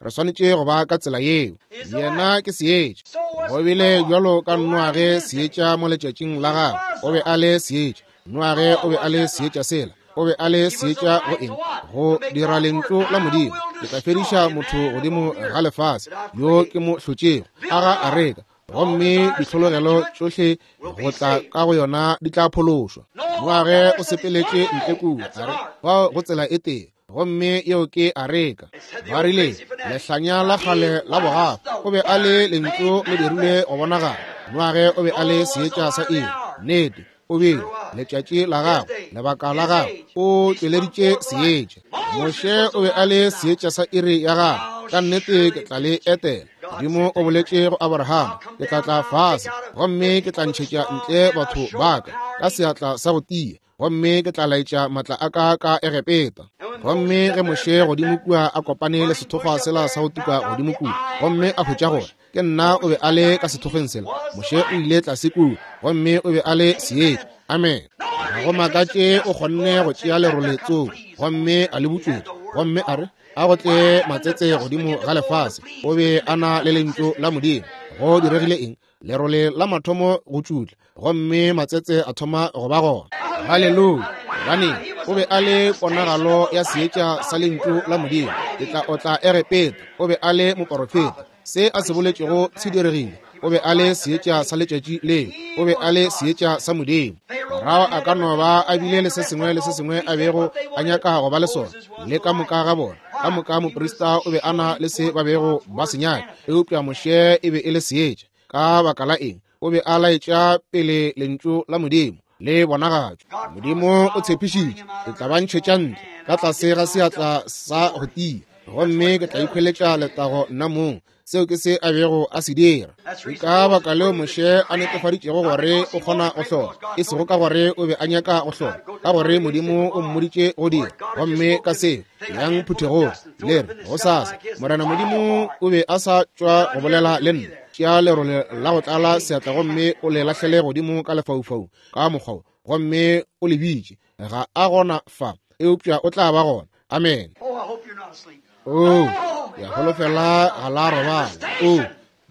Re swanetše go ba ka tsela yeo. Yena ke seetša. Go bile bjalo ka Noage seetša mo letšatšing la gagwe. O be a le seetša. Noage o be a le seetša sela. O be a le seetša go eng? Go dira lentšu la Modimo. Ke tla fediša motho godimo ga lefase yo ke mo hlotšego. Aga areka, gomme ditlhologelo tšohle go tla ka go yona di tla phološwa. Noage o sepeletše ntle kua, a re, fao go tsela e tee, gomme yeo ke areka. Ba rile, lehlanya la kgale la bogafa. O be a le lentšu le dirilwe go bonagala. Noage o be a le seetša sa iri. Nnete, o bile letšatši la gagwe, lebaka la gagwe, o tšweleditše seetša. Moshe o be a le seetša sa iri ya gagwe. Ka nnete ke tla le etela. Modimo o boletše go Abraham, ke tla tla fase gomme ke tla ntšhetša ntle batho ba ka ka seatla sa go tia, gomme ke tla laetša matla a ka ka Egepeta. Gomme ge Moshe godimo kua a kopane le sethokgwa sela sa go tuka godimo kua, gomme a hwetša gore ke nna o be a le ka sethokgweng sela, Moshe o ile tlase kua gomme o be a le seetša. Amen. Ga go makatše o kgonne go tšea lerole tsoko gomme a le butšwetša, gomme a re, a go tle matsetse godimo ga lefase. O be a na le lentšu la Modimo. Go diregile eng? Lerole la mathomo go tšutla, gomme matsetse a thoma go ba gona. Haleluya! Gobane o be a le ponagalo ya seetša sa lentšu la Modimo. Ke tla otla Egepeta. O be a le moporofeta. Se a se boletšego se diregile. O be a le seetša sa letšatši leo. O be a le seetša sa Modimo. Farao a ka no ba a bile le se sengwe le se sengwe a bego a nyaka go ba le sona, le ka moka ga bona, ka moka moprista o be a na le se ba bego ba se nyaka, eupša Moshe e be e le seetša. Ka baka la eng? O be a laetša pele lentšu la Modimo le bonagatšwa. Modimo o tshepišitše, ke tla ba ntšhetša ntle ka tlase ga seatla sa go tia, gomme ke tla ikhweletša letago nna mong. Seo ke se a bego a se dira. Ke ka baka leo Moshe a netefaditšego gore o kgona go hlola, e sego ka gore o be a nyaka go hlola, ka gore Modimo o mmoditše go dira. Gomme ka seo, yang phuthegong, le re, gosasa, Morena Modimo o be a sa tšwa go bolela le nna. Tšea lerole la go tlala seatla gomme o le lahlele godimo ka lefaufaung ka mokgwa wo, gomme o le bitše. Ga a gona fa, eupša o tla ba gona. Amen. Oh, ya holofela ga la robala. Oh,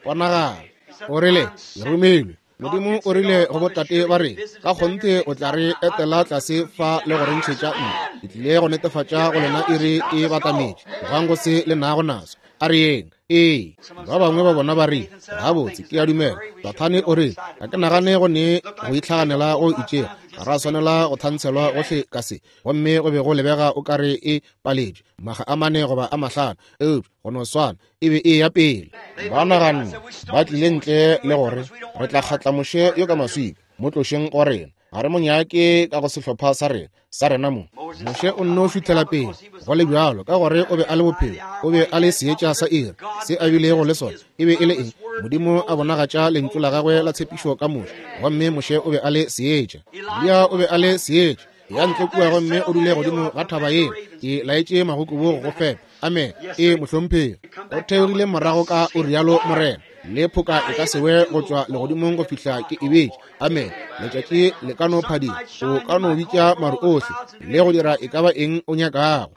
ponagala. O rile, le romelwe. Modimo o rile go botate ba re, ka kgonthe o tla re etela tlase fa le go re ntšhetša ntle. Ke tlile go netefatša go lena iri e batametše. Tlogang go se le nago naso. A re yeng. Ee, ba bangwe ba bona ba re, gabotse, ke a dumela. Dathane o re, ga ke nagane go ne go itlhaganela go itšego. Ga ra swanela go thantshelwa gohle ka se. Gomme go be go lebega o ka re e paletšwe maga a 4 goba a 5, eupša go no swana e be e ya pele. Ba naganne ba tlile ntle le gore re tla kgatla Moshe yo ka maswika, mo tlošeng go rena. Ga re mo nyake ka go sehlopha sa rena, sa rena mo. Moshe o nno šuthela pele go le bjalo, ka gore o be a le bophelo, o be a le seetša sa iri. Se a bilego le sona e be e le eng? Modimo a bonagatša lentšu la gagwe la tshepišo ka Moshe, gomme Moshe o be a le seetša. Eliya o be a le seetša. Ya ntle kua gomme o dule godimo ga thaba yeo, ke laetše magokobo go go fepa. Amen. Ee, mohlomphegi. O theogile morago ka o rialo Morena. Le phoka e ka se we go tšwa legodimong go fihla ke e betše. Amen. Letšatši le ka no phadima, o ka no bitša maru ohle le go dira e ka ba eng o nyakago,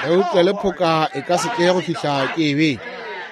eupša le phoka e ka se tle go fihla ke e betše.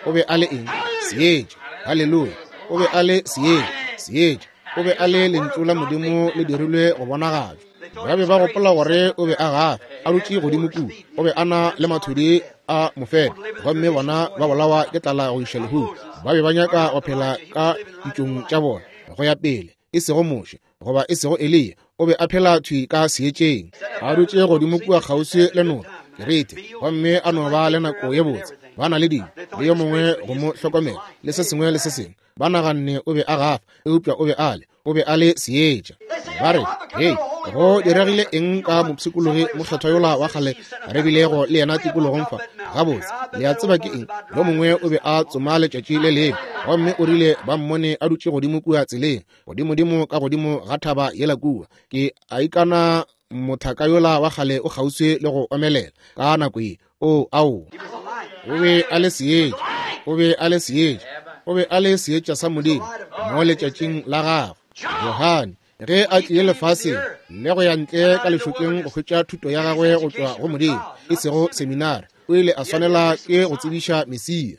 O be a le eng? Seetša. Haleluya. O be a le seetša. Seetša. O be a le lentšu la Modimo le dirilwe go bonagatšwa. Ba be ba gopola gore o be a gafa, a dutše godimo kua. O be a na le mathudi a mofeto, gomme bona ba bolawa ke tlala go iša lehung. Ba be ba nyaka go phela ka ditšong tša bona go ya pele, e sego Moshe goba e sego Eliya. O be a phela thwi ka seetšeng, a dutše godimo kua kgauswi le noka Kerete, gomme a no ba le nako ye botse. Ba na le dilo, le yo mongwe go mo hlokomela, le se sengwe le se sengwe. Ba naganne o be a gafa, eupša o be a le, o be a le seetša. Ba re, Hei, go diregile eng ka mopshikologi mokgethwa yola wa kgale re bilego le yena tikologong fa? Gabotse, le a tseba ke eng? Yo mongwe o be a tsoma letšatši le lengwe, gomme o rile ba mmone a dutše godimo kua tseleng, godimodimo ka godimo ga thaba yela kua. Ke a ikana mothaka yola wa kgale o kgauswi le go omelela ka nako ye. O, ao, o be a le seetša, o be a le seetša, o be a le seetša sa Modimo mo letšatšing la gagwe. Johane ge a tlile lefaseng le go ya ntle ka lešokeng go hwetša thuto ya gagwe go tšwa go Modimo, e sego seminari, o ile a swanela ke go tsebiša Mesia.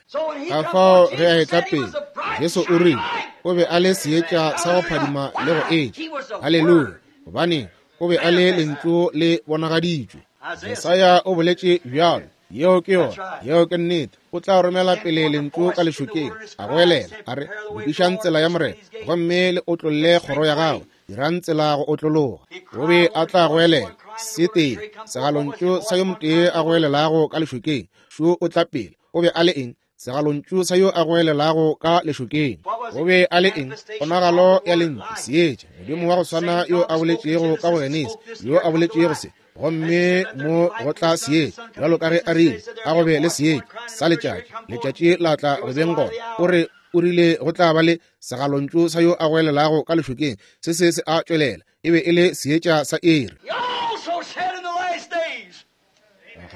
Ka fao ge a etla pele, Jesu o rile o be a le seetša sa go phadima le go etša. Haleluya! Gobane o be a le lentšu le bonagaditšwe. Jesaya o boletše bjalo. Yeo ke yona. Yeo ke nnete. O tla romela pele lentšu ka lešokeng, a goelela, a re, Lokišang tsela ya Morena, gomme le otlolle kgoro ya gagwe, dirang tsela go otlologa. O be a tla goelela, se tee, segalontšu sa yo motee a goelelago ka lešokeng, šo o tla pele. O be a le eng? Segalontšu sa yo a goelelago ka lešokeng. O be a le eng? Ponagalo ya lentšu, seetša, Modimo wa go swana yo a boletšego ka go Genesi, yo a boletšego se, gomme mo go tla seetša, bjalo ka ge a rile, a go be le seetša sa letšatši, letšatši la tla go beng gona. O re, o rile go tla ba le segalontšu sa yo a goelelago ka lešokeng, se se se a tšwelela, e be e le seetša sa iri.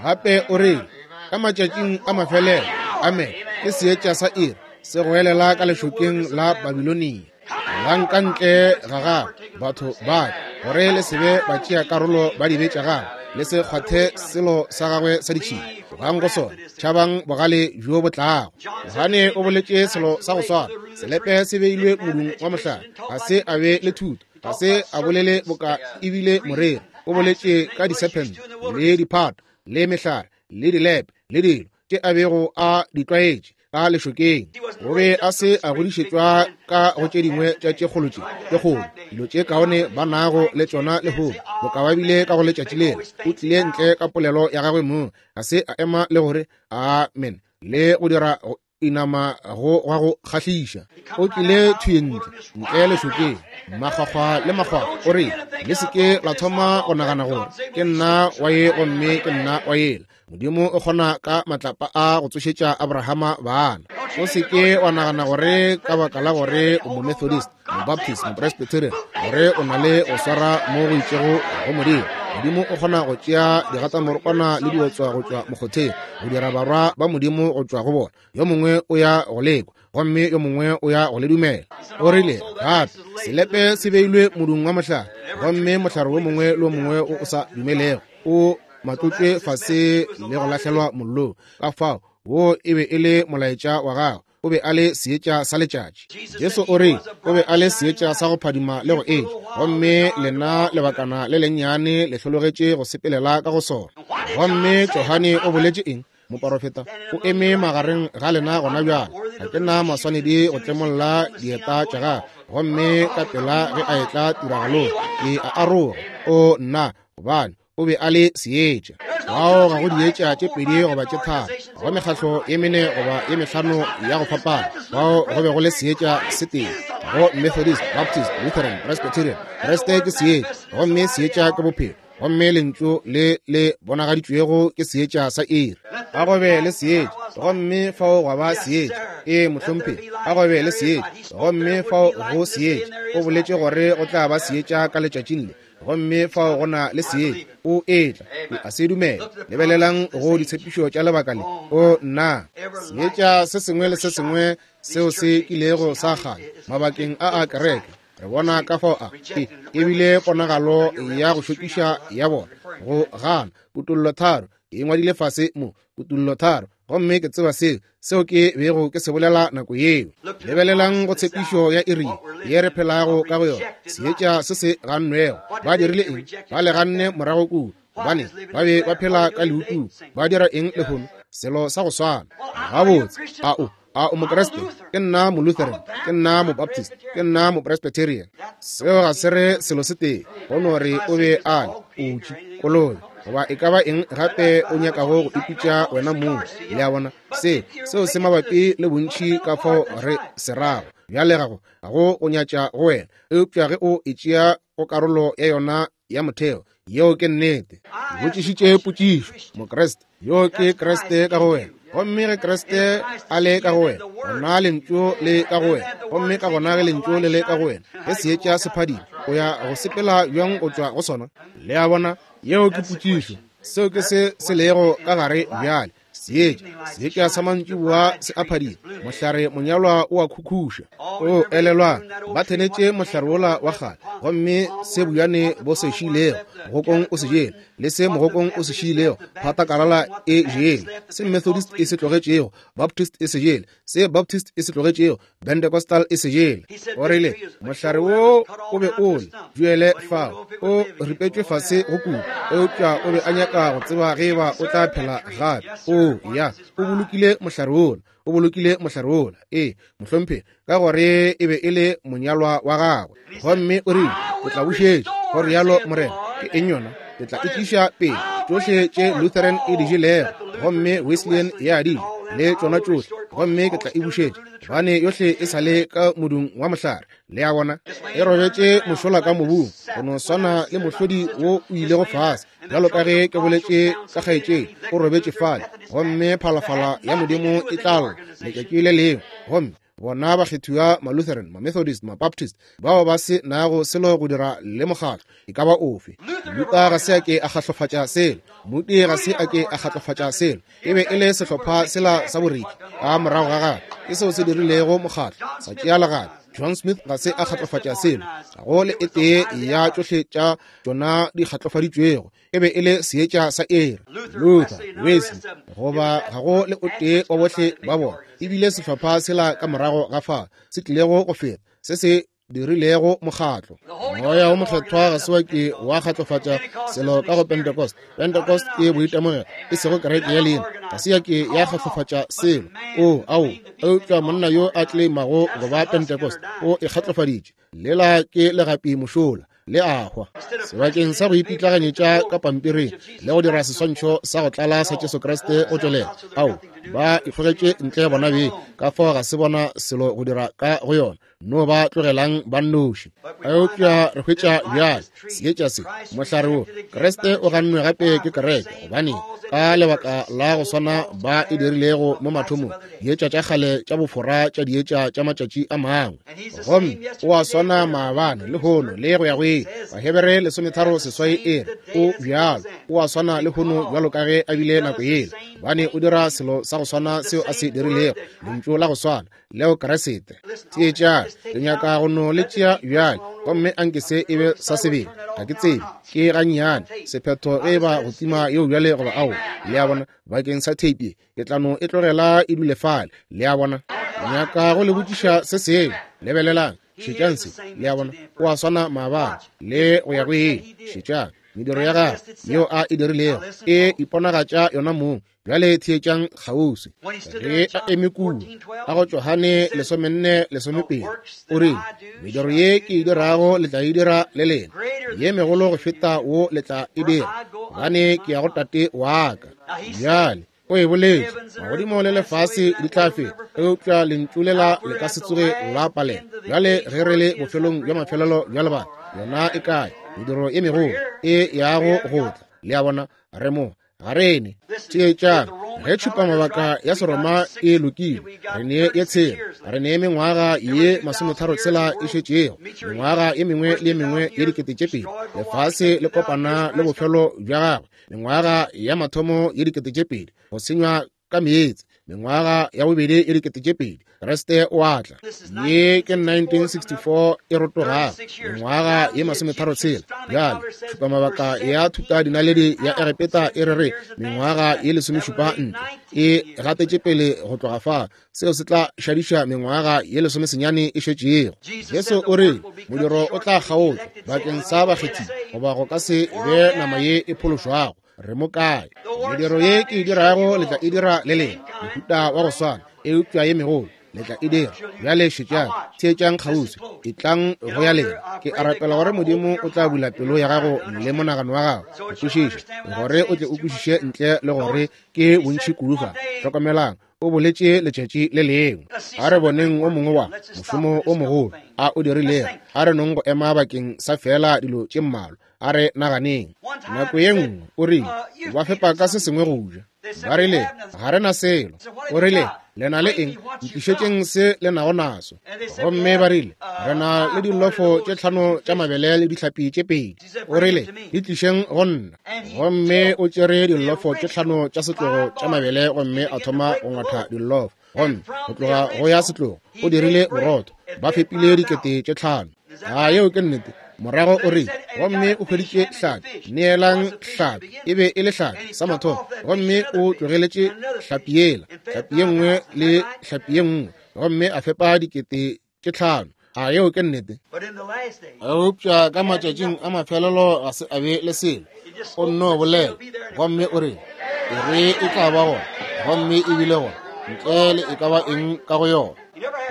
Gape o re ka matšatšing a mafelelo, amen, ke seetša sa iri se goelela ka lešokeng la Babilonia. Lang ka ntle ga gagwe, batho ba gore le se be ba tšea karolo ba dibe tša gagwe, le se kgwathe selo sa gagwe sa ditšhila. Tlogang go sona, tšhabang bogale bjo bo tlago. Johane o boletše selo sa go swana, selepe se beilwe modung wa mohlare, ga se a be le thuto, ga se a bolele boka ebile moreri. O boletše ka disephente le diphato le mehlare le dilepe le dilo tše a bego a di tlwaetše ka lešokeng. O be a se a godišetšwa ka go tše dingwe tša tše kgolo tše tše kgolo dilo tše kaone ba nago le tšona lehono, boka ba bile ka go letšatši lela. O tlile ntle ka polelo ya gagwe mong, ga se a ema le gore amen le go dira inama go gwa go kgahliša. O tlile thwi ntle, ntle lešokeng, makgwakgwa le makgwakgwa. O re, le se ke la thoma go nagana gore ke nna wa ye gomme ke nna wa yela. Modimo o kgona ka matlapa a go tsošetša Abrahama bana. O se ke wa nagana gore ka baka la gore o Momethodist, Mobaptist, Mopresbyterian, gore o na le go swara mo go itšego go Modimo. Modimo o kgona go tšea digatamorokwana le diotswa go tšwa mokgotheng, go dira barwa ba Modimo go tšwa go bona. Yo mongwe o ya go lekwa, gomme yo mongwe o ya go le dumela. O rile gape, selepe se beilwe modung wa mohlare, gomme mohlare wo mongwe le wo mongwe o o sa dumelego o matlotšwe fase le go lahlelwa mollong. Ka fao, wo e be e le molaetša wa gagwe. O be a le seetša sa letšatši. Jesu o re o be a le seetša sa go phadima le go etša, gomme lena lebakana le lennyane le hlologetše go sepelela ka go sona. Gomme Johane o boletše eng? Moporofeta o eme magareng ga lena gona bjale. Ga ke na maswanedi go tlemolla dieta tša gagwe, gomme ka pela ge a etla tiragalong ke a aroga. O nna, gobane o be a le seetša. Fao ga go dietša tše pedi goba tše tharo, go mekgahlo ye mene goba ye mehlano ya go fapana. Fao go be go le seetša se tee go Methodist, Baptist, Lutheran, Presbyterian. Kriste ke seetša, gomme seetša ke bophelo, gomme lentšu le le bonagaditšwego ke seetša sa iri. A go be le seetša, gomme fao gwa ba seetša. Ee, mohlomphegi, a go be le seetša, gomme fao go seetša. O boletše gore go tla ba seetša ka letšatšing le. Gomme fao go na le seetša, o etla. Ke a se dumela. Lebelelang go ditshepišo tša lebaka le. O nna! Seetša se sengwe le se sengwe seo se kilego sa kganya mabakeng a a kereke, re bona ka fao a e, e bile ponagalo ya go šokiša ya bona go gana Kutollo 3. Ke e ngwadile fase mo, Kutollo 3, gomme ke tseba seo, seo ke bego ke se bolela nako yeo. Lebelelang go tshepišo ya iri ye re phelago ka go yona, seetša se se gannwego. Ba dirile eng? Ba le ganne morago kua, gobane ba be ba phela ka leutung. Ba dira eng lehono? Selo sa go swana. Gabotse, a o, a o Mokriste? Ke nna Molutheran, ke nna Mobaptist, ke nna Mopresbyterian. Seo ga se re selo se tee, go no re o be a le putši, kolobe, goba e ka ba eng gape o nyakago go ipitša wena mong. Le a bona, se, seo se mabapi le bontši ka fao re se rago. Bjale ga go, ga go go nyatša go wena, eupša ge o e tšea go karolo ya yona ya motheo, yeo ke nnete. Ke botšišitše potšišo, Mokriste, yo ke Kriste ka go wena. Gomme ge Kriste a le ka go wena, gona Lentšu le ka go wena. Gomme ka gona ge Lentšu le le ka go wena, ge seetša se phadima, o ya go sepela bjang go tšwa go sona? Le a bona, yeo ke potšišo. Seo ke se se lego ka gare bjale. Seetša, seetša sa mantšiboa se a phadima, mohlare monyalwa o a khukhuša. O elelwang, ba thenetše mohlare wola wa kgale, gomme se bojane bo se šiilego, mogokong o se jele, le se mogokong o se šiilego, phatakalala e jele, se Methodist e se tlogetšego, Baptist e se jele, se Baptist e se tlogetšego, Pentecostal e se jele. O rile, Mohlare wo o be o le duele fao, o ripetšwe fase go kudu, eupša o be a nyaka go tseba ge eba o tla phela gape. O ya, o bolokile mohlare wola, o bolokile mohlare wola, ee, mohlomphegi, ka gore e be e le monyalwa wa gagwe. Gomme o rile, Ke tla bušetša, go rialo Morena. Ke eng yona? Ke tla e tliša pele, tšohle tše Lutheran e di jelego, gomme Wesleyan ya di ja, le tšona tšohle, gomme ke tla e bušetša, gobane yohle e sa le ka modung wa mohlare. Le a bona, e robetše mošola ka mobung, go no swana le mohlodi wo o ilego fase, bjalo ka ge ke boletše ka kgaetšedi, o robetše fale, gomme phalafala ya Modimo e tla lla letšatši le lengwe, gomme bona bakgethiwa Malutheran, Mamethodist, Mabaptist, bao ba se nago selo go dira le mokgatlo e ka ba ofe. Luther ga se a ke a kgahlofatša selo, Moody ga se a ke a kgahlofatša selo. E be e le sehlopha sela sa boriki ka morago ga gagwe, ke seo se dirilego mokgatlo, sa tšea legato. John Smith ga se a kgahlofatša selo, ga go le e tee ya tšohle tša tšona di kgatlofaditšwego. E be e le seetša sa iri. Luther, Wesley, goba ga go le o tee wa bohle ba bona, e bile sehlopha sela ka morago ga fa se tlilego go feta, se se dirilego mokgatlo. Moya wo Mokgethwa ga se wa ke wa kgatlofatša selo ka go Pentecost. Pentecost ke boitemogelo, e sego kereke ya leina. Ga se ya ke ya kgatlofatša selo. O, ao, eupša monna yo a tleimago go ba Pentecost o e kgatlofaditše. Lela ke legapi mošola, le a hwa. Sebakeng sa go ipitlaganyetša ka pampiring le go dira seswantšho sa go tlala sa Jesu Kriste go tšwelela, ao, ba ikgogetše ntle bona beng, ka fao ga se bona selo go dira ka go yona. No ba tlogelang ba nnoši. Eupša re hwetša bjale seetša se, mohlare wo, Kriste o gannwe gape ke kereke, gobane ka lebaka la go swana ba e dirilego mo mathomong, dietša tša kgale tša bofora tša dietša tša matšatši a mangwe. Gomme o a swana maabane, lehono, le go ya go ile. Bahebere 13:8 e re, O bjalo, o a swana lehono bjalo ka ge a bile nako yela, gobane o dira selo sa go swana seo a se dirilego, lentšu la go swana leo Kriste. Theetšang, ke nyaka go no le tšea bjale, gomme anke se e be sa sebele. Ga ke tsebe, ke gannyane sephetho ge e ba go tima yeo bjale goba aowa. Le a bona, bakeng sa theipi ye, ke tla no e tlogela e dule fale. Le a bona? Nyaka go le botšiša se sengwe. Lebelelang, šetšang se. Le a bona? O a swana maabane le go ya go ile. Šetšang mediro ya gagwe yeo a e dirilego e iponagatša yona mong. Bjale theetšang kgauswi. Ge a eme kua ka go Johane 14:12, o rile, Mediro ye ke e dirago le tla e dira le lena, ye megolo go feta wo le tla e dira, gobane ke ya go Tate wa ka. Bjale o e boletše, magodimo le lefase di tla feta, eupša lentšu lela le ka se tsoge la palela. Bjale ge re le bofelong bja mafelelo bja lebaka, yona e kae? Mediro ye megolo e yago go tla. Le a bona, re mo ga rene. Theetšang, Ge tšhupamabaka ya Seroma e lokile, re ne ye tshela, re ne mengwaga ye 36 e šetšego, mengwaga ye mengwe le ye mengwe ye 2000, lefase le kopana le bofelo bja gagwe, mengwaga ya mathomo ye 2000, go senywa ka meetse, mengwaga ya bobedi ye 2000, Kriste o a tla. Ye ke 1964 e rotogago, mengwaga ye 36. Bjale, tšhupamabaka ya thutadinaledi ya Egepeta e re re mengwaga ye 17 ntle e gatetše pele go tloga fa. Seo se tla šadiša mengwaga ye 19 e šetšego. Jesu o re modiro o tla kgaotšwa bakeng sa bakgethi, goba go ka se be nama ye e phološwago. Re mo kae? Mediro ye ke e dirago le tla e dira le lena, mohuta wa go swana, eupša ye megolo le tla e dira. Bjale šetšang, theetšang kgauswi, etlang go ya lena. Ke a rapela gore Modimo o tla bula pelo ya gago le monagano wa gago go kwešiša, gore o tle o kwešiše ntle le gore ke bontši kudu fa. Hlokomelang, o boletše letšatši le lengwe. A re boneng o mongwe wa mošomo o mogolo a o dirilego. A re nong go ema bakeng sa feela dilo tše mmalwa. A re naganeng. Nako ye nngwe o rile, ba fepa ka se sengwe go ja. Ba rile, ga re na selo. O rile, le na le eng? Ntlišetšeng se le nago naso. Gomme ba rile, re na le dilofo tše 5 tša mabele le dihlapi tše 2. O rile, di tlišeng go nna. Gomme o tšere dilofo tše 5 tša setlogo tša mabele gomme a thoma go ngwatha dilofo. Gomme go tloga go ya setlogo o dirile borotho, ba fepile 5,000. A yeo ke nnete? Morago o rile, gomme o hweditše hlapi, neelang hlapi. E be e le hlapi sa mathomo, gomme o tlogeletše hlapi yela, hlapi ye nngwe le hlapi ye nngwe, gomme a fepa 5,000. A yeo ke nnete? Eupša ka matšatšing a mafelelo ga se a be le selo. O nno bolela, gomme o rile, e re e tla ba gona, gomme e bile gona, ntle le e ka ba eng ka go yona.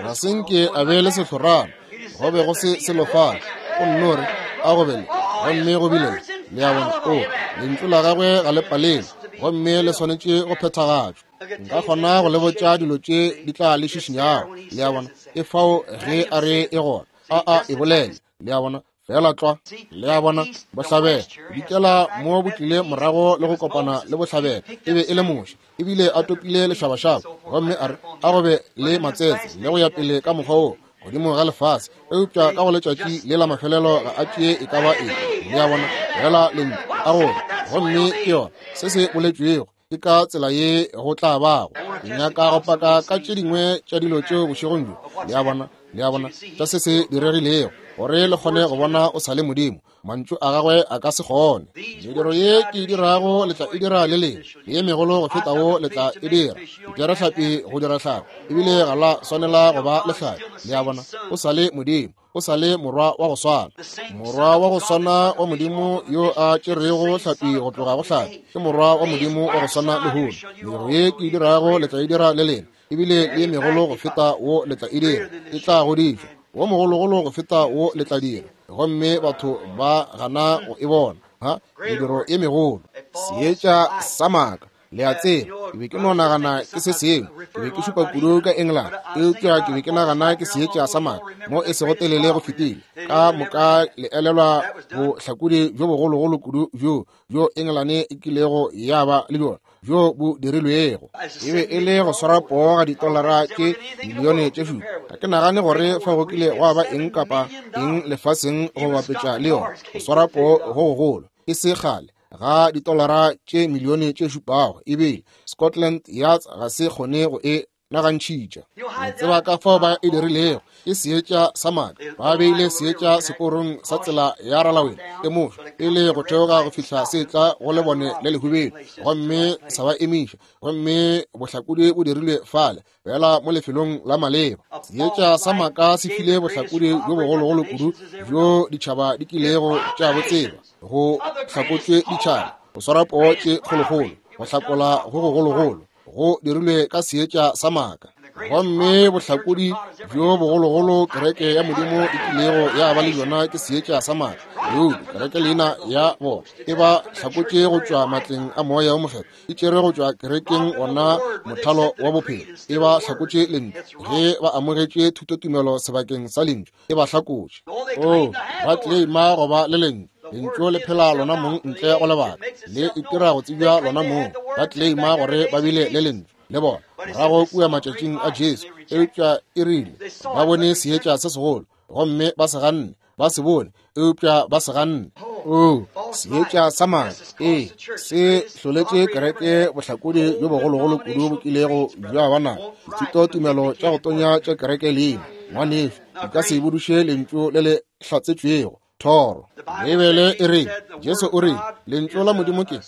Ga se nke a be le sehlorana, go be go se selo fale. O nno re, a go be le, gomme go bile le. Le a bona? O, lentšu la gagwe ga le palelwe, gomme le swanetše go phethagatšwa. Nka kgona go le botša dilo tše di tla le šišinyago. Le a bona? E fao ge a re e gona, a a e bolele. Le a bona? Fela tlwa. Le a bona? Bohlabela dikela mo bo tlile morago le go kopana le bohlabela. E be e le Moshe, ebile a topile lešabašaba, gomme a re a go be le matsetse le go ya pele ka mokgwa wo godimo ga lefase. Eupša ka go letšatši le la mafelelo ga a tšee e ka ba eng. Le a bona? Fela lentšu a go, gomme ke yona se se boletšwego. Ke ka tsela ye go tla bago. Ke nyaka go paka ka tše dingwe tša dilo tšeo bošegong bjo. Le a bona? Le a bona? Tša se se diregilego, gore le kgone go bona o sa le Modimo. Mantšu a gagwe a ka se kgone. Mediro ye ke e dirago le tla e dira le lena, le ye megolo go feta wo le tla e dira. Ke tšere hlapi go dira hlapi, ebile ga la swanela go ba le hlapi. Le a bona? O sa le Modimo. O sa le morwa wa go swana. Morwa wa go swana wa Modimo yo a tšerego hlapi go tloga go hlapi, ke morwa wa Modimo wa go swana lehono. Mediro ye ke e dirago le tla e dira le lena, ebile le ye megolo go feta wo le tla e dira. E tla godišwa, wo mogologolo go feta wo le tla dira. Gomme batho ba gana go e bona. Ha, mediro ye megolo. Seetša sa maaka. Le a tseba, ke be ke no nagana ke se sengwe. Ke be ke šupa kudu ka England, eupša ke be ke nagana ke seetša sa maaka mo e sego telele go fetile. Ka moka le elelwa bohlakodi bjo bogologolo kudu bjo bjo England e kilego ya ba le bjona, bjo bo dirilwego. E be e le go swara poo ga ditolara tše milione tše 7. Ga ke nagane gore fa go kile gwa ba eng kapa eng lefaseng go bapetša le yona, go swara poo go gogolo e se kgale ga ditolara tše milione tše 7. Ebile Scotland Yards ga se kgone go e nagantšhitša. Le tseba ka fao ba e dirilego? Ke seetša sa maaka. Ba beile seetša seporong sa tsela ya ralawele e mošwa pele go theoga go fihla se tla go lebone le lehubedu, gomme sa ba emiša. Gomme bohlakodi bo dirilwe fale fela mo lefelong la maleba. Seetša sa maaka se file bohlakodi bjo bogologolo kudu bjo ditšhaba di kilego tša bo tseba. Go hlakotšwe ditšhaba, go swara poo tše kgolokgolo, go hlakola go gogologolo go dirilwe ka seetša sa maaka. Gomme bohlakodi bjo bogologolo kereke ya Modimo e kilego ya ba le bjona ke seetša sa maaka. Eupša kereke leina ya bona e ba hlakotše go tšwa matleng a Moya wo Mokgethwa, e tšere go tšwa kerekeng ona mothalo wa bophelo, e ba hlakotše lentšu. Ge ba amogetše thutotumelo sebakeng sa lentšu, e ba hlakotše. Oh, ba claima go ba le lentšu. Lentšu le phela lona mong ntle go lebaka, le itira go tsebja lona mong. Ba tleleima gore ba bile le Lentšu le bona morago kua matšatšing a Jesu, eupša e rile ba bone seetša se segolo gomme ba se ganne. Ba se bone, eupša ba se ganne. Oo, seetša sa maaka, ee, se hloletše kereke bohlakodi bjo bogologolo kudu bo kilego bja ba nago. Dithutotumelo tša go tonya tša kereke leina, ngwanešu, di ka se buduše Lentšu le le hlatsetšwego, thoro. Beibele e re, Jesu o re, Lentšu la Modimo ke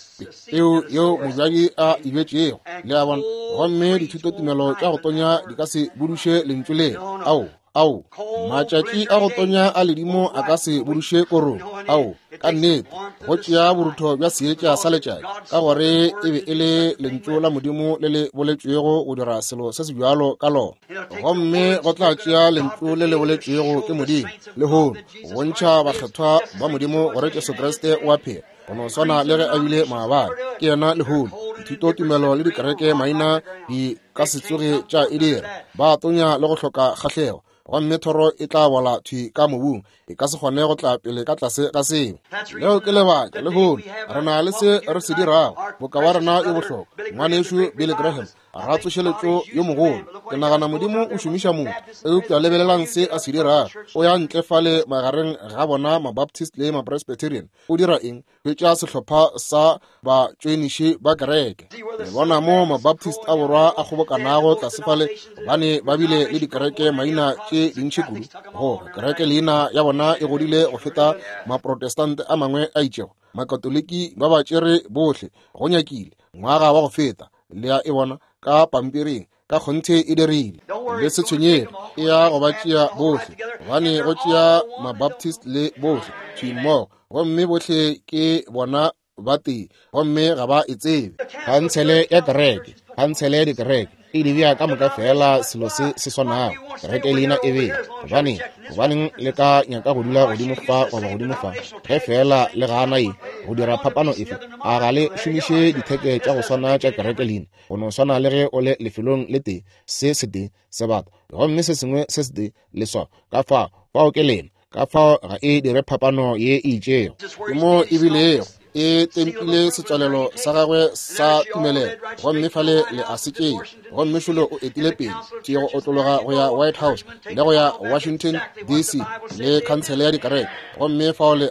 peu yeo mobjadi a e bjetšego. Le a bona? Gomme dithutotumelo tša go tonya di ka se buduše Lentšu lela. Ao, ao, matšatši a go tonya a ledimo a ka se buduše korong. Ao, ka nnete, go tšea borutho bja seetša sa letšatši, ka gore e be e le Lentšu la Modimo le le boletšwego go dira selo se se bjalo ka lona. Gomme go tla tšea Lentšu le le boletšwego ke Modimo lehono go bontšha bakgethwa ba Modimo gore Jesu Kriste o a phela, go no swana le ge a bile maabane, ke yena lehono. Dithutotumelo le dikereke maina di ka se tsoge tša e dira. Ba tonya le go hloka kgahlego, gomme thoro e tla bola thwi ka mobung, e ka se kgone go tla pele ka tlase ga seo. Leo ke lebaka lehono re na le se re se dirago. Boka wa rena yo bohlokwa, ngwanešu Billy Graham, ratsošeletšo yo mogolo, ke nagana Modimo o šomiša motho, eupša lebelelang se a se dirago. O ya ntle fale magareng ga bona Mabaptist le Mapresbyterian, o dira eng? Hwetša sehlopha sa batšoeniši ba kereke. Le bona mo Mabaptist a borwa a kgobokanago tlase fale, gobane ba bile le dikereke maina tše dintši kudu, gore kereke leina ya bona e godile go feta Maprotestante a mangwe a itšego. Makatoliki ba ba tšere bohle, go nyakile, ngwaga wa go feta. Le a e bona ka pampiring, ka kgonthe e dirile. Le se tshwenyege, e ya go ba tšea bohle, gobane go tšea Mabaptist le bohle thwi mmogo, gomme bohle ke bona ba tee, gomme ga ba e tsebe. Khansele ya kereke, khansele ya dikereke e di bea ka moka feela selo se se swanago, kereke leina e bea. Gobaneng, gobaneng le ka nyaka go dula godimo fa goba godimo fa, ge feela le gana ye, go dira phapano efe? A ga le šomiše ditheke tša go swana tša kereke leina, go no swana le ge o le lefelong le tee, se setee sebata, gomme se sengwe se setee leswao? Ka fao, fao ke lena. Ka fao ga e dire phapano ye e itšego. Ke mo e bilego e tempile setswalelo sa gagwe sa tumelelo, gomme fale le a se tšea. Gomme šolo o etile pele tše go otlologa go ya White House le go ya Washington DC le khansele ya dikereke, gomme fao le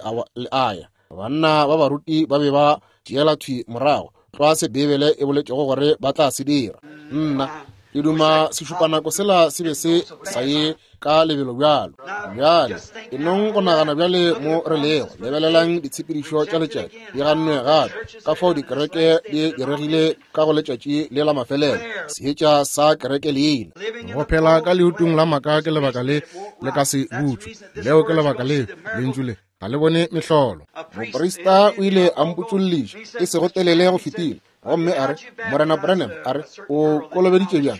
a ya. Banna ba baruti ba be ba tšeela thwi morago tlwa se Beibele e boletšego gore ba tla se dira. Nna ke duma sešupanako sela se be se sa ye ka lebelo bjalo. Bjale e nong go nagana bjale mo re lego. Lebelelang ditshepedišo tša letšatši di gannwe gape, ka fao dikereke di diregile ka go letšatši le la mafelelo, seetša sa kereke leina. Go phela ka leutung la maaka ke lebaka le le ka se butšwe. Leo ke lebaka le lentšu le ga le bone mehlolo. Moprista o ile a mpotšolliša e sego telele go fetile, gomme a re, Morena Branham, a re, o kolobeditše bjang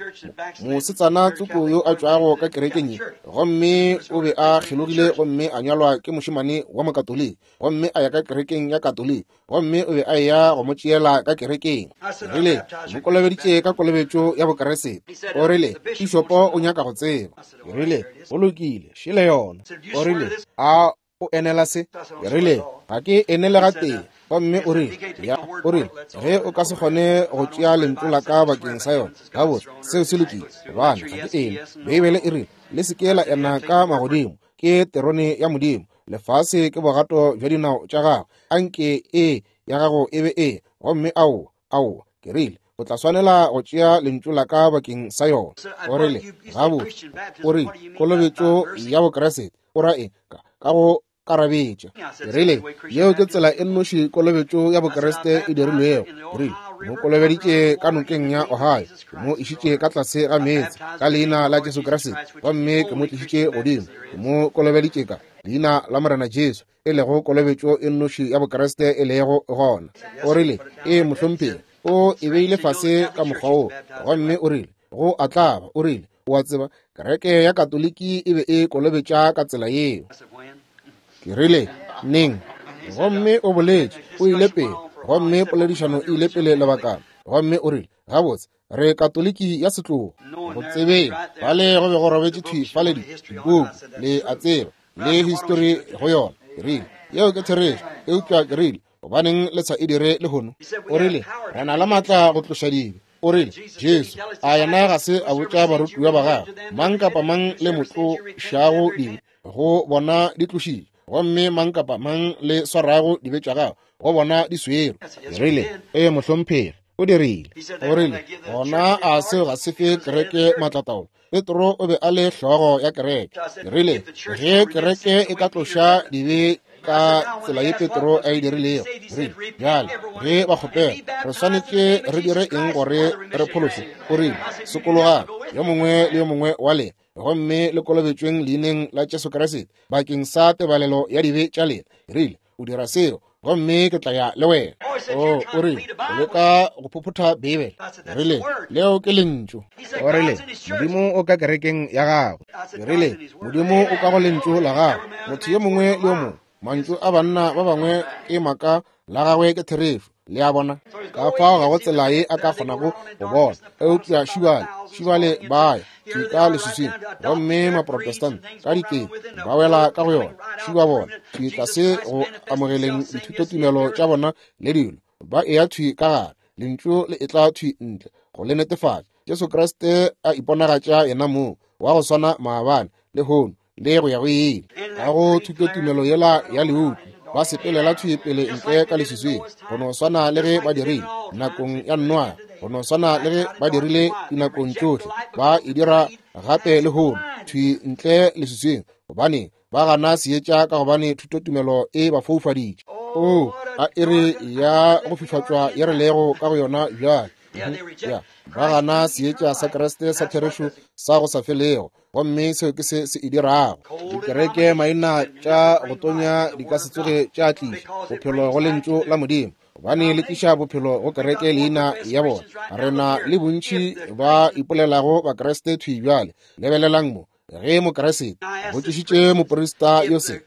mosetsana tsoko yo a tšwago ka kerekeng ye? Gomme o be a kgelogile gomme a nyalwa ke mošemane wa Mokatoliki, gomme a ya ka kerekeng ya Katoliki, gomme o be a eya go mo tšeela ka kerekeng. Rile, mo kolobeditše ka kolobetšo ya Bokeresete. O rile, Pišopo o nyaka go tseba. Ke rile, go lokile, šele yona. O rile, a o enela se? Ke rile, ga ke enele gatee. Gomme o rile, ya, o rile, ge o ka se kgone go tšea lentšu la ka bakeng sa yona, gabotse, seo se lokile, gobane ga ke ene. Beibele e rile, le se ke la ena ka magodimo, ke terone ya Modimo, lefase ke bogato bja dinao tša gagwe. Anke ee ya gago e be ee, gomme aowa, aowa. Ke rile, o tla swanela go tšea lentšu la ka bakeng sa yona. O rile, gabotse, o rile, kolobetšo ya Bokriste, o ra eng? Ka go karabetša. Ke rile, yeo ke tsela e nnoši kolobetšo ya Bokriste e dirilwego. Ke rile, mo kolobeditše ka nokeng ya Ohio, ke mo išitše ka tlase ga meetse ka leina la Jesu Kriste, gomme ke mo tlišitše godimo, ke mo kolobeditše ka leina la Morena Jesu, e lego kolobetšo e nnoši ya Bokriste e lego gona. O rile, ee, mohlomphegi, o e beile fase ka mokgwa wo, gomme o rile, go a tlaba. O rile, o a tseba, kereke ya Katoliki e be e kolobetša ka tsela yeo. Ke rile, neng? Gomme o boletše, o ile pele, gomme poledišano e ile pele lebakana. Gomme o rile, gabotse, re Katoliki ya setlogo. Go tsebeng, fale go be go robetše thwi fale dipuku, le a tseba, le histori go yona. Ke rile, yeo ke therešo, eupša ke rile, Gobaneng le sa e dire lehono? O rile, re na le maatla go tloša dibe. O rile, Jesu, a yena ga se a botša barutiwa ba gagwe, mang kapa mang le mo tlošago dibe, go bona di tlošitše, gomme mang kapa mang le swarago dibe tša gago, go bona di swerwe. Rile, ee, mohlomphegi, o dirile. O rile, gona a seo ga se fe kereke maatlataolo? Petro o be a le hlogo ya kereke. Rile, ge kereke e ka tloša dibe ka tsela ye Petro a e dirilego, rile, bjale ge ba kgopela, re swanetše re dire eng gore re phološwe? O rile, sokologang, yo mongwe le yo mongwe wa lena, gomme le kolobetšweng leineng la Jesu Kriste bakeng sa tebalelo ya dibe tša lena. Rile, o dira seo, gomme ke tla ya le wena. O, o rile, o leka go phophotha Beibele. Rile, leo ke lentšu. O rile, Modimo o ka kerekeng ya gagwe. Rile, Modimo o ka go lentšu la gagwe. Motho yo mongwe le yo mongwe, mantšu a banna ba bangwe ke maaka, la gagwe ke therešo. Le a bona? Ka fao ga go tsela ye a ka kgonago go bona. Eupša šibale, šibale ba ya thwi ka leswiswing, gomme Maprotestant ka dikete ba wela ka go yona. Šiba bona thwi tlase go amogeleng dithutotumelo tša bona le dilo, ba eya thwi ka gare, lentšu le etla thwi ntle go le netefatša. Jesu Kriste a iponagatša yena mong wa go swana maabane, lehono, le go ya go ile. Ka go thutotumelo yela ya leupu, ba sepelela thwi pele ntle ka leswiswing, go no swana le ge ba dirile nakong ya Noa, go no swana le ge ba dirile dinakong tšohle, ba e dira gape lehono, thwi ntle leswiswing. Gobane ba gana seetša, ka gobane thutotumelo e ba foufaditše. O, a iri ya go fifatšwa ye re lego ka go yona bjale. Ya, ba gana seetša sa Kriste sa therešo sa go sa felego, gomme seo ke se se e dirago. Dikereke maina tša go tonya di ka se tsoge tša tliša bophelo go lentšu la Modimo, gobane le tliša bophelo go kereke leina ya bona. Re na le bontši ba ipolelago Bakriste thwi bjale. Lebelelang mo, ge Mokriste botšišitše moprista yo se,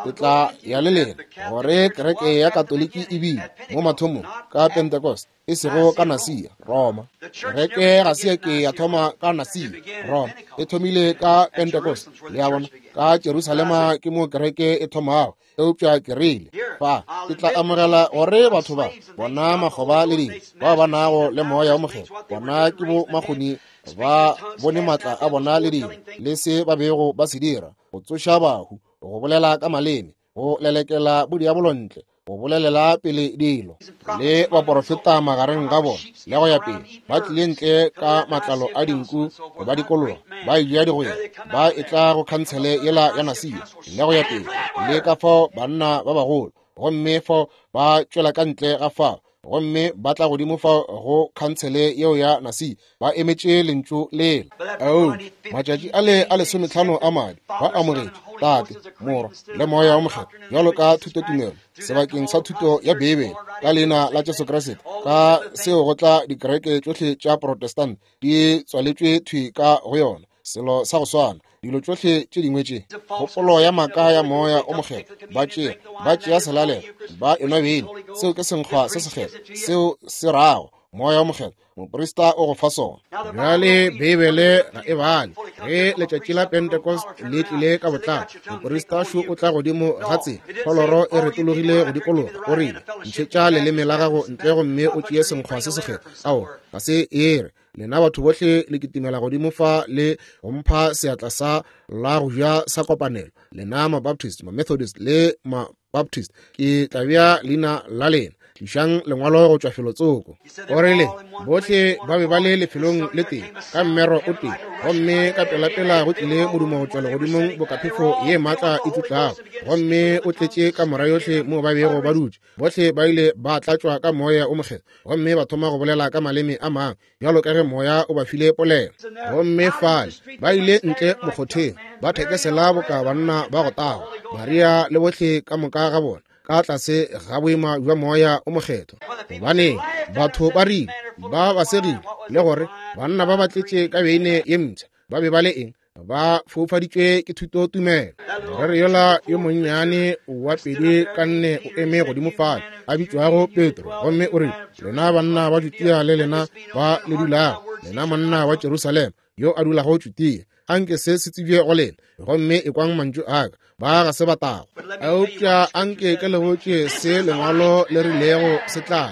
ke tla ya le lena gore kereke ya Katoliki e bile mo mathomong ka Pentecost, e sego ka Nasia, Roma. Kereke ga se ya ke ya thoma ka Nasia, Roma. E thomile ka Pentecost. Le a bona, ka Jerusalema ke mo kereke e thomago. Eupša ke rile, fa, ke tla amogela gore batho ba, bona makgoba le dilo, bao ba nago le Moya o Mokgethwa, bona ke bo makgoni, ba bone maatla a bona le dilo, le se ba bego ba se dira, go tsoša bahu, go bolela ka maleme, go lelekela bodiabolo ntle, go bolelela pele dilo, le baporofeta magareng ga bona, le go ya pele, ba tlile ntle ka matlalo a dinku go ba dikologa, ba eja digwere, ba etla go khansele yela ya Nasia, le go ya pele, le ka fao banna ba bagolo, gomme fao ba tšwela ka ntle ga fao, gomme ba tla godimo fao go khansele yeo ya Nasia, ba emetše lentšu lela. Ao, matšatši a le a 15 a madi, ba amogetše Tate, Morwa, le Moya o Mokgethwa bjalo ka thutotumelo sebakeng sa thuto ya Beibele ka leina la Jesu Kriste. Ka seo go tla dikereke tšohle tša Protestant di tswaletšwe thwi ka go yona, selo sa go swana, dilo tšohle tše dingwe tše, kgopolo ya maaka ya Moya o Mokgethwa, ba tšea, ba tšea selalelo, ba enwa beine, seo ke senkgwa se sekgethwa, seo se rago Moya o Mokgethwa, moprista o go fa sona. Bjale Beibele ga e bale ge letšatši la Pentecost le tlile ka botlalo, moprista šo o tla godimo ga tsela, kholoro e retologile go dikologa, o rile, ntšhetša leleme la gago ntle gomme o tšee senkgwa se sekgethwa. Ao, ga se e re, lena batho bohle le kitimela godimo fa le go mpha seatla sa la go ja sa kopanelo, lena Mabaptist, Mamethodist le Mabaptist, ke tla bea leina la lena. Tlišang lengwalo go tšwa felotsoko. O rile, bohle ba be ba le lefelong le tee, ka mmero o tee, gomme ka pelapela go tlile modumo go tšwa legodimong boka phefo ye maatla e tutlago, gomme o tletše kamora yohle moo ba bego ba dutše. Bohle ba ile ba tlatšwa ka Moya o Mokgethwa, gomme ba thoma go bolela ka maleme a mangwe, bjalo ka ge Moya o ba file polelo. Gomme fale ba ile ntle mokgotheng, ba thekesela boka banna ba go tagwa, Maria le bohle ka moka ga bona, ka tlase ga boima bja Moya o Mokgethwa. Gobane batho ba rile, ba ba segile, le gore banna ba ba tletše ka beine ye mpsha, ba be ba le eng? Ba foufaditšwe ke thutotumelo. Moreri yola yo monnyane wa pedi ka nne o eme godimo fale, a bitšwago Petro, gomme o rile, lena banna ba Judea le lena ba le dulago, lena monna wa Jerusalema yo a dulago Judea, Anke se se tsebje go lena, gomme ekwang mantšu a ka. Ba ga se ba tago. Eupša anke ke le botše se Lengwalo le rilego se tla.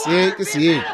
Se ke seetša.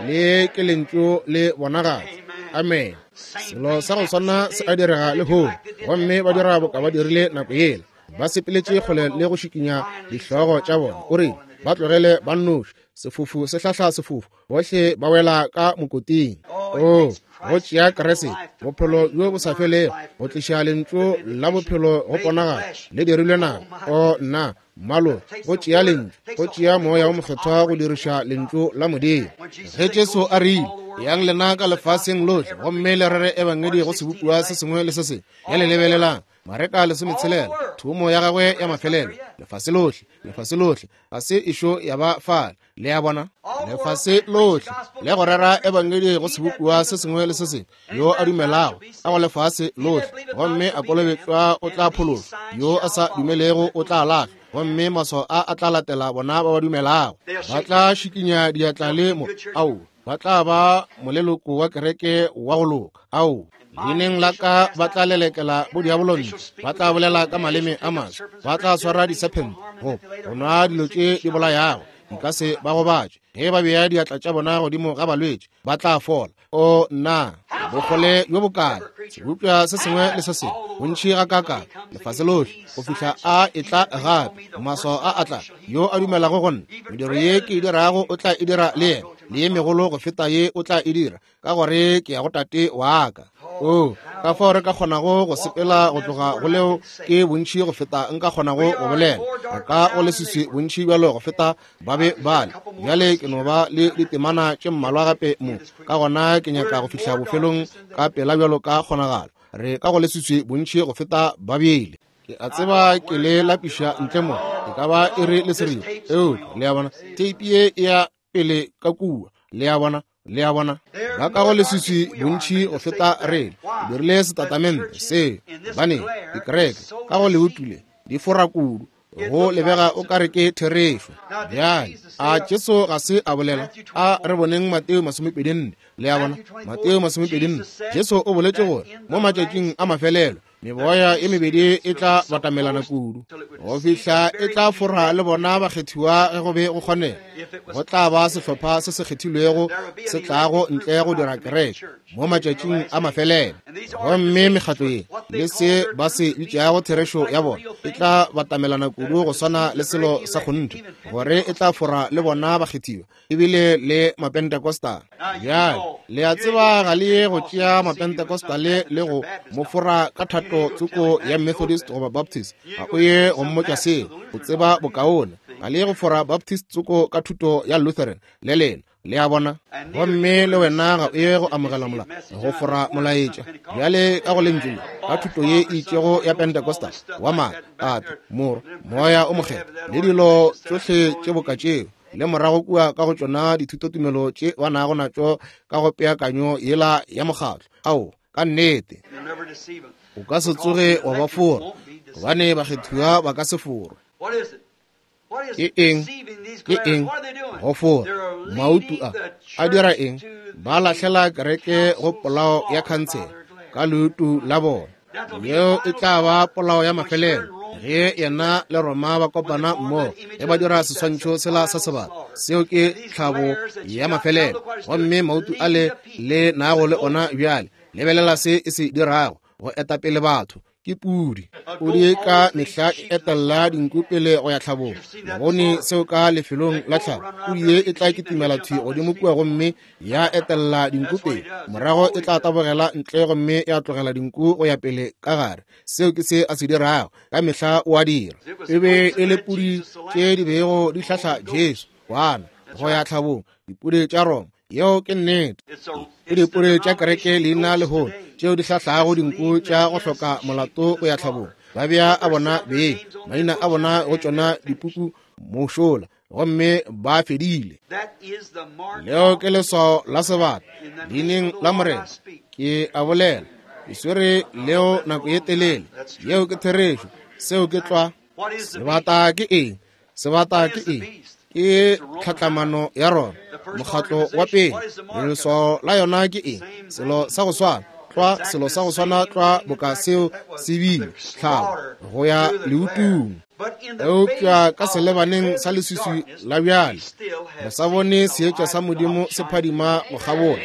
Le ke Lentšu le bonagatša. Amen. Selo sa go swana se a direga lehono, gomme ba dira boka ba dirile nako yela. Ba sepeletše kgole le go šikinya dihlogo tša bona. O rile, ba tlogele ba nnoši. Sefofu se hlahla sefofu, bohle ba wela ka mokoting. Oo, go tšea Kriste, bophelo bjo bo sa felego, go tliša lentšu la bophelo go ponagala, le dirilwe nama. O nna, mmalo, go tšea lentšu, go tšea Moya wo Mokgethwa go diriša lentšu la Modimo. Ge Jesu a rile, Yang lena ka lefaseng lohle gomme le rere ebangedi go sebopiwa se sengwe le se sengwe. Bjale lebelelang, Mareka 16, thomo ya gagwe ya mafelelo, lefase lohle, lefase lohle, ga se ešo ya ba fale. Le a bona? Lefase lohle, le go rera ebangedi go sebopiwa se sengwe le se sengwe. Yo a dumelago ka go lefase lohle gomme a kolobetšwa o tla phološwa, yo a sa dumelego o tla lahlwa. Gomme maswao a a tla latela bona ba ba dumelago. Ba tla šikinya diatla le mo, ao, ba tla ba moleloko wa kereke wa go loka. Ao, leineng la ka ba tla lelekela bodiabolo ntle, ba tla bolela ka maleme a maswa, ba tla swara disephente, go go nwa dilo tše di bolayago di ka se ba gobatše. Ge ba bea diatla tša bona godimo ga balwetši, ba tla fola. O nna, bokgole bjo bokae, sebopša se sengwe le se sengwe, bontši gakaakang, lefase lohle, go fihla a etla gape. Maswao a a tla, yo a dumelago go nna, mediro ye ke e dirago o tla e dira le yena, le ye megolo go feta ye o tla e dira, ka gore ke ya go Tate wa ka. Oo, ka fao re ka kgonago go sepela go tloga go leo ke bontši go feta nka kgonago go bolela. Re ka go leswiswi bontši bjalo go feta ba be bale. Bjale ke no ba le ditemana tše mmalwa gape mo, ka gona ke nyaka go fihla bofelong ka pela bjalo ka kgonagalo. Re ka go leswiswi bontši go feta ba bele. Ke a tseba ke le lapiša ntle mo, e ka ba iri le seripa, eupša le a bona, theipi ye e ya pele ka kua. Le a bona? Le a bona, ba ka go leswiswi bontši go feta rena. Ke dirile setatamente se, gobane dikereke ka go leutu le di fora kudu, go lebega o ka re ke therešo. Bjale, a Jesu ga se a bolela? A re boneng Mateo 24. Le a bona, Mateo 24, Jesu o boletše gore mo matšatšing a mafelelo meboya e mebedi e tla batamelana kudu go fihla e tla fora le bona bakgethiwa ge go be go kgonega. Go tla ba sehlopha se se kgethilwego se tlago ntle go dira kereke mo matšatšing a mafelelo, gomme mekgatlo ye le se ba se bitšago therešo ya bona e tla batamelana kudu go swana le selo sa kgonthe gore e tla fora le bona bakgethiwa ebile le Mapentecostal. Bjale le a tseba ga le ye go tšea Mapentecostal le go mo fora ka thato tsoko ya Methodist goba Baptist. Ga o ye go mmotša seo, o tseba bokaone. Ga le ye go fora Baptist tsoko ka thuto ya Lutheran le lena. Le a bona? Gomme le wena ga o ye go amogela mola go fora molaetša bjale ka go lentšu le ka thuto ye e itšego ya Pentecostal wa maaka, Tate, Morwa, Moya o Mokgethwa le dilo tšohle tše boka tšeo, le morago kua ka go tšona dithutotumelo tše ba nago natšo ka go peakanyo yela ya mokgatlo. Ao, ka nnete, o ka se tsoge wa ba fora, gobane bakgethiwa ba ka se forwe. Ke eng? Ke eng? Go fora. Mautu a a dira eng? Ba lahlela kereke go polao ya khansele ka leutu la bona. Yeo e tla ba polao ya mafelelo ge yena le Roma ba kopana mmogo, ge ba dira seswantšho sela sa sebata. Seo ke tlhabo ya mafelelo. Gomme mautu ale le nago le ona bjale, lebelela se e se dirago go eta pele batho. Ke pudi. Pudi ka mehla e etella dinku pele go ya tlhabong. Le bone seo ka lefelong la tlhabo. Pudi ye e tla kitimela thwi godimo kua gomme ya etella dinku pele, morago e tla tabogela ntle gomme ya tlogela dinku go ya pele ka gare. Seo ke se a se dirago ka mehla, o a dira. E be e le pudi tše di bego di hlahla Jesu kwana go ya tlhabong, dipudi tša Roma. Yeo ke nnete. Ke dipudi tša kereke leina lehono tšeo di hlahlago dinku tša go hloka molato go ya tlhabong. Ba bea a bona beng maina a bona go tšona dipuku mošola, gomme ba fedile. Leo ke leswao la sebata leineng la Morena. Ke a bolela, ke swere leo nako ye telele. Yeo ke therešo. Seo ke tlwa. Sebata ke eng? Sebata ke eng? Ke tlhatlamano ya Roma, mokgatlo wa pele. Leswao la yona ke eng? Selo sa go swana. Tlwa selo sa go swana tlwa boka seo se bile, tlhabo go ya leutung. Eupša ka selebaneng sa leswiswi la bjale, re sa bone seetša sa Modimo se phadima go kgabola.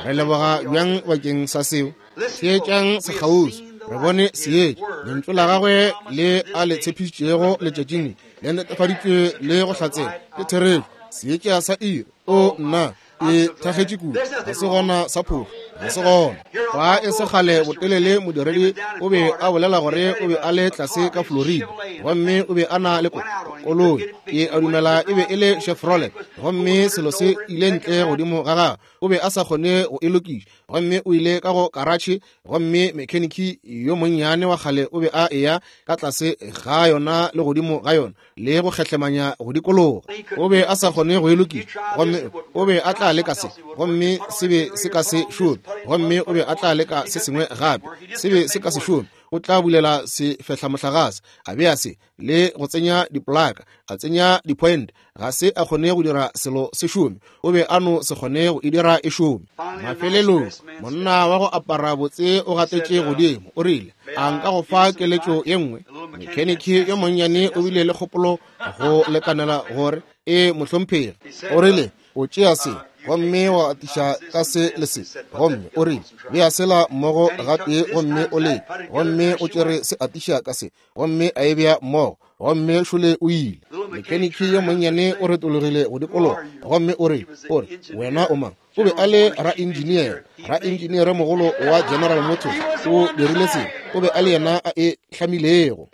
Re leboga bjang bakeng sa seo. Theetšang sekgauswi, re bone seetša. Lentšu la gagwe le a le tshepišitšego letšatšing le, le netefaditšwe le go hlatsela. Ke therešo, seetša sa iri. O nna, ke thakgetše kudu. Ga se gona sa phošo, ga se gona. Fa e se kgale botelele modiredi o be a bolela gore o be a le tlase ka Florida, gomme o be a na le koloi, ke a dumela e be e le Chevrolet, gomme selo se ile ntle godimo ga gagwe, o be a sa kgone go e lokiša, gomme o ile ka go karatšhe, gomme mekheniki yo monnyane wa kgale o be a eya ka tlase ga yona le godimo ga yona le go kgehlemanya go dikologa. O be a sa kgone go e lokiša, gomme o be a tla leka se, gomme se be se ka se šome, gomme o be a tla leka se sengwe gape, se be se ka se šome. O tla bulela sefehlamohlagase, a bea se le go tsenya dipolaka, a tsenya di-point, ga se a kgone go dira selo se šome. O be a no se kgone go e dira e šome. Mafelelong monna wa go apara botse o gatetše godimo, o rile, a nka go fa keletšo ye nngwe? Mekheniki yo monnyane o bile le kgopolo go lekanela gore e mohlomphegi. O rile, o tšea se gomme wa atiša ka se le se, gomme o rile, bea sela mmogo gatee gomme o leke, gomme o tšere se atiša ka se, gomme a e bea mmogo, gomme šole o ile. Mekheniki yo monnyane o retologile go dikologa, gomme o rile, o re, wena o mang? O be a le raenjiniere, raenjiniere mogolo wa General Motors. O dirile se, o be a le yena a e hlamilego.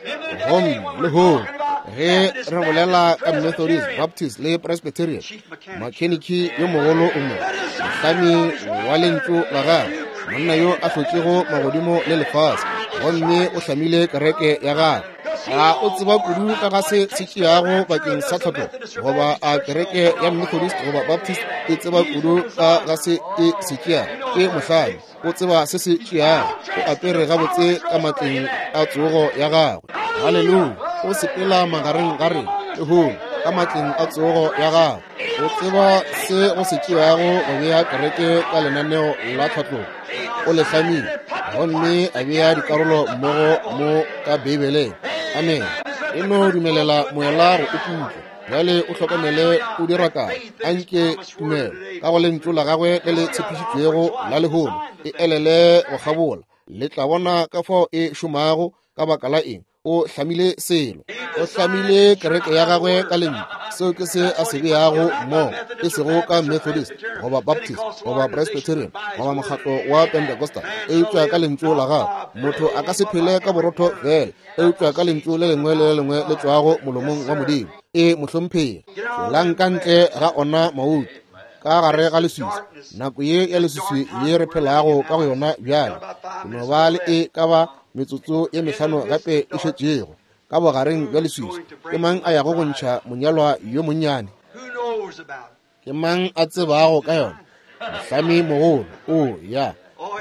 Gomme lehono ge re bolela ka Methodist, Baptist le Presbyterian, makheniki yo mogolo o mo, mohlami wa lentšu la gagwe, monna yo a hlotšego magodimo le lefase, gomme o hlamile kereke ya gagwe. A o tseba kudu ka ga se se tšeago bakeng sa tlhotlo, goba a kereke ya Methodist goba Baptist e tseba kudu ka ga se e se tšeago? Ke mohlami, o tseba se se tšeago. O apere gabotse ka matleng a tsogo ya gagwe. Haleluya! O sepela magareng ga rena lehono ka matleng a tsogo ya gagwe. O tseba se go se tšeago go bea kereke ka lenaneo la tlhatlogo. O le hlamile gomme a bea dikarolo mmogo mo ka Beibeleng. Amen. E no dumelela moela go o putla. Bjale o hlokomele o dira kae. Anke tumelo ka go lentšu la gagwe le le tshepišitšwego la lehono e elele go kgabola. Le tla bona ka fao e šomago. Ka baka la eng? O hlamile selo, o hlamile kereke ya gagwe ka lentšu. Seo ke se a se beago mmogo, e sego ka Methodist goba Baptist goba Presbyterian goba mokgatlo wa Pentecostal, eupša ka lentšu la gagwe. Motho a ka se phele ka borotho fela, eupša ka lentšu le lengwe le le lengwe le tšwago molomong wa Modimo. E mohlomphegi, tšwelang ka ntle ga ona mautu, ka gare ga leswiswi, nako ye ya leswiswi ye re phelago ka go yona bjale. Ke no ba le e ka ba metsotso ye mehlano gape e šetšego ka bogareng bja leswiswi. Ke mang a yago go ntšha monyalwa yo monnyane? Ke mang a tsebago ka yona? Mohlami mogolo o ya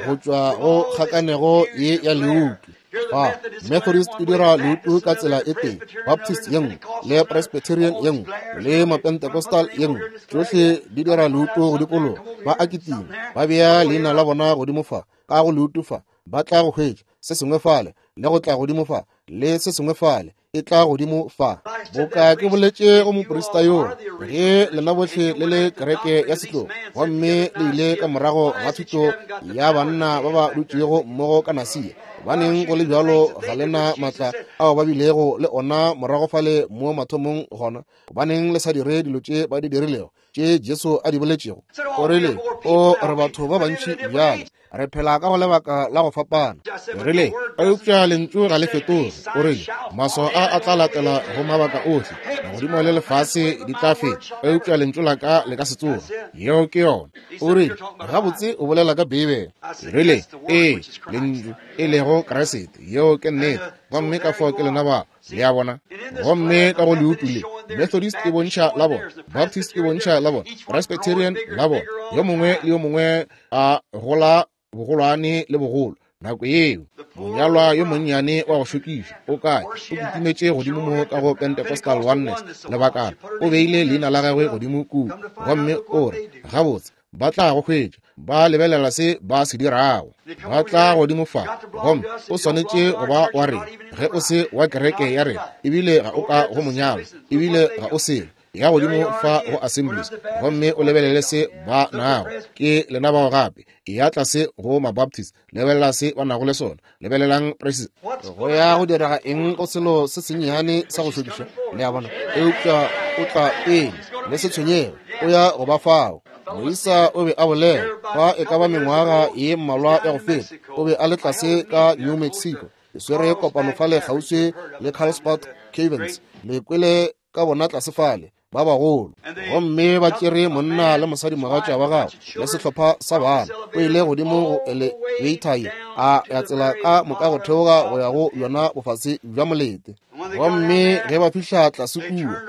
go tšwa go kgakanego ye ya leutu. Fa Methodist e dira leutu ka tsela e tee, Baptist ye nngwe, le Presbyterian ye nngwe, le Mapentecostal ye nngwe. Tšohle di dira leutu go dikologa. Ba a kitima, ba bea leina la bona godimo fa, ka go leutu fa, ba tla go hwetša se sengwe fale, le go tla godimo fa, le se sengwe fale, e tla godimo fa. Boka ke boletše go moprista yoo, ge lena bohle le le kereke ya setlogo, gomme le ile ka morago ga thuto ya banna ba ba dutšego mmogo ka Nasia, gobaneng go le bjalo ga le na maatla ao ba bilego le ona morago fale mo mathomong gona? Gobaneng le sa dire dilo tše ba di dirilego, tše Jesu a di boletšego? O rile, o re batho ba bantši bjale re phela ka go lebaka la go fapana. O rile, eupša lentšu ga le fetoge. O rile, maswao a a tla latela go mabaka ohle, magodimo le lefase di tla feta, eupša lentšu la ka le ka se tsoge. Yeo ke yona. O rile, gabotse o bolela ka Beibele. Ke rile, ee, lentšu e lego Kriste. Yeo ke nnete. Gomme ka fao ke lena ba. Le a bona? Gomme ka go leutu le, Methodist e bontšha la bona, Baptist e bontšha la bona, Presbyterian la bona, yo mongwe le yo mongwe a gola bogolwane le bogolo. Nako yeo monyalwa yo monnyane wa go šokiša o kae? O kitimetše godimo mo ka go Pentecostal Oneness lebakana, o beile leina la gagwe godimo kua, gomme o re, gabotse, Ba tla go hwetša, ba lebelela se ba se dirago. Ba tla godimo fa, gomme o swanetše go ba wa rena. Ge o se wa kereke ya rena, ebile ga o ka go monyalo, ebile ga o selo. Ya godimo fa go Assemblies, gomme o lebelele se ba nago. Ke lena bao gape. Ya tlase go Mabaptist, lebelela se ba nago le sona. Lebelelang Presbyterian. Go ya go direga eng go selo se sennyane sa go šokiša? Le a bona? Eupša o tla pele, le se tshwenyege, o ya go ba fao. Moisa o be a bolela fa e ka ba mengwaga ye mmalwa ya go feta. O be a le tlase ka New Mexico. Ke swere kopano fale kgauswi le Carlsbad Caverns. Le kwele ka bona tlase fale, ba bagolo. Gomme ba tšere monna le mosadimogatša wa gagwe le sehlopha sa bana. O ile godimo go elevator ye, a ya tsela ka moka go theoga go ya go yona bofase bja molete. Gomme ge ba fihla tlase kua,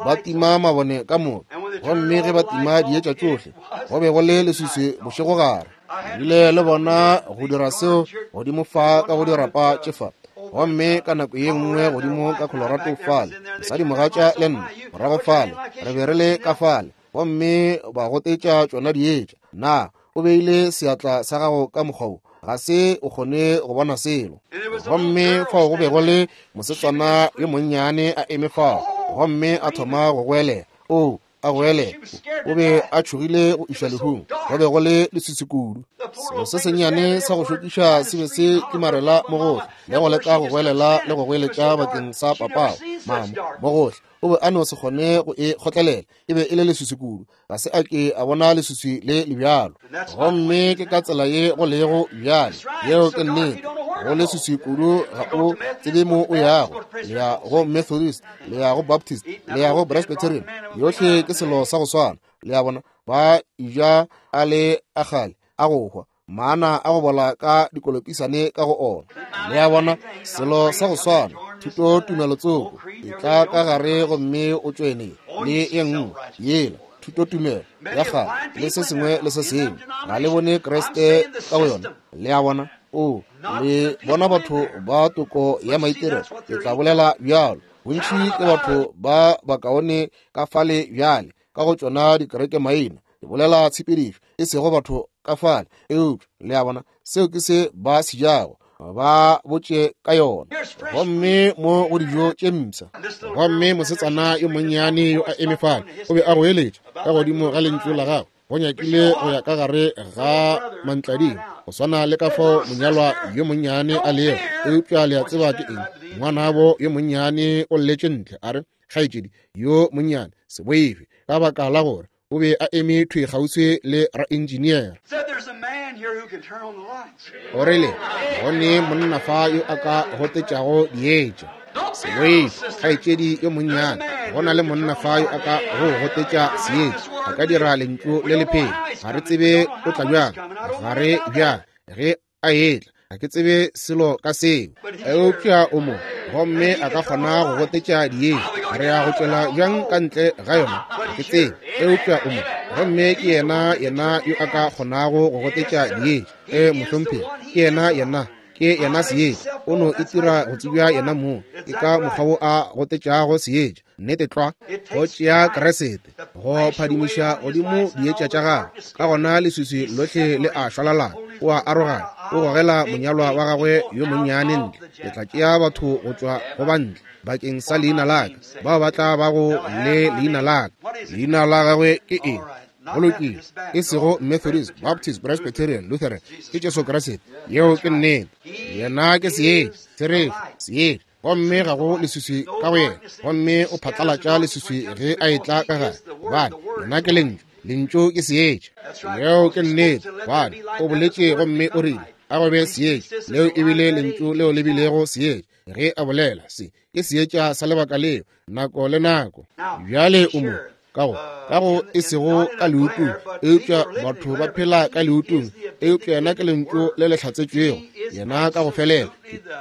ba tima mabone ka moka. Gomme ge ba tima dietša tšohle, go be go le leswiswi bošegogare. Bile le bona go dira seo godimo fa ka go dirapa tše fa. Gomme ka nako ye nngwe godimo ka Colorado fale, mosadimogatša le nna morago fale, re be re le ka fale, gomme ba gotetša tšona dietša. Na o beile seatla sa gago ka mokgwa wo? Ga se o kgone go bona selo. Gomme fao go be go le mosetsana yo monnyane a eme fao, gomme a thoma go goelela. Oo, a goelela. O be a tšhogile go iša lehung. Go be go le leswiswi kudu. Selo se sennyane sa go šokiša se be se kimarela mo gohle, le go leka go goelela le go goeletša bakeng sa papago, mama, mo gohle. O be a no se kgone go e kgotlelela. E be e le leswiswi kudu. Ga se a ke a bona leswiswi le le bjalo. Gomme ke ka tsela ye go lego bjale. Yeo ke nnete. Go leswiswi kudu, ga o tsebe mo o yago. Le ya go Methodist, le ya go Baptist, le ya go Presbyterian. Yohle ke selo sa go swana. Le a bona, ba ja a le a kgale a go hwa, maana a go bola ka dikolopisane ka go ona. Le a bona, selo sa go swana, thuto tumelo tsoko e tla ka gare gomme o tšwene le ye nngwe yela thuto tumelo ya kgale le se sengwe le se sengwe. Ga le bone Kriste ka go yona. Le a bona? O, le bona batho ba toko ya maitirelo, ke tla bolela bjalo. Bontši ke batho ba bakaone ka fale bjale ka go tšona dikereke maina. Ke bolela tshepedišo, e sego batho ka fale. Eupša le a bona, seo ke se ba se jago, ba botše ka yona. Gomme mo go dijo tše mpsha. Gomme mosetsana yo monnyane yo a eme fale, o be a goeletša ka godimo ga lentšu la gagwe, go nyakile go ya ka gare ga mantlading, go swana le ka fao monyalwa yo monnyane a lego. Eupša le a tseba ke eng? Ngwanabo yo monnyane o lletše ntle, a re, Kgaetšedi yo monnyane, se boife, ka baka la gore o be a eme thwi kgauswi le raengineere. O rile, Go ne monna fa yo a ka gotetšago dietša. Se boife, kgaetšedi yo monnyane, go na le monna fa yo a ka go gotetša seetša. A ka dira lentšu le le phela. Ga re tsebe o tla bjang, ga re bjang ge a etla. Ga ke tsebe selo ka seo, eupša o mo, gomme a ka kgona go gotetša dietša. Re ya go tšwela bjang ka ntle ga yona? Ga ke tsebe, eupša o mo, gomme ke yena, yena yo a ka kgonago go gotetša dietša. E, mohlomphegi, ke yena, yena, ke yena seetša. O no itira go tsebja yena mong. Ke ka mokgwa wo a gotetšago seetša. Nnete tlwa, go tšea Kriste go phadimiša godimo dietša tša gagwe, ka gona leswiswi lohle le a šwalalana. O a arogana, o gogela monyalwa wa gagwe yo monnyane ntle. Ke tla tšea batho go tšwa go ba ntle bakeng sa leina la ka, bao ba tla bago le leina la ka. Leina la gagwe ke eng? Go lokile, e sego Methodist, Baptist, Presbyterian, Lutheran, ke Jesu Kriste. Yeo ke nnete. Yena ke seetša, therešo, seetša. Gomme ga go leswiswi ka go yena, gomme o phatlalatša leswiswi ge a etla ka gare, gobane yena ke lentšu, lentšu ke seetša. Yeo ke nnete, gobane o boletše gomme o rile, a go be seetša. Leo e bile lentšu leo le bilego seetša ge a bolela. Se ke seetša sa lebaka leo, nako le nako. Bjale o mo ka go, ka go e sego ka leutung, eupša batho ba phela ka leutung, eupša yena ke lentšu le le hlatsetšwego, yena ka go felela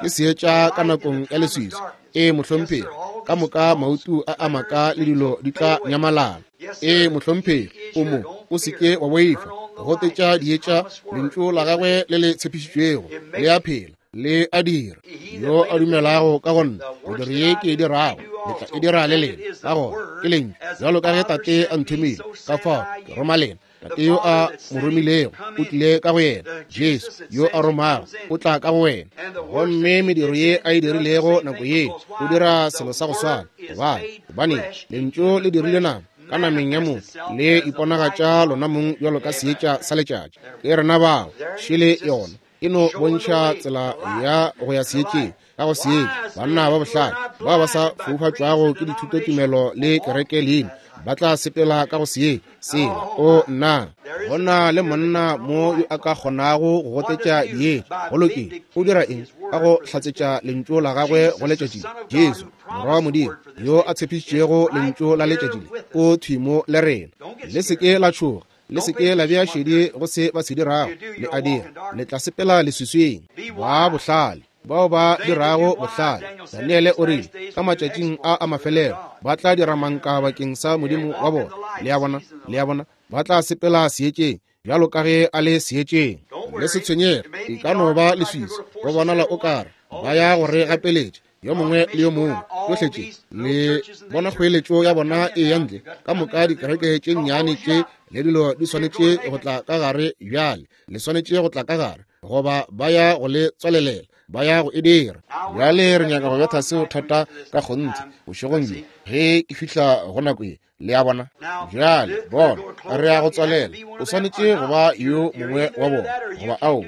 ke seetša ka nakong ya leswiswi. Ee, mohlomphegi, ka moka mautu a a maka le dilo di tla nyamalala. Ee, mohlomphegi, o mo, o se ke wa boifa, gotetša dietša, lentšu la gagwe le le tshepišitšwego le a phela, le a dira. Yo a dumelago ka go nna, mediro ye ke e dirago le tla e dira le lena. Ka gona ke lentšu, bjalo ka ge Tate a nthomile, ka fao ke roma lena. Tate yo a mo romilego o tlile ka go yena. Jesu yo a romago o tla ka go wena. Gomme mediro ye a e dirilego nako ye, o dira selo sa go swana. Gobane, gobane Lentšu le dirile nama ka nameng ya motho, le iponagatša lona mong bjalo ka seetša sa letšatši. Ke rena bao, šele yona e no bontšha tsela ya go ya seetšeng. Ka go seetša, banna ba bohlale bao ba sa foufatšwago ke dithutotumelo le kereke leina ba tla sepela ka go seetša sela. O nna, go na le monna mo yo a ka kgonago go gotetša dietša. Go lokile. O dira eng? Ka go hlatsetša lentšu la gagwe go letšatši. Jesu, Morwa wa Modimo, yo a tshepišitšego lentšu la letšatši le, o thwi mo le rena. Le se ke la tšhoga. Le se ke la bea šedi go se ba se dirago. Le a dira, le tla sepela leswiswing. Ba bohlale, bao ba dirago bohlale. Daniele o rile, ka matšatšing a a mafelelo, ba tla dira manka bakeng sa Modimo wa bona. Le a bona? Le a bona? Ba tla sepela seetšeng, bjalo ka ge a le seetšeng. Le se tshwenyege, e ka no ba leswiswi, go bonala o kare ba ya go re gapeletša yo mongwe le yo mongwe. Tšohle tše le bona kgoeletšo ya bona e ya ntle, ka moka dikereke tše nnyane tše le dilo di swanetše go tla ka gare bjale. Le swanetše go tla ka gare, goba ba ya go le tswalelela, ba ya go e dira. Bjale re nyaka go betha seo thata ka kgonthe bošegong bjo ge ke fihla go nako ye. Le a bona? Bjale bona, re ya go tswalela. O swanetše go ba yo mongwe wa bona, goba ao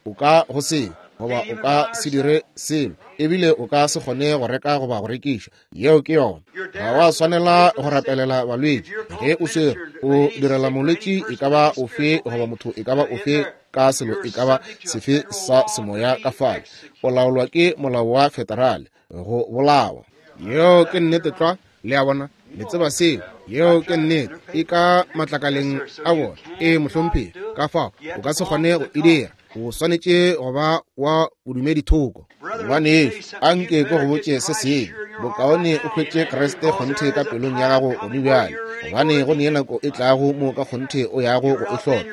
o ka go se, goba o ka se dire selo, ebile o ka se kgone go reka goba go rekiša. Yeo ke yona. Ga wa swanela go rapelela balwetši. Ge o swere o direla molwetši e ka ba ofe goba motho e ka ba ofe ka selo e ka ba sefe sa semoya ka fale, o laolwa ke molao wa federale go bolawa. Yeo ke nnete tlwa. Le a bona? Le tseba seo. Yeo ke nnete. E ka matlakaleng a bona. E mohlomphegi. Ka fao o ka se kgone go e dira. O swanetše go ba wa bodumedi thoko. Ngwanešu, a nke ke go botše se sengwe. Bokaone o hwetše Kriste kgonthe ka pelong ya gago gone bjale, gobane go ne nako e tlago mo ka kgonthe o yago go e hloka.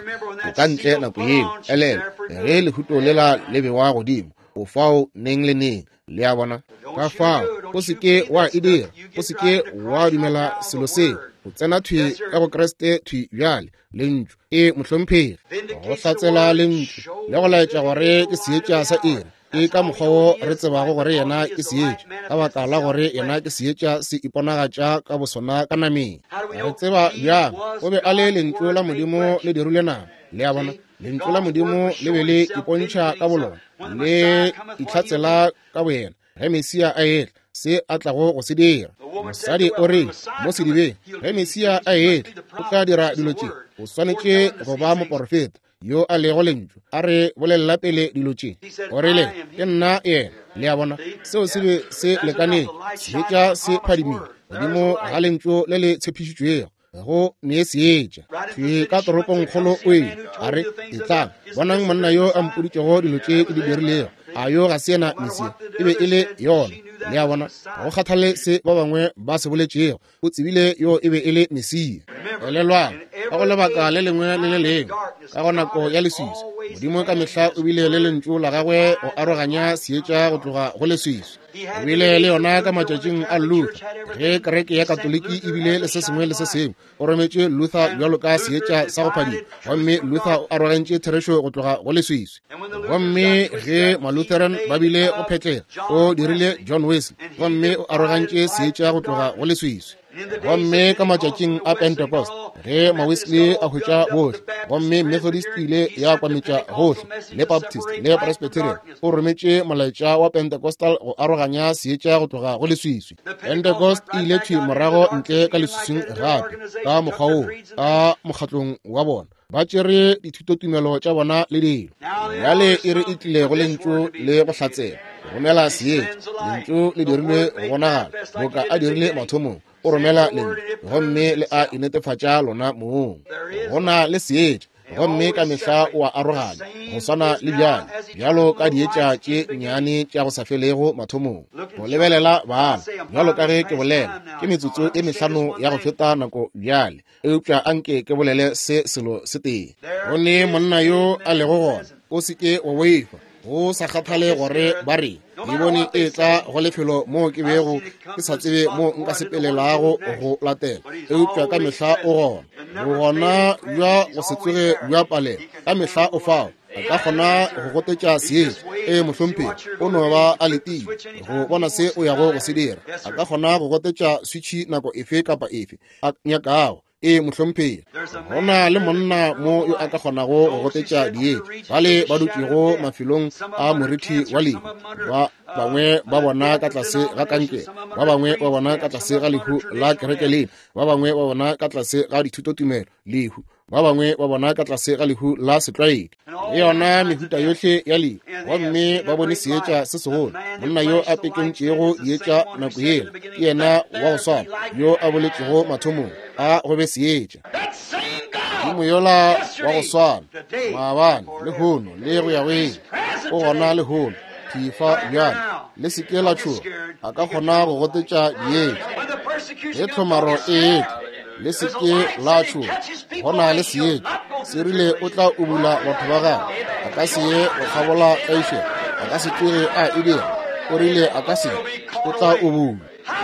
O ka ntle nako yeo. Elelwa, ge lehuto lela le bewa godimo, o fao neng le neng. Le a bona? Ka fao o se ke wa e dira. O se ke wa dumela selo seo. O tsena thwi ka go Kriste thwi bjale. Lentšu e mohlomphegi go hlatsela lentšu le go laetša gore ke seetša sa iri. Ke ka mokgwa wo re tsebago gore yena ke seetša, ka baka la gore yena ke seetša se iponagatša ka bosona ka nameng. Re tseba bjang o be a le lentšu la Modimo le dirile nama. Le a bona? Lentšu la Modimo le be le ipontšha ka bolona, le itlhatsela ka boyena ge Mesia a etla, se a tlago go se dira. Mosadi o re mo sedibeng, ge Mesia a etla, o tla dira dilo tše. O swanetše go ba moporofeta yo a lego lentšu, a re bolelela pele dilo tše. O rile, ke nna yena. Le a bona? Seo se be se lekaneng. Seetša se phadimile godimo ga lentšu le le tshepišitšwego go ne seetša. Thwi ka toropongkgolo o ile a re, Etlang, bonang monna yo a mpoditšego dilo tše ke di dirilego. A yo ga se yena Mesia? E be e le yona. Le a bona? Ga go kgathale se ba bangwe ba se boletšego, o tsebile yo e be e le Mesia. Elelwang, ka go lebaka le lengwe le le lengwe, ka go nako ya leswiswi, Modimo ka mehla o bile le lentšu la gagwe go aroganya seetša go tloga go leswiswi. O bile le yona ka matšatšing a Luther, ge kereke ya Katoliki e bile le se sengwe le se sengwe. O rometše Luther bjalo ka seetša sa go phadima, gomme Luther o arogantše therešo go tloga go leswiswi. Gomme ge Malutheran ba bile go phetlega, o dirile John Wesley, gomme o arogantše seetša go tloga go leswiswi. Gomme ka matšatšing a Pentecost, ge Mawesley a hwetša bohle, gomme Methodist ile ya kwametša gohle, le Baptist le Presbyterian, o rometše molaetša wa Pentecostal go aroganya seetša go tloga go leswiswi. Pentecost e ile thwi morago ntle ka leswiswing gape, ka mokgwa woo, ka mokgatlong wa bona. Ba tšere dithutotumelo tša bona le dilo. Bjale e re e tlile go lentšu le go hlatsela, romela seetša. Lentšu le dirilwe go bonagala boka a dirile mathomong. O romela lentšu gomme le a inetefatša lona mong. Go na le seetša, gomme ka mehla o a aroganya, go swana le bjale, bjalo ka dietša tše nnyane tša go sa felego mathomong. Go lebelela bana, bjalo ka ge ke bolela, ke metsotso e mehlano ya go feta nako bjale. Eupša anke ke bolele se selo se tee. Go ne monna yo a lego gona, o se ke wa boifa, go sa kgathale gore ba reng. Ke bone e tla go lefelo moo ke bego ke sa tsebe mo nka sepelelago go latela, eupša ka mehla o gona. Bogona bja go se tsoge bja palela, ka mehla o fao. A ka kgona go gotetša seetša. Ee, mohlomphegi, o no ba a letile go bona se o yago go se dira. A ka kgona go gotetša switšhi nako efe kapa efe a nyakago. Ee, mohlomphegi, go na le monna mo yo a ka kgonago go gotetša dietša. Bale ba dutšego mafelong a morithi wa lehu, ba bangwe ba bona ka tlase ga kankere, ba bangwe ba bona ka tlase ga lehu la kereke lena, ba bangwe ba bona ka tlase ga dithutotumelo, lehu, ba bangwe ba bona ka tlase ga lehu la setlwaedi, le yona mehuta yohle ya lehu, gomme ba bone seetša se segolo. Monna yo a pekentšego dietša nako yela ke yena wa go swana yo a boletšego mathomong a go be seetša. Modimo yola wa go swana maabane, lehono le go ya go ile, o gona lehono thifa bjale. Le se ke la tšhoga, a ka kgona go gotetša dietša. Ge tlhomaro e etla, le se ke la tšhoga, go na le seetša. Se rile o tla ubula batho ba gagwe, a ka se ye go kgabola tlaišego, a ka se tsoge a e dira. O rile a ka se, o tla ubula.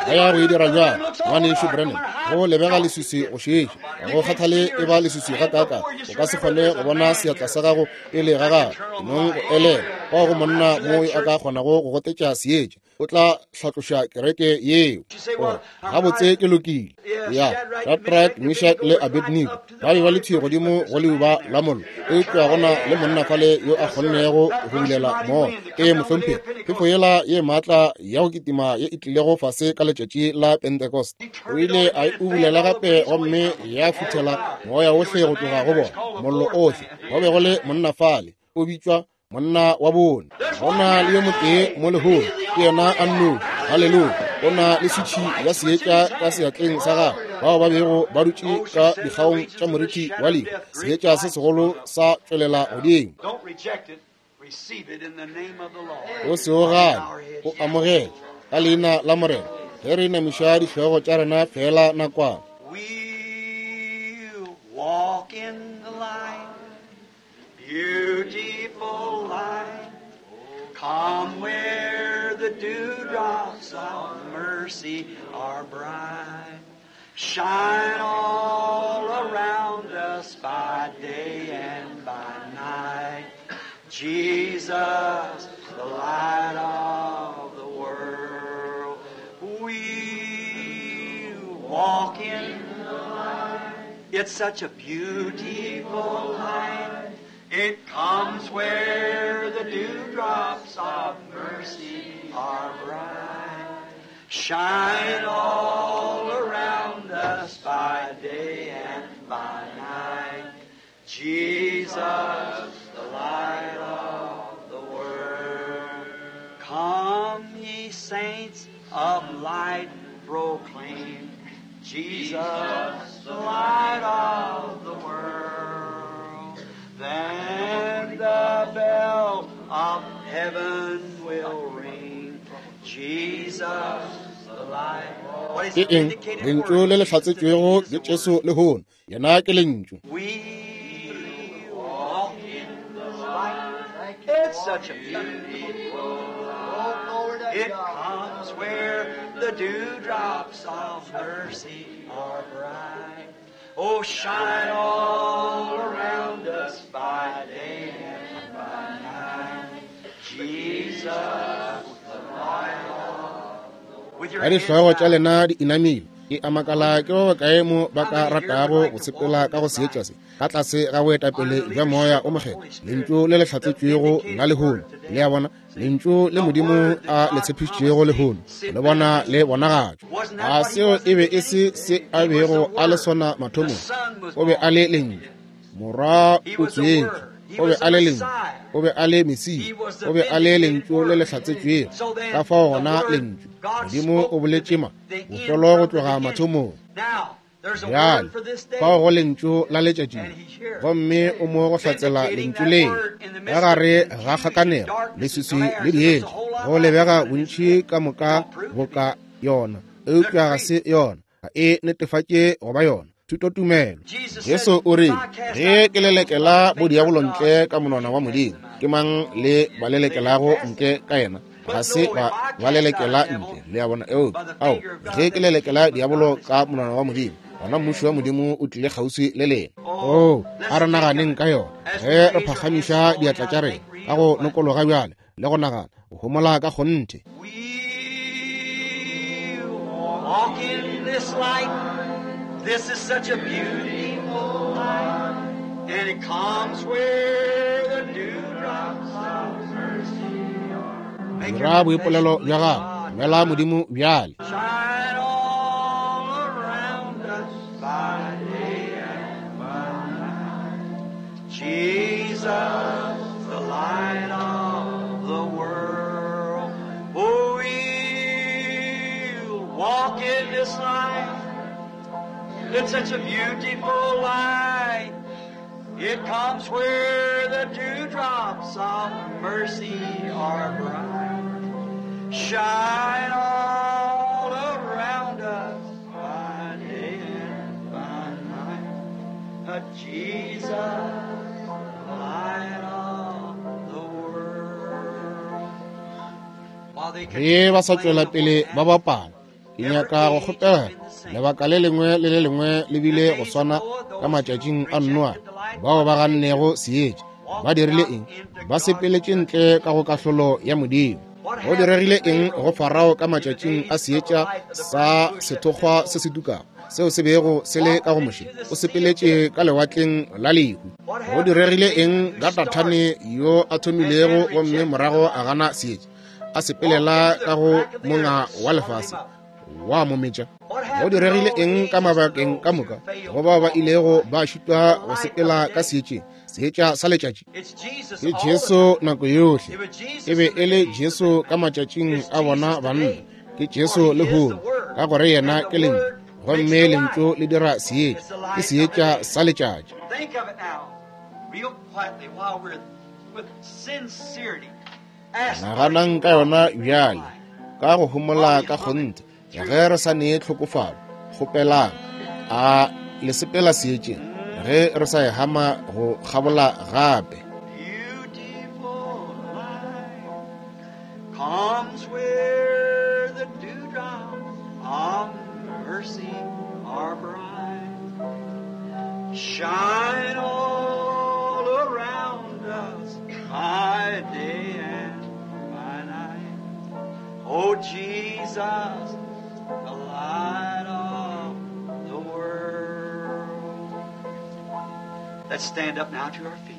Ba ya go e dira bjang, Ngwanešu Branham? Go lebega leswiswi go šetše. Ga go kgathale e ba leswiswi gakaakang, o ka se kgone go bona seatla sa gago pele ga gago. Nong go elela, fao go monna mo yo a ka kgonago go gotetša seetša, o tla hlatloša kereke yeo. O re, Gabotse, ke lokile. Ya, Shadrach, Meshach le Abednego ba be ba le thwi godimo go leuba la mollo, eupša go na le monna fale yo a kgonnego go bulela moya. Ee, mohlomphegi, phefo yela ye maatla ya go kitima ye e tlilego fase ka letšatši la Pentecost, o ile a e ubulela gape gomme ya futhela moya ohle go tloga go bona, mollo ohle. Go be go le monna fale, o bitšwa monna wa bone. Go na le yo motee mo lehono, ke yena a nnoši. Haleluya! O na le switšhi ya seetša ka seatleng sa gagwe. Bao ba bego ba dutše ka dikgaong tša morithi wa lehu, seetša se segolo sa tšwelela godimo. O se o gane, o amogele ka leina la Morena. Ge re inamiša dihlogo tša rena feela nakwana. We walk in the light, beautiful light. Come where the dewdrops of mercy are bright. Shine all around us by day and by night. Jesus, the light of the world. We walk in the light. It's such a beautiful light. It comes where the dewdrops of mercy are bright. Shine all around us by day and by night. Jesus, the light of the world. Come, ye saints of light, proclaim Jesus, the light of the world. Then the bell of heaven will ring. Jesus, the light. What is Ke the eng? vindicated Lentšu word? le le Jesus is the hlatsetšwego ke word. Jesu lehono. Yena ke Lentšu. We walk in the light. It's such a beautiful light. It comes where the dewdrops of mercy are bright. Oh, shine all around us by day and by night. Jesus, the light of the With your Ka hands dihlogo tša bowed. lena di inamile, ke a makala ke ba bakae mo ba ka ratago go sepela ka go seetša se ka tlase ga boetapele bja Moya o Mokgethwa, Lentšu le le hlatsetšwego la lehono. Le a bona, Lentšu le Modimo a le tshepišitšego lehono, le bona le bonagatšwa. A seo e be e se se a bego a le sona mathomong? O be a le Lentšu. Morwa o tswetšwe. O be a le Lentšu. O be a le Mesia. O be a le Lentšu le le hlatsetšwego. Ka fao gona Lentšu, Modimo o boletše ma bofelo go tloga mathomong. Now, there's a Bjale word for this day. fao go Lentšu la letšatši, gomme o mo go hlatsela Lentšu leo ka gare ga kgakanego, leswiswi le dietša. Go lebega bontši ka moka boka yona, eupša ga se yona. Ga e netefatše go ba yona. Thutotumelo. Jesu o rile, Ge ke lelekela bodiabolo ntle ka monwana wa Modimo, ke mang le ba lelekelago ntle ka yena? Ga se ba ba lelekela ntle, le a bona. Eupša, ao, ge ke lelekela diabolo ka monwana wa Modimo, gona mmušo wa Modimo o tlile kgauswi le lena. Oo, a re naganeng ka yona ge re phagamiša diatla tša rena ka go nokologa bjale le go nagana go homola ka kgonthe. We walk in this light. This is such a beautiful light. And it comes where the dewdrops of mercy are. Make your Dira boipolelo confession bja to gago, God. dumela Modimo bjale. Shine all around us by day and by night. Jesus, the light of the world. Oh, we'll walk in this light. It's such a beautiful light. It comes where the dewdrops of mercy are bright. Shine all around us by day and by night. Jesus, the light of the world. While they Ge ba sa continue tšwela playing the pele fourth ba bapala, ke nyaka go kgopela lebaka le lengwe le le lengwe le bile go swana ka matšatšing a Noa. Bao ba gannego seetša ba dirile eng? Ba sepeletše ntle ka go kahlolo ya Modimo. Go diregile eng go Farao ka matšatšing a seetša sa sethokgwa se se tukago seo se bego se le ka go Moshe? O sepeletše ka lewatleng la lehu. Go diregile eng ka Dathane yo a thomilego gomme morago a gana seetša, a sepelela ka go monga wa lefase wa mo metša? Go diregile eng ka mabakeng ka moka go bao ba ilego ba šitwa go sepela ka seetšeng, seetša sa letšatši? It's Jesus Ke all the Jesu time. nako yohle. It was Jesus E be in the e le days of Jesu the ka matšatšing It's a bona Jesus banna. today. Ke For Jesu he is the lehono, Word, ka gore yena and ke the Lentšu, Word makes gomme the Lentšu light. le dira seetša. It's the Ke light of the seetša day. sa letšatši. Think of it now, real quietly, while we're with sincerity. Ask, are Naganang you ka yona walking in the bjale, light? ka go homola While we ka hum it kgonthe, through ge re sa nee tlhokofalo, kgopelang, a le sepela seetšeng ge re sa e hama go kgabola gape. Beautiful light comes where the dewdrops of mercy are bright. Shine all around us by day and by night. Oh Jesus, the light of the world. Let's stand up now to our feet.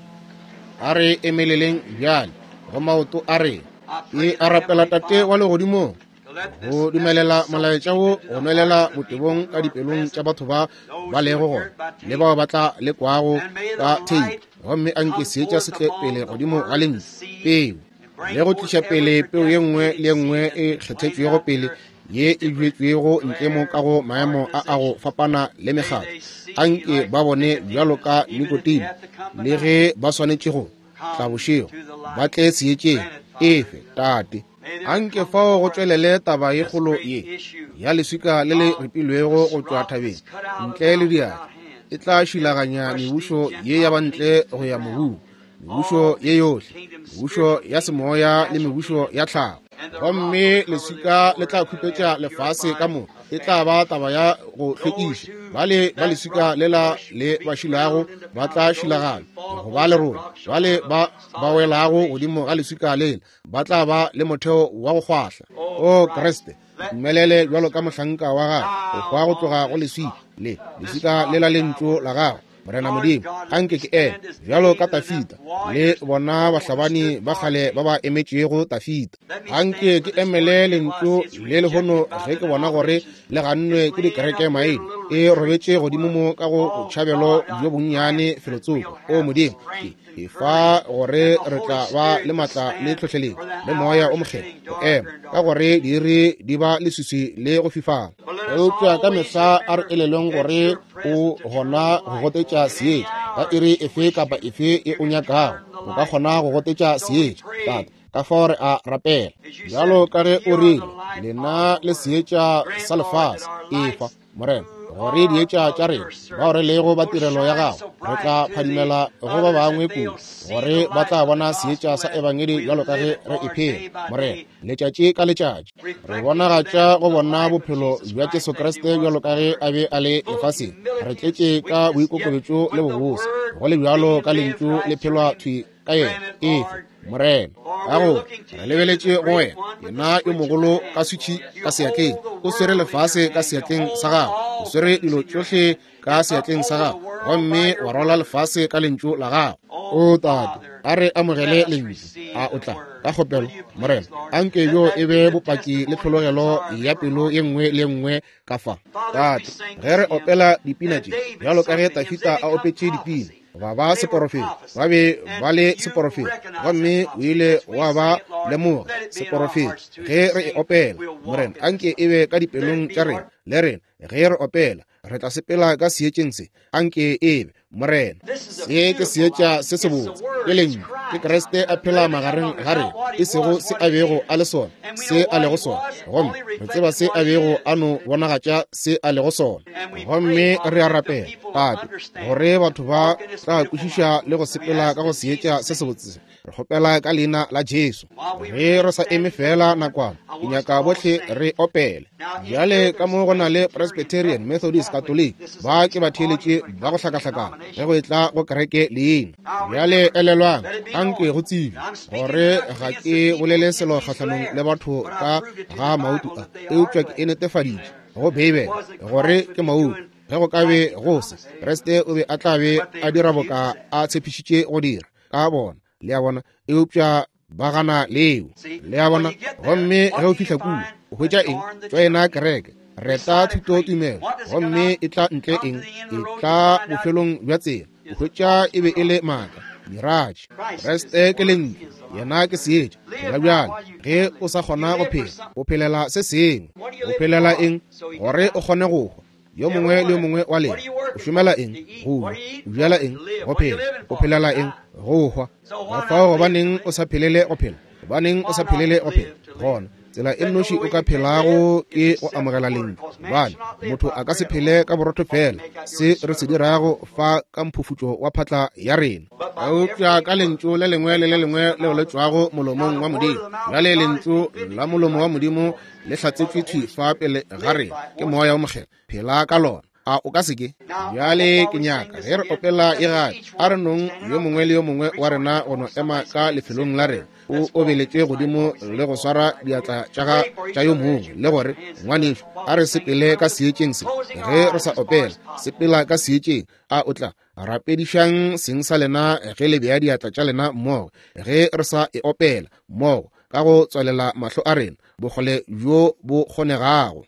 A re emeleleng bjale go maoto a rena. I pray E a the rapela Heavenly Tate wa Father legodimong to let this go dumelela message soak molaetša deep wo into go the nwelela hearts of the people botebong who ka are dipelong tša present, batho ba those ba who lego will gona hear it by le tape. bao ba tla lekwago And may ka the theipi. light Gomme a nke come seetša forth se tle upon pele the godimo ga word, the lentšu, seed, peu, and bring le go forth tliša every pele peu ye nngwe predestinated le ye nngwe seed that's e been planted kgethetšwego out pele there ye in e different bjetšwego ntle mo ka go maemo a a go organizations. fapana le May mekgatlo. they see Anke like ba bone bjalo Nicodemus, ka even if they Nikodemo, have to come by le night, ge ba swanetše go tla come bošego, to the ba light. tle seetšeng. Grant it, Father. Efe, Tate. May there Anke come fao go forth tšwelele taba ye this kgolo great ye issue ya leswika le le of ripilwego this go tšwa rock thabeng that's cut out of the ntle le mountain diatla. without hands E tla and šilaganya crush these mebušo ye ya Gentile bantle kingdoms to go the ya ground. mobung, mebušo All ye yohle, kingdoms, mebušo spiritual ya kingdoms, semoya le natural mebušo kingdoms, ya tlhago. and the rock Gomme will cover the leswika le tla earth khupetša and lefase ka purify moka. E tla ba affairs. taba ya go Those hlwekiša. who Bale ba that leswika rock lela crush le will be ba šilago ground into ba tla powder. Those who šilagana fall go ba upon that lerole. rock shall Bale have a ba ba solid welago foundation. godimo ga leswika lela ba tla ba le motheo wa go kgwahla. O O Christ, Kriste, let me dumelele your bjalo ka servant mohlanka wa gago go die hwa go upon tloga go this leswika rock, le this leswika rock lela that I lentšu la worship. gago. Morena Lord Modimo, God, let anke me ke eme stand as bjalo ka David and them Tafita le warriors bona who bahlabani stood ba for kgale ba Jesus. ba emetšego Tafita. Let me Anke stand ke for this emele word because lentšu it's le lehono rejected by ge the ke bona gore denominations. le gannwe It's ke laying dikereke up here in a maina. little E retreat robetše godimo somewhere. mo ka go Oh botšhabelo God, bjo I bonnyane grant that felotsoko. we'll O have Modimo, ke strength and e fa courage gore and the re Holy tla ba Spirit le to maatla le stand tlhohleletšo for the le moya o hours are mokgethwa getting go darker ema, and ka darker. gore diiri di ba leswiswi le go fifala. But let us Eupša ka always mehla a re remember elelweng that gore you're o present to turn gona the go light. gotetša At any seetša ka hour iri you efe wish kapa to, efe ye you o can nyakago. turn the O ka light kgona on. go gotetša So we seetša, pray, Tate. Ka fao re a rapela as you bjalo said, ka ge ye o are rile, the light lena of the le world. seetša Grant, sa Lord, that lefase. our Efa lights Morena, gore dietša tša rena bao re lego ba tirelo ya gago re tla phadimela go ba bangwe kudu, gore ba tla bona seetša sa ebangedi bjalo ka ge re e phela, Morena, letšatši ka letšatši. Re bonagatša go bona bophelo bja Jesu Kriste bjalo ka ge a be a le lefaseng. Re tletše ka boikokobetšo le bobose, go le bjalo ka lentšu le phelwa thwi ka yena. Efe, Morena, ka go re lebeletše go wena, yena yo mogolo ka switšhi ka seatleng, o swere lefase ka seatleng sa gago, o swere dilo tšohle ka seatleng sa gago, gomme wa rwala lefase ka lentšu la gago. O Tate, a re amogele lentšu. A o tla ka kgopelo, Morena, anke bjo e be bopaki le tlhologelo ya pelo ye nngwe le ye nngwe ka fa. Tate, ge re opela dipina tše, bjalo ka ge Tafita a opetše dipina, ba ba seporofeta, ba be ba le seporofeta, gomme o ile wa ba lemoga seporofeta. Ge re e opela, Morena, anke e be ka dipelong tša rena le rena ge re opela, re tla sepela ka seetšeng se. Anke e be, Morena. Se ke seetša se sebotse, ke lentšu, ke Kriste a phela magareng ga rena, e sego se a bego a le sona, se a lego sona. Gomme re tseba se a bego a no bonagatša se a lego sona. Gomme re a rapela, Tate, gore batho ba tla kwešiša le go sepela ka go seetša se sebotse se. Re kgopela ka leina la Jesu. Ge re sa eme fela nakwana, ke nyaka bohle re opele. Bjale ka mo go na le Presbyterian, Methodist, Catholic, ba ke batheeletši ba go hlakahlakana ge go etla go kereke leina. Bjale elelwang, anke go tsebe gore ga ke bolele selo kgahlanong le batho ka ga mautu a, eupša ke e netefaditše go Beibele gore ke mautu. Ge go ka be go se, Kriste o be a tla be a dira boka a tshepišitše go dira ka bona, le a bona, eupša ba gana leo, le a bona. Gomme ge o fihla kua, o hwetša eng? Tšoena kereke, reta thuto tumelo, gomme e tla ntle eng? E tla bofelong bja tsela, o hwetša e be e le maaka, miratše. Kriste ke lentšu, yena ke seetša. Phela bjale ge o sa kgona go phela, o phelela se sengwe. O phelela eng? Gore o kgone go hwa. Yo mongwe le yo mongwe wa lena o šomela eng? Go ja. O bjala eng? Go phela. O phelela eng? Go hwa. Ka fao gobaneng o sa phelele go phela? Gobaneng o sa phelele go phela? Gona tsela e nnoši o ka phelago ke go amogela lentšu, gobane motho a ka se phele ka borotho fela, se re se dirago fa ka mphufutšo wa phatla ya rena, eupša ka lentšu le lengwe le le lengwe leo le tšwago molomong wa Modimo. Bjale lentšu la molomo wa Modimo le hlatsetšwe thwi fa pele ga rena ke Moya wo Mokgethwa. Phela ka lona. A o ka se ke? Bjale ke nyaka ge re opela e gape, a re nong yo mongwe le yo mongwe wa rena go no ema ka lefelong la rena, o obeletše godimo le go swara diatla tša yo mongwe, le gore, ngwanešu, a re sepele ka seetšeng se. Ge re sa opela, sepela ka seetšeng. A o tla rapedišang seng sa lena ge le bea diatla tša lena mmogo, ge re sa e opela mmogo, ka go tswalela mahlo a rena bokgole bjo bo kgonegago.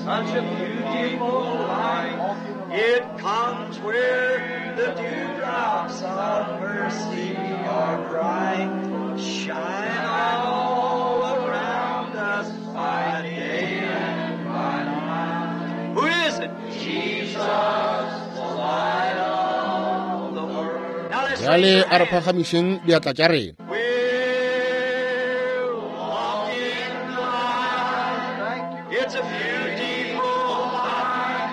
Such a beautiful light, it comes where the dewdrops of mercy are bright, shine all around us by day and by night. Who is it? Jesus, the light of the world. Now let's raise Bjale your a re hands. phagamišeng diatla tša rena. We'll walk in the light. It's a beautiful light.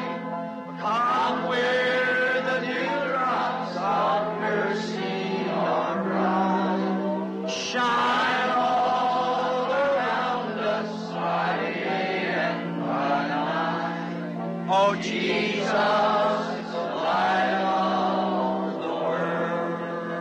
Come where the dewdrops of mercy are bright. Shine all around us by day and by night. Oh, Jesus, the light of the world.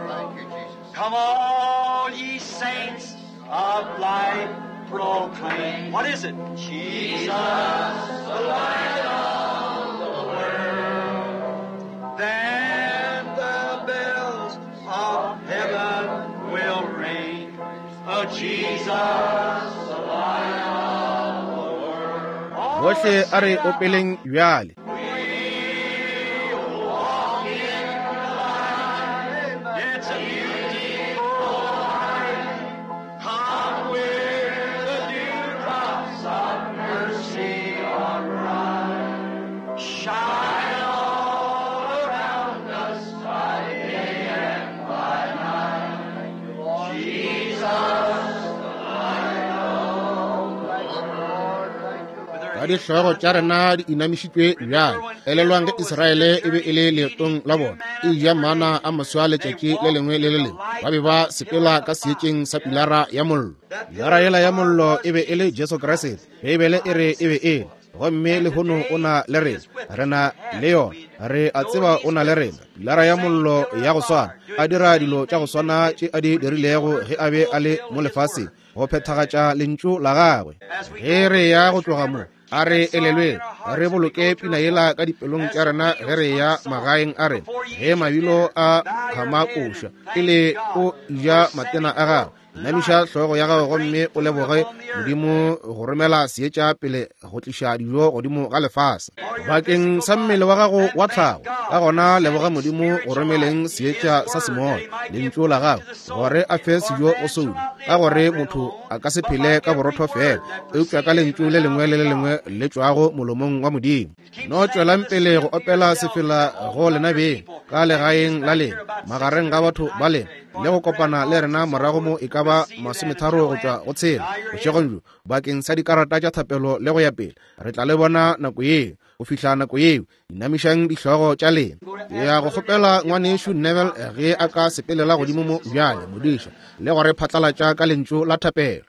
Thank you, Jesus. Come all ye saints of light, proclaim. What is it? Jesus, the light of the world. Then the bells of heaven will ring. Oh, Jesus, the light of the world. All Bohle a re opeleng bjale. we walk in the light. It's a beautiful light. Come where the dewdrops of mercy are bright. Shine all around us by day and by night. Jesus, the light Ka dihlogo tša rena di inamišitšwe bjale, elelwang ge Israele e be e le leetong la bona, e ja mana a maswa letšatši le lengwe le le lengwe, ba be ba sepela ka seetšeng sa pilara ya mollo. Pilara yela ya mollo e be e le Jesu Kriste. Beibele e re e be e le. Gomme lehono o na le rena. Re na le yona. Re a tseba o na le rena. Pilara ya mollo ya go swana, a dira dilo tša go swana tše a di dirilego ge a be a le mo lefaseng, go phethagatša Lentšu la Gagwe. Ge re ya go tloga mo, a re elelweng, re boloke pina yela ka dipelong tša rena ge re ya magaeng a rena, ge mabilo a phama koša, pele o ja matena a gago. Namiša hlogo ya gago gomme o leboge Modimo go romela seetša pele go tliša dijo godimo ga lefase bakeng sa mmele wa gago wa tlhago. Ka gona leboga Modimo go romeleng seetša sa semoya, lentšu la gago, gore a fe sejo go soulo, ka gore motho a ka se phele ka borotho fela, eupša ka lentšu le lengwe le le lengwe le tšwago molomong wa Modimo. No tšwelang pele go opela sefela go lena beng ka legaeng la lena, magareng ga batho ba lena, le go kopana le rena morago mo e ka ba masometharo go tšwa go tshela bošegong bjo bakeng sa dikarata tša thapelo le go ya pele. Re tla le bona nako yeo. Go fihla nako yeo, inamišang dihlogo tša lena. Ke ya go kgopela ngwanešu Neville ge a ka sepelela godimo mo bjale, modiša, le go re phatlalatša ka lentšu la thapelo.